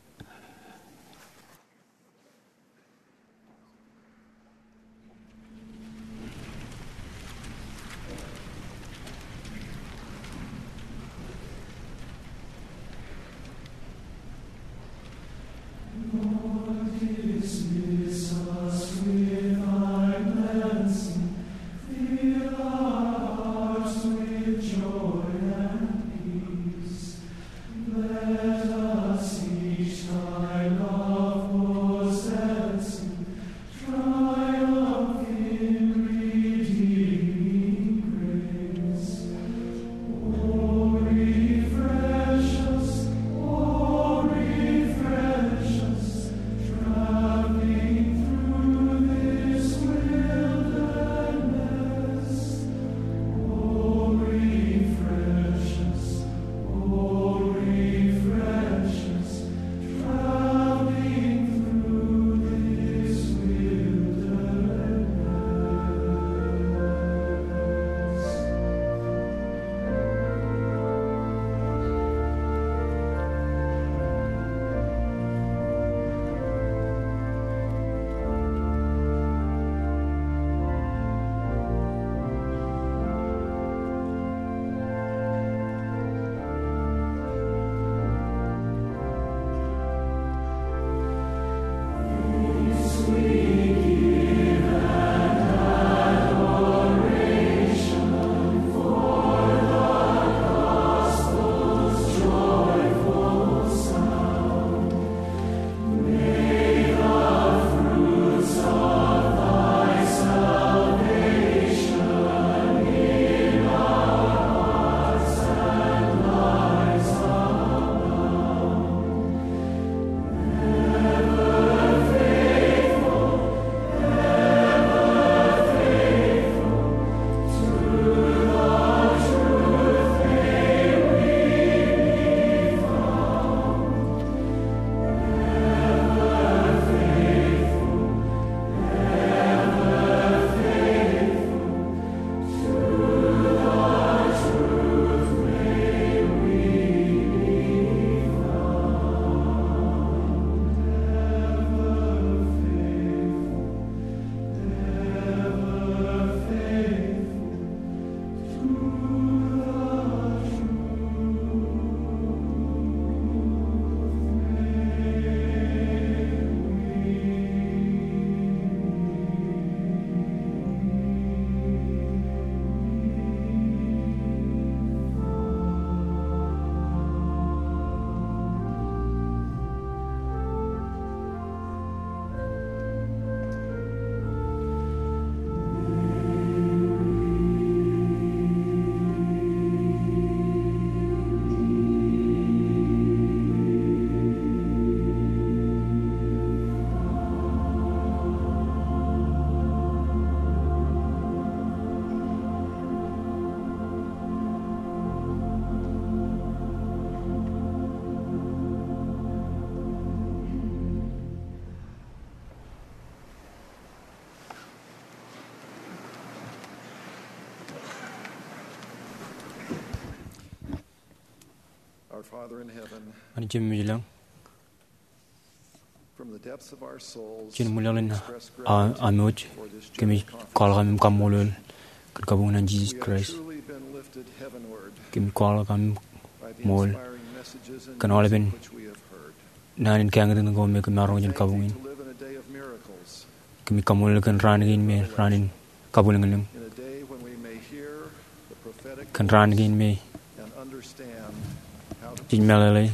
Our Father in heaven, Ñan Jemem ilañ, from the depths of our souls, jān ṃwilaḷ in a-, amouj, kōmij kwaḷọk am kaṃṃoolol kōn kabuñ in an Jisōs Kraist. Kōmij kwaḷọk am ṃool kōn aolepen naan in kañōtñōt ko me kōm maroñ jān kabuñ in. Kōmij kaṃṃoolol kōn raan kein me raan in kabwilōñlōñ kōn raan kein me jej meḷeḷe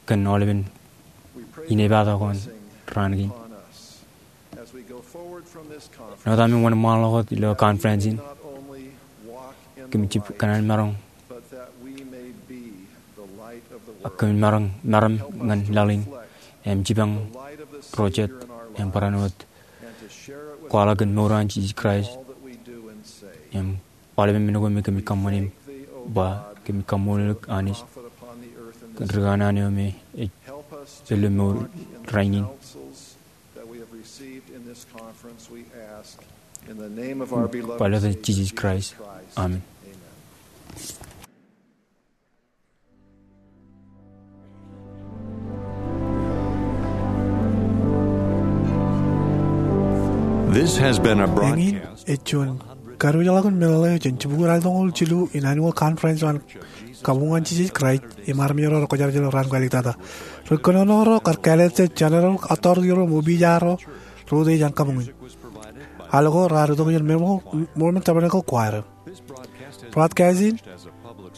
kōn aolepen inepata ko an raan kein. Āinwōt ami wōnṃaanḷọk wōt ilo conference in, kōmij jab kōṇaan maroñ ak kōmij maroñ meram ñan laḷ in im jipañ ro jet im barāinwōt kwaḷọk kōn mour an Jisōs Kraist im aolepen men ko me kōmij kōṃṃani. Im ba kōmij kaṃṃoolol eok Anij kōn ri kanaan eo me ej ilo mour rainin. Ilo etan Jisōs Kraist, amen. Eñin ej juon kadiwōjḷọkin meḷeḷe jān jibukwi ralitōñoul jilu in annual conference eo an Kabuñ an Jisōs Kraist im armej ro rekwōjarjar raan kwōj āliktata. Ri kōnono ro kar kāālōt jān General Authority ro im opiij ro rej utiej an kabuñ in. Al ko raar itok jān Mormon Tabernacle Choir. Broadcasting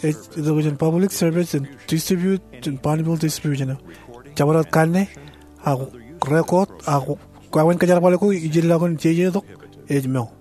ej itok jān public service im distribute jān Bonneville Distribution. Jabdewōt kanne ak record ak wāween kōjerbal ko ijellọkin jejetok ej mour.